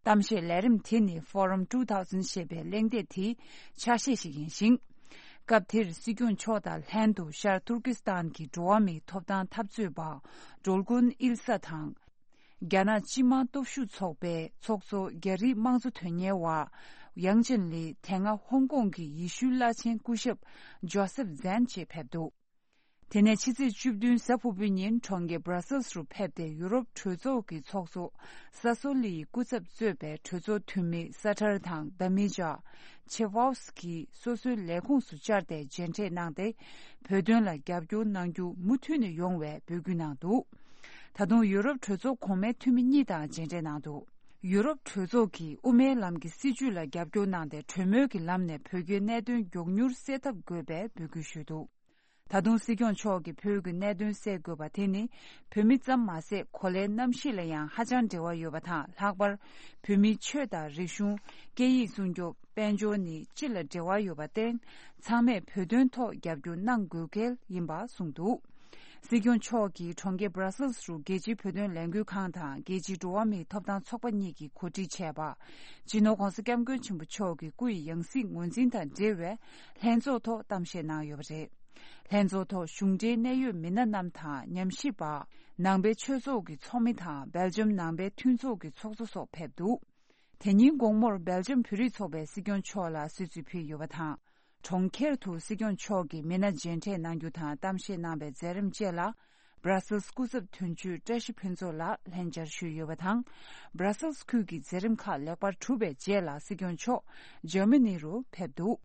གཏམ་བཤད་ལས་རིམ་དེ་ནི་Forum two thousand ཞེས་པའི་གླེང་སྟེགས་དེའི་ཆ་ཤས་ཤིག་ཡིན་ཞིང་། སྐབས་དེར་སྲིད་སྐྱོང་མཆོག་དང་ལྷན་དུ་ཤར་ཏུར་ཀི་སི་ཐན་གྱི་འགྲོ་བ་མིའི་ཐོབ་ཐང་འཐབ་རྩོད་པ་ཌོལ་གུན་ཨིལ་ས་དང་། རྒྱ་ནག་སྤྱི་དམངས་སྟོབས་ཤུགས་ཚོགས་པའི་ཚོགས་གཙོ་རྒྱ་རིགས་དམངས་གཙོ་དོན་གཉེར་བ་ཡང་ཅིན་ལི། དེ་སྔ་ཧོང་ཀོང་གི་ཡེ་ཤུའི་བླ་ཆེན་སྐུ་ཞབས་ཇོ་སེབ་ཛན་བཅས་ཕེབས་འདུག་དེ་ནས་ཕྱི་ཚེས་བཅུ་བདུན་གཟའ་ཕུར་བུའི་ཉིན་གྲོང་ཁྱེར་Brussels རུ་ཕེབས་ཏེ་ཡུ་རོབ་གྲོས་ཚོགས་ཀྱི་ཚོགས་གཙོ་ས་སོ་ལི་ཡི་སྐུ་ཚབ་གཙོས་པའི་གྲོས་ཚོགས་འཐུས་མི་ས་ཁྲར་དང་དཱ་མི་ཇཱ་ཆེ་ཝའོ་སི་ཀི་སོ་སོའི་ལས་ཁུངས་སུ་བཅར་ཏེ་མཇལ་འཕྲད་གནང་སྟེ། བོད་དོན་ལ་རྒྱབ་སྐྱོར་གནང་རྒྱུ་མུ་མཐུད་ནས་ཡོང་བའི་འབོད་སྐུལ་གནང་འདུག་ད་དུང་ཡུ་རོབ་གྲོས་ཚོགས་གོང་མའི་འཐུས་མི་གཉིས་དང་མཇལ་འཕྲད་གནང་འདུག་ཡུ་རོབ་གྲོས་ཚོགས་ཀྱིས་དབུ་མའི་ལམ་གྱི་སྲིད་བྱུས་ལ་རྒྱབ་སྐྱོར་གནང་སྟེ་གྲོས་མོལ་གྱི་ལམ་ནས་བོད་རྒྱའི་གནད་དོན་མགྱོགས་མྱུར་སེལ་ཐབས་དགོས་པའི་འབོད་སྐུལ་ཞུས་འདུག་ད་དུང་སྲིད་སྐྱོང་མཆོག་གིས་བོད་ཀྱི་གནད་དོན་སེལ་དགོས་པ་དེ་ནི་བོད་མི་ཙམ་མ་ཟད་གོ་ལའི་གནམ་གཤིས་ལ་ཡང་ཧ་ཅང་འབྲེལ་བ་ཡོད་པ་དང་། ལྷག་པར་བོད་མིའི་ཆོས་དང་རིག་གཞུང་། སྐད་ཡིག་སྲུང་སྐྱོབ། དཔལ་འབྱོར་ནི་སྤྱི་ལ་འབྲེལ་བ་ཡོད་པར་བརྟེན། ཚང་མས་བོད་དོན་ཐོག་རྒྱབ་སྐྱོར་གནང་དགོས་གལ་ཡིན་པ་གསུངས་འདུག་སྲིད་སྐྱོང་མཆོག་གིས་གྲོང་ཁྱེར་Brussels རུ་རྒྱལ་སྤྱིའི་བོད་དོན་ལས་འགུལ་ཁང་དང་རྒྱལ་སྤྱིའི་འགྲོ་བ་མིའི་ཐོབ་ཐང་ཚོགས་པ་གཉིས་ཀྱིས་གོ་སྒྲིག་བྱས་པ། སྤྱི་ནོར་༧གོང་ས་༧སྐྱབས་མགོན་ཆེན་པོ་མཆོག་གི་སྐུ་ཡི་ཡང་སྲིད་ངོས་འཛིན་དང་འབྲེལ་བའི་ལྷན་ཚོགས་ཐོག་གཏམ་བཤད་གནང་ཡོད་པ་རེད། ལྷན་ཚོགས་ཐོག་གཞུང་འབྲེལ་གནད་ཡོད་མི་སྣ་རྣམས་དང་ཉམས་ཞིབ་པ། ནང་པའི་ཆོས་ཚོགས་ཀྱི་ཚོགས་མི་དང་སྦེལ་ཇམ་ནང་པའི་མཐུན་ཚོགས་ཀྱི་ཚོགས་གཙོ་སོགས་ཕེབས་འདུག་དེ་ཉིན་དགོང་མོར་སྦེལ་ཇམ་བོད་རིགས་ཚོགས་པས་སྲིད་སྐྱོང་མཆོག་ལ་གསོལ་ཚིགས་ཕུལ་ཡོད་པ་དང་། གྲོང་ཁྱེར་དུ་སྲིད་སྐྱོང་མཆོག་གིས་མི་སྣ་མཇལ་འཕྲད་གནང་རྒྱུ་དང་གཏམ་བཤད་གནང་བའི་མཛད་རིམ་བཅས་ལ། Brussels སྐུ་ཚབ་དོན་གཅོད་བཀྲ་ཤིས་ཕུན་ཚོགས་ལགས་ལྷན་བཅར་ཞུས་ཡོད་པ་དང་། Brussels ཁུལ་གྱི་མཛད་རིམ་ཁག་ལེགས་པར་གྲུབ་པའི་རྗེས་ལ་སྲིད་སྐྱོང་མཆོག་འཇར་མ་ནི་རུ་ཕེབས་འདུག་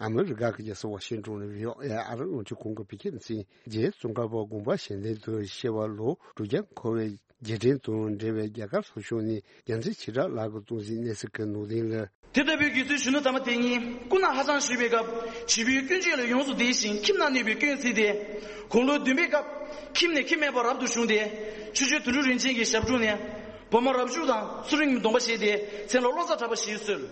ཨ་མི་རི་ཀ་གི་རྒྱལ་ས་ཝ་ཤིང་ཏོན་ནས་བྷི་ཨོ་ཨེ་ཨ་རི་རླུང་འཕྲིན་ཁང་གི་བོད་སྐད་སྡེ་ཚན། རྗེ་ཙོང་ཁ་པ་དགོངས་པ་གཞན་དོན་དུ་གཤེགས་པ་ལོ་དྲུག་བརྒྱ་འཁོར་བའི་རྗེས་དྲན་དང་འབྲེལ་བའི་རྒྱ་གར་ལྷོ་ཕྱོགས་ནས་རྒྱལ་མཚན་ཆེ་དྲག་ལགས་ཀྱིས་གཏོང་གཟིགས་གནས་ཚུལ་གྱི་ནང་དོན་ལ། དེ་ལྟ་བུའི་དགེ་ཚུལ་གཞོན་ནུ་དམ་པ་དེ་ཉིད་སྐུ་ན་ཧ་ཅང་གཞོན་པའི་སྐབས་བྱིས་པའི་སྐྱོན་བརྗོད་ལ་ཡོངས་སུ་བདེ་ཞིང་ཁྱིམ་ན་གནས་པའི་སྐྱོན་བརྩིས་ཏེ། དགུང་ལོ་བདུན་པའི་སྐབས་ཁྱིམ་ནས་ཁྱིམ་མེད་པར་རབ་ཏུ་བྱུང་སྟེ། ཆོས་རྗེ་དོན་གྲུབ་རིན་ཆེན་གྱི་ཞབས་དྲུང་ནས་བི་མ་རབ་བྱུང་དང་ཚུལ་ཁྲིམས་ཀྱི་སྡོམ་པ་བཞེས་ཏེ་མཚན་ལ་བློ་བཟང་གྲགས་པ་ཞེས་གསོལ།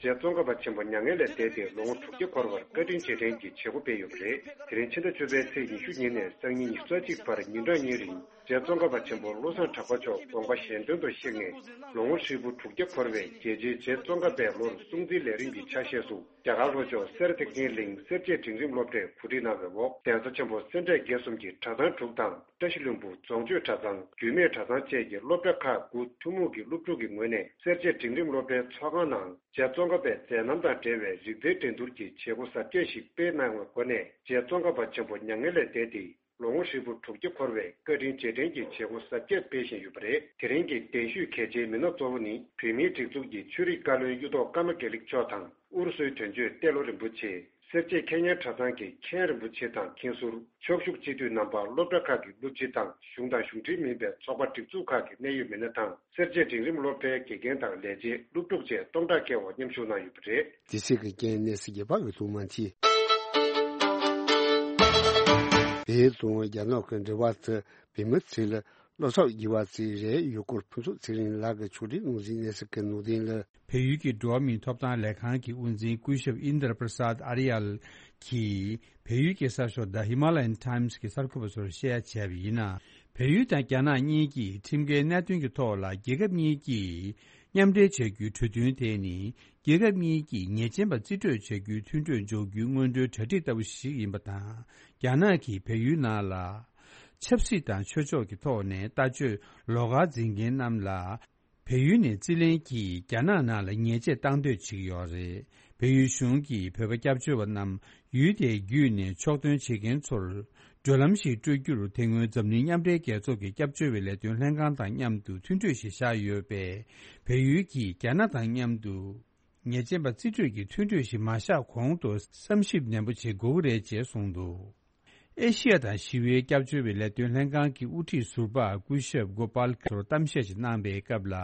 རྗེ་ཙོང་ཁ་པ་ཆེན་པོ་མྱ་ངན་ལས་འདས་ཏེ་ལོ་ངོ་དྲུག་བརྒྱ་འཁོར་བར་བཀའ་དྲིན་རྗེས་དྲན་གྱི་བྱེད་སྒོ་སྤེལ་ཡོད་པ་རེད། དེ་རིང་ཕྱི་ཟླ་བཅུ་པའི་ཚེས་ཉི་ཤུ་ཉིན་ནས་སང་ཉིན་ཉི་ཤུ་རྩ་གཅིག་བར་ཉིན་གྲངས་གཉིས་རིང་། རྗེ་ཙོང་ཁ་པ་ཆེན་པོ་བློ་བཟང་གྲགས་པ་མཆོག་དགོངས་པ་གཞན་དོན་དུ་གཤེགས་ནས་ལོ་ངོ་ཧྲིལ་པོ་དྲུག་བརྒྱ་འཁོར་བའི་རྒྱལ་ཆེན་རྗེ་ཙོང་ཁ་པའི་ལོར་སྲུང་བརྩིའི་ལས་རིམ་གྱི་ཆ་ཤས་སུ། རྒྱ་གར་ལྷོ་ཕྱོགས་སེར་ཐེག་ཆེན་གླིང་སེར་བྱེས་སྒྲིང་རིམ་སློབ་གྲྭས་གོ་སྒྲིག་གནང་བའི་འོག་གདན་ས་ཆེན་པོ་སེ་འབྲས་དགེ་གསུམ་གྱི་གྲྭ་ཚང་དྲུག་དང་བཀྲ་ཤིས་ལྷུན་པོ་རྫོང་ཆོས་གྲྭ་ཚང་། རྒྱུད་སྨད་གྲྭ་ཚང་བཅས་ཀྱི་སློབ་གྲྭ་ཁག་དགུ་ཐུན་མོང་གི་སློབ་ཕྲུག་གི་ངོས་ནས་སེར་བྱེས་སྒྲིང་རིམ་སློབ་གྲྭའི་ཚོགས་ཁང་ནང་རྗེ་ཙོང་ཁ་པའི་མཛད་རྣམ་དང་འབྲེལ་བའི་རིག་རྩལ་འགྲན་བསྡུར་གྱི་བྱེད་སྒོ་གཟབ་རྒྱས་ཤིག་སྤེལ་གནང་བའི་སྒོ་ནས་རྗེ་ཙོང་ཁ་པ་ཆེན་པོ་མྱ་ངན་ལས་འདས་ཏེ། ལོ་ངོ་ཧྲིལ་པོ་དྲུག་བརྒྱ་འཁོར་བའི་བཀའ་དྲིན་རྗེས་དྲན་གྱི་བྱེད་སྒོ་གཟབ་རྒྱས་སྤེལ་བཞིན་ཡོད་པ་རེད། དེ་རིང་གི་གདན་ཞུས་གལ་ཆེའི་མི་སྣ་གཙོ་བོ་ནི་བོད་མིའི་སྒྲིག་འཛུགས་ཀྱི་ཆོས་རིག་བཀའ་བློན་གཡུ་ཐོག་ཀརྨ་དགེ་ལེགས་མཆོག་དང་ཨུ་རུ་སུའི་དོན་གཅོད་ཏེ་ལོ་རིན་པོ་ཆེ། སེར་བྱེས་མཁས་སྙན་གྲྭ་ཚང་གི་མཁན་རིན་པོ་ཆེ་དང་མཁན་ཟུར། ཕྱོགས་བཞུགས་སྤྱི་འཐུས་རྣམ་པ། སློབ་གྲྭ་ཁག་གི་སློབ་སྤྱི་དང་གཞུང་དང་གཞུང་འབྲེལ་མིན་པའི་ཚོགས་པ་སྒྲིག་འཛུགས་ཁག་གི་གནད་ཡོད་མི་སྣ་དང་། སེར་བྱེས་འབྲིང་རིམ་སློབ་གྲྭའི་དགེ་རྒན་དང་ལས་བྱེད། སློབ་ཕྲུག་བཅས་སྟོང་ཕྲག་བརྒལ་བ་མཉམ་ཞུགས་གནང་ཡོད་པ་རེད། དེ་སྲིད་ཀྱི་རྐྱེན་གནས་སྲིད་རྒྱས་པ་གི་ཐུགས་མ་མཐིལ། བལ་ཡུལ་དང་རྒྱ་ནག་གི་འབྲེལ་བ་དེ་བལ་མི་ཚོས་ལ་བློ་ཐག་རྒྱས་པ་ཅིག་རེད་ཡོད་སྐོར་ཕུན་ཚོགས་ཚེ་རིང་ལགས་ཀྱིས་ཕྱོགས་སྒྲིག་ངོས་འཛིན་གནས་ཚུལ་གྱི་ནང་དོན་ལ། བལ་ཡུལ་གྱི་འགྲོ་བ་མིའི་ཐོབ་ཐང་ལས་ཁང་གི་དབུ་འཛིན་སྐུ་ཞབས་ཨིན་དྲ་པྲ་སཱད་ཨ་རི་ཡལ་གྱིས་བལ་ཡུལ་གྱི་གསར་ཤོག་The Himalayan Times གྱི་གསར་འགོད་པ་ཚོར་བཤད་ཡ་བྱས་པ་ཡིན་ན། བལ་ཡུལ་དང་རྒྱ་ནག་གཉིས་ཀྱིས་ཁྲིམས་འགལ་གནད་དོན་གྱི་ཐོག་ལ་རྒྱལ་ཁབ་གཉིས་ཀྱིས་མཉམ་འབྲེལ་བྱ་རྒྱུའི་གྲོས་མཐུན་དེ་ནི་རྒྱལ་ཁབ་གཉིས་ཀྱིས་ཉེས་ཅན་པ་རྩིས་སྤྲོད་བྱ་རྒྱུའི་མཐུན་གྲོས་འཇོག་རྒྱུའི་སྔོན་འགྲོའི་གྲ་སྒྲིག་ལྟ་བུ་ཞིག་ཡིན་པ་དང་། རྒྱ་ནག་གིས་བལ་ཡུལ་ནང་ལ་ཆབ་སྲིད་དང་ཆོས་ཕྱོགས་ཀྱི་ཐོག་ནས་ལྟ་སྤྱོད་ལོགས་ཀ་འཛིན་མཁན་རྣམས་ལ། བལ་ཡུལ་ནས་རྩིས་ལེན་གྱིས་རྒྱ་ནག་ནང་ལ་ཉེས་ཆད་བཏང་འདོད་བྱེད་ཀྱི་ཡོད་རེད། བལ་ཡུལ་གཞུང་གིས་བོད་པ་སྐྱབས་བཅོལ་བ་རྣམས་ཡུལ་དེའི་བརྒྱུད་ནས་ཕྱོགས་ཐོན་བྱེད་མཁན་ཚོར་བགྲོད་ལམ་ཞིག་སྤྲོད་རྒྱུར་དེ་སྔོན་འཛམ་གླིང་མཉམ་འབྲེལ་རྒྱལ་ཚོགས་ཀྱི་སྐྱབས་བཅོལ་བའི་ལས་དོན་ལྷན་ཁང་དང་མཉམ་དུ་མཐུན་གྲོས་ཤིག་བཞག་ཡོད་པས། བལ་ཡུལ་གྱིས་རྒྱ་ནག་དང་མཉམ་དུ་ཉེས་ཅན་པ་རྩིས་སྤྲོད་ཀྱི་མཐུན་གྲོས་ཤིག་མ་བཞག་གོང་དུ་བསམ་ཞིབ་ནན་པོ་བྱེད་དགོས་ཀྱི་རེད་ཅེས་གསུངས་འདུག་ཨེ་ཤི་ཡ་དང་ཞི་བའི་སྐྱབས་བཅོལ་བའི་ལས་དོན་ལྷན་ཁང་གི་དབུ་ཁྲིད་ཟུར་པ་སྐུ་ཞབས་གོ་པཱལ་ཚོར་གཏམ་བཤད་ཅིག་གནང་པའི་སྐབས་ལ།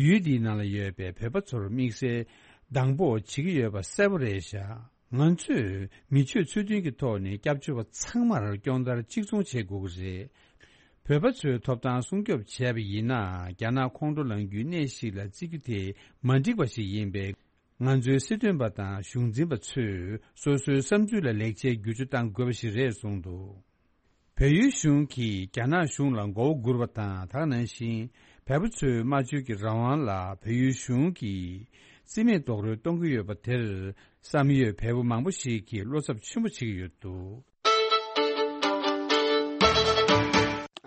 ཡུལ་འདིའི་ནང་ལ་ཡོད་པའི་བོད་པ་ཚོར་དམིགས་བསལ་སྡང་པོ་བྱེད་ཀྱི་ཡོད་པ་གསལ་པོ་རེད་ཤག་ང་ཚོས་མི་ཆོས་ཚུལ་མཐུན་གྱི་ཐོག་ནས་སྐྱབས་བཅོལ་བ་ཚང་མར་སྐྱོང་བརྡར་གཅིག་མཚུངས་བྱེད་དགོས་ཀྱི་རེད། བོད་པ་ཚོའི་ཐོབ་ཐང་སྲུང་སྐྱོབ་བྱས་པ་ཡིན་ན། རྒྱ་ནག་ཁོང་ཁྲོ་ལངས་རྒྱུའི་གནས་ཤིག་ལ་བརྩི་རྒྱུ་དེ་མ་འགྲིག་པ་ཞིག་ཡིན་པས། ང་ཚོའི་སྲིད་དོན་པ་དང་གཞུང་འཛིན་པ་ཚོས་སོ་སོའི་བསམ་ཚུལ་ལ་ལེགས་ཆའི་བསྒྱུར་བཅོས་གཏང་དགོས་པ་ཞིག་རེད་གསུངས་འདུག་བལ་ཡུལ་གཞུང་གིས་རྒྱ་ནག་གཞུང་ལ་མགོ་བོ་སྒུར་བ་དང་། དེ་ནང་བཞིན་བལ་པོ་ཚོའི་སྨྲ་བརྗོད་ཀྱི་རང་དབང་ལ་བལ་ཡུལ་གཞུང་གིས་རྩིས་མེད་རྡོག་རོལ་གཏོང་གི་ཡོད་པ་དེར། བསམ་ཡོད་བལ་པོ་མང་པོ་ཞིག་གིས་བློ་འཚབ་ཆེན་པོ་བྱེད་ཀྱི་ཡོད་འདུག་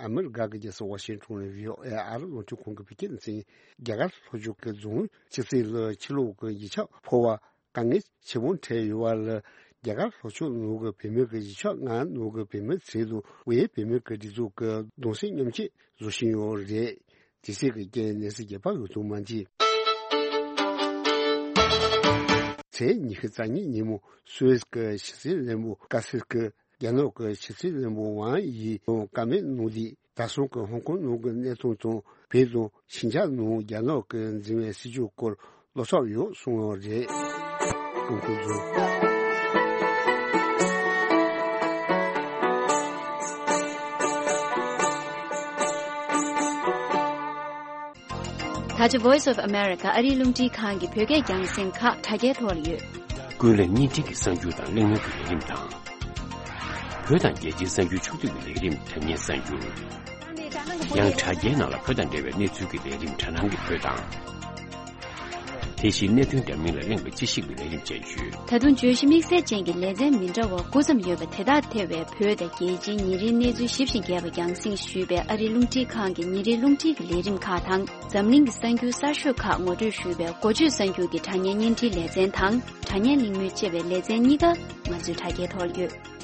ཨ་མི་རི་ཀ་གི་རྒྱལ་ས་ཝ་ཤིང་ཊོན་ནས་བྷི་ཨོ་ཨེ་ཨར་རླུང་འཕྲིན་ཁང་གི་བོད་སྐད་སྡེ་ཚན། རྒྱ་གར་ལྷོ་ཕྱོགས་ཀྱི་རྫོང་ཆུ་སྲིན་ལ་ཕྱི་ལོགས་ཀྱི་ཡུལ་ཕྱོགས་ཕོ་བ་དཀའ་ངལ་ཆེན་པོ་འཕྲད་ཡོད་པ་ལ། རྒྱ་གར་ལྷོ་ཕྱོགས་ནང་གི་བོད་མི་གི་ཡུལ་ཕྱོགས་ལྔ་ནང་གི་བོད་མི་ཚོ་ལ་དབུས་བོད་མི་གི་སྒྲིག་འཛུགས་ཀྱི་གདུང་སེམས་མཉམ་སྐྱེད་བཟོ་བཞིན་ཡོད་རེད། དེ་སྲིད་ཀྱི་རྐྱེན་གནས་ཚུལ་རྒྱས་པ་ཡོད་དུ་མ་འདི། ཚེས་ཉི་ཤུ་རྩ་གཉིས་ཉིན་མོ་སུད་སི་ཀྱི་ཕྱི་སྲིད་བློན་པོ་ཀ་སིར་ཀྱིས་རྒྱ་ནག་གི་ཕྱི་སྲིད་བློན་པོ་ཝང་ཡིས་བཀའ་མོལ་གནང་དུས། ད་སོང་གི་ཧོང་ཀོང་ནང་གི་གནས་སྟངས་དང་། བོད་དང་ཕྱི་རྒྱལ་ནང་རྒྱ་ནག་གིས་འཛིན་པའི་སྲིད་བྱུས་སྐོར་བློ་འཚབ་ཡོད་གསུངས་ཡོད་རེད། ཀུང་ཀྲུང་ཚོ། ད་ཆ་Voice of America ཨ་རིའི་རླུང་འཕྲིན་ཁང་གི་བོད་སྐད་རྒྱང་སྲིང་ཁག་དྲ་རྒྱའི་ཐོག་ལ་ཡོད། ཀུན་གླེང་བརྙན་འཕྲིན་གྱི་གསར་འགྱུར་དང་གླེང་མོལ་གྱི་ལས་རིམ་དང་། བོད་དང་རྒྱལ་སྤྱིའི་གསར་འགྱུར་ཕྱོགས་བསྡུས་ཀྱི་ལས་རིམ། དྲ་བརྙན་གསར་འགྱུར། ཡང་དྲ་རྒྱའི་ནང་ལ་བོད་དང་འབྲེལ་བའི་གནས་ཚུལ་གྱི་ལས་རིམ། དྲ་ནང་གི་བོད་དང་། དེ་བཞིན་གནད་དོན་འདྲ་མིན་ལ་གླེང་བའི་དཔྱད་ཞིབ་ཀྱི་ལས་རིམ་བཅས་ཡོད། ད་དུང་བརྗོད་གཞི་དམིགས་བསལ་ཅན་གྱི་ལེ་ཚན་མི་འདྲ་བ་དགུ་ཙམ་ཡོད་པ་དེ་དག་ཐེ་བའི་བོད་དང་རྒྱལ་སྤྱིའི་ཉིན་རེའི་གནས་ཚུལ་ཞིབ་ཅིང་རྒྱས་པ་རྒྱང་སྲིང་ཞུས་པའི་ཨ་རིའི་རླུང་འཕྲིན་ཁང་གི་ཉིན་རེའི་རླུང་འཕྲིན་གྱི་ལས་རིམ་ཁག་དང་། འཛམ་གླིང་གི་གསར་འགྱུར་གསར་ཤོས་ཁག་ངོ་སྤྲོད་ཞུས་པའི་འགོ་བརྗོད་གསར་འགྱུར་གྱི་དྲ་བརྙན་བརྙན་འཕྲིན་ལེ་ཚན་དང་། དྲ་བརྙན་གླེང་མོལ་བཅས་པའི་ལེ་ཚན་གཉིས་ཀ་ང་ཚོའི་དྲ་རྒྱའི་ཐོག་ཡོད།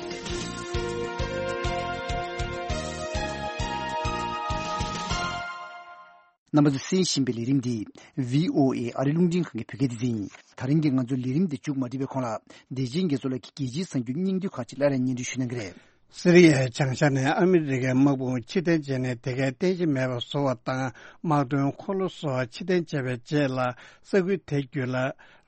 རྣམ་པ་ཚོས་གསན་བཞིན་པའི་ལས་རིམ་འདི་བྷི་ཨོ་ཨེ་ཨ་རིའི་རླུང་འཕྲིན་ཁང་གི་བོད་སྐད་སྡེ་ཚན་ཡིན། ད་རིང་གི་ང་ཚོའི་ལས་རིམ་འདི་མཇུག་མ་སྒྲིལ་བའི་གོང་ལ། བདེ་ཆེན་རྒྱ་མཚོ་ལགས་ཀྱིས་རྒྱལ་སྤྱིའི་གསར་འགྱུར་སྙིང་བསྡུས་ཁག་ཅིག་སླར་ཡང་སྙན་སྒྲོན་ཞུ་གནང་གི་རེད། སི་རི་ཡའི་བྱང་ཤར་ནས་ཨ་མི་རི་ཀའི་དམག་དཔུང་ཕྱིར་འཐེན་བྱས་ནས། དེ་གའི་རྟེན་གཞི་མེད་པར་བཟོ་བ་དང་། དམག་དོན་འཁོར་ལོ་བཟོ་བ་ཕྱིར་འཐེན་བྱས་པའི་རྗེས་ལ། ས་ཁུལ་དེ་བརྒྱུད་ལ་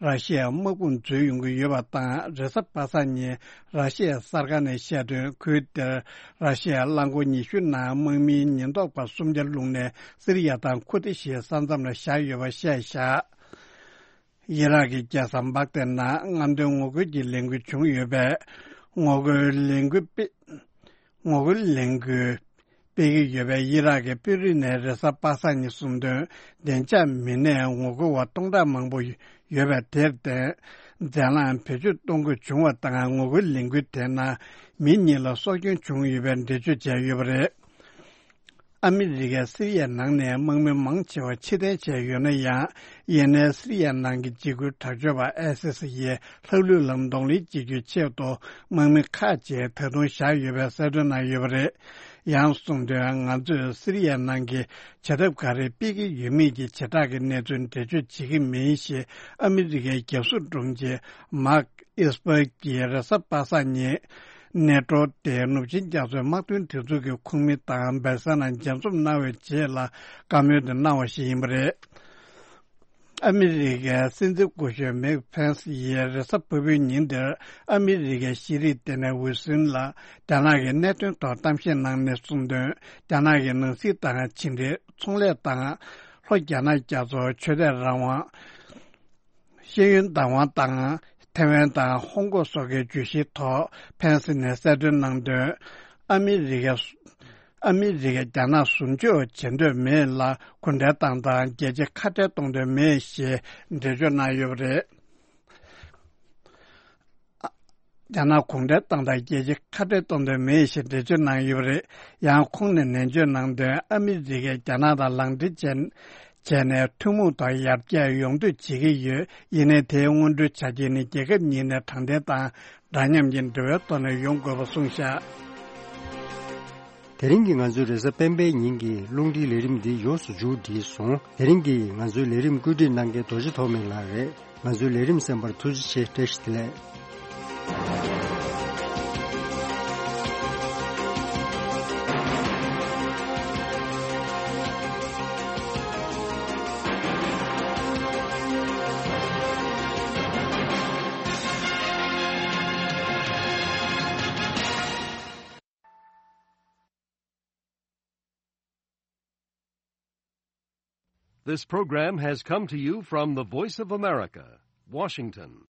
ར་ཤི་ཡའི་དམག་དཔུང་འཛུལ་ཡོང་གི་ཡོད་པ་དང་། རེས་གཟའ་པ་སངས་ཉིན་ར་ཤི་ཡའི་གསར་ཁང་ནས་བཤད་དོན། ཁུལ་དེར་ར་ཤི་ཡའི་རླངས་འཁོར་ཉི་ཤུ་ནང་དམག་མིའི་ཉེན་རྟོག་པ་སུམ་བརྒྱ་བླུགས་ནས་སི་རི་ཡ་དང་ཁུར་ཏི་ཤིའི་ས་མཚམས་ལ་བཞག་ཡོད་པ་བཤད་བཞག་ཡི་རག་གི་རྒྱལ་ས་བག་དེ་ནང་རྔམ་སྟོན་ངོ་རྒོལ་གྱི་ལས་འགུལ་བྱུང་ཡོད་པས། ངོ་རྒོལ་ལས་འགུལ་སྤེལ། ངོ་རྒོལ་ལས་འགུལ་སྤེལ་གྱི་ཡོད་པས། ཡི་རག་གི་དཔོན་རིགས་ནས་རེས་གཟའ་པ་སངས་ཉིན་གསུངས་དོན། བདེ་འཇགས་མི་སྣས་ངོ་རྒོལ་བ་སྟོང་ཕྲག་མང་པོ་ཡོད་པ་དེར་བརྟེན། འཛམ་གླིང་བེད་སྤྱོད་གཏོང་དགོས་བྱུང་བ་དང་། ངོ་རྒོལ་ལས་འགུལ་དེ་ནང་མི་གཉིས་ལ་སྲོག་སྐྱོན་བྱུང་ཡོད་པའི་འགྲེལ་བརྗོད་བྱས་ཡོད་པ་རེད། ཨ་མི་རི་ཀས་སི་རི་ཡའི་ནང་ནས་དམག་མི་མང་ཆེ་བ་ཕྱིར་འཐེན་བྱས་ཡོད་ན་ཡང་། ཡིན་ནའི་སི་རི་ཡའི་ནང་གི་འཇིགས་སྐུལ་དྲག་སྤྱོད་པ་ཨའི་སི་སི་ཡིས་ལྷག་ལུས་ལ་གདོང་ལེན་བྱེད་རྒྱུའི་ཆེད་དུ། དམག་མི་ཁག་ཅིག་ད་དུང་བཞག་ཡོད་པའི་གསལ་སྟོན་གནང་ཡོད་པ་རེད། ཡང་གསུངས་དོན། ང་ཚོས་སི་རི་ཡའི་ནང་གི་བྱེད་ཐབས་ག་རེ་སྤེལ་གྱི་ཡོད་མེད་ཀྱི་བྱེ་བྲག་གི་གནས་ཚུལ་འགྲེལ་བརྗོད་བྱེད་ཀྱི་མིན་ཞེས་ཨ་མི་རི་ཀའི་རྒྱབ་ཟུར་དྲུང་ཆེ་མཱག་ཨིས་པར་གྱིས་རེས་གཟའ་པ་སངས་ཉིན། ནེ་ཏྲོ་སྟེ་ནུབ་ཆིངས་རྒྱ་མཚོའི་དམག་དོན་སྒྲིག་འཛུགས་ཀྱི་ཁོངས་མི་དང་སྦེལ་ས་ནང་མཇལ་འཛོམས་གནང་བའི་རྗེས་ལ་བཀའ་མོལ་དེ་གནང་བ་ཞིག་ཡིན་པ་རེད། ཨ་མི་རི་ཀའི་སྲིད་འཛིན་སྐུ་ཞབས་མེག་ཕེན་སི་ཡིས་རེས་གཟའ་ཕུར་བུའི་ཉིན་དེར་ཨ་མི་རི་ཀའི་ཤེས་རིག་ལྟེ་གནས་ཝི་སིན་ལ་རྒྱ་ནག་གི་གནད་དོན་ཐོག་གཏམ་བཤད་གནང་ནས་གསུངས་དོན། རྒྱ་ནག་གི་ནང་སྲིད་དང་ཕྱི་འབྲེལ། ཚོང་ལས་དང་། ལྷོ་རྒྱ་ནག་རྒྱ་མཚོ། ཆོས་དད་རང་དབང་། ཤེས་ཡོན་བདག་དབང་དང་། ཐེ་ཝན་དང་ཧོང་ཀོང་སོགས་ཀྱི་བརྗོད་གཞིའི་ཐོག་ཕེན་སི་ནས་གསལ་སྟོན་གནང་དོན། ཨ་མི་རི་ཀས་ཨ་མི་རི་ཀས་རྒྱ་ནག་ཟུར་འཇོག་བྱེད་འདོད་མེད་ལ་གུང་ཁྲན་ཏང་དང་རྒྱལ་སྤྱི་ཁ་བྲལ་གཏོང་འདོད་མེད་ཞེས་འགྲེལ་བརྗོད་གནང་ཡོད་པ་རེད། རྒྱ་ནག་གུང་ཁྲན་ཏང་དང་རྒྱལ་སྤྱི་ཁ་བྲལ་གཏོང་འདོད་མེད་ཞེས་འགྲེལ་བརྗོད་གནང་ཡོད་པ་རེད། ཡང་ཁོང་ནས་ནན་བརྗོད་གནང་དོན། ཨ་མི་རི་ཀས་རྒྱ་ནག་དང་ལངས་འདྲེན་བྱས། བྱས་ནས་ཐུན་མོང་ཐོག་ཡར་རྒྱས་ཡོང་འདོད་བྱེད་ཀྱི་ཡོད། ཡིན་ནའི་དེའི་སྔོན་འགྲོའི་ཆ་རྐྱེན་ནི་རྒྱལ་ཁབ་གཉིས་ནས་དྲང་བདེན་དང་འདྲ་མཉམ་གྱི་འབྲེལ་བའི་ཐོག་ནས་ཡོང་དགོས་པ་གསུངས་བཞག་དེ་རིང་གི་ང་ཚོའི་རེས་གཟའ་སྤེན་པའི་ཉིན་གྱི་རླུང་འཕྲིན་ལས་རིམ་འདི་ཡོངས་སུ་མཇུག་བསྒྲིལ་སོང་། དེ་རིང་གི་ང་ཚོའི་ལས་རིམ་བཀོད་སྒྲིག་གནང་མཁན་རྡོ་རྗེ་ཐོགས་མེད་ལགས་རེད། ང་ཚོའི་ལས་རིམ་གསན་པར་ཐུགས་རྗེ་ཆེ། བཀྲ་ཤིས་བདེ་ལེགས། This program has come to you from the Voice of America, Washington.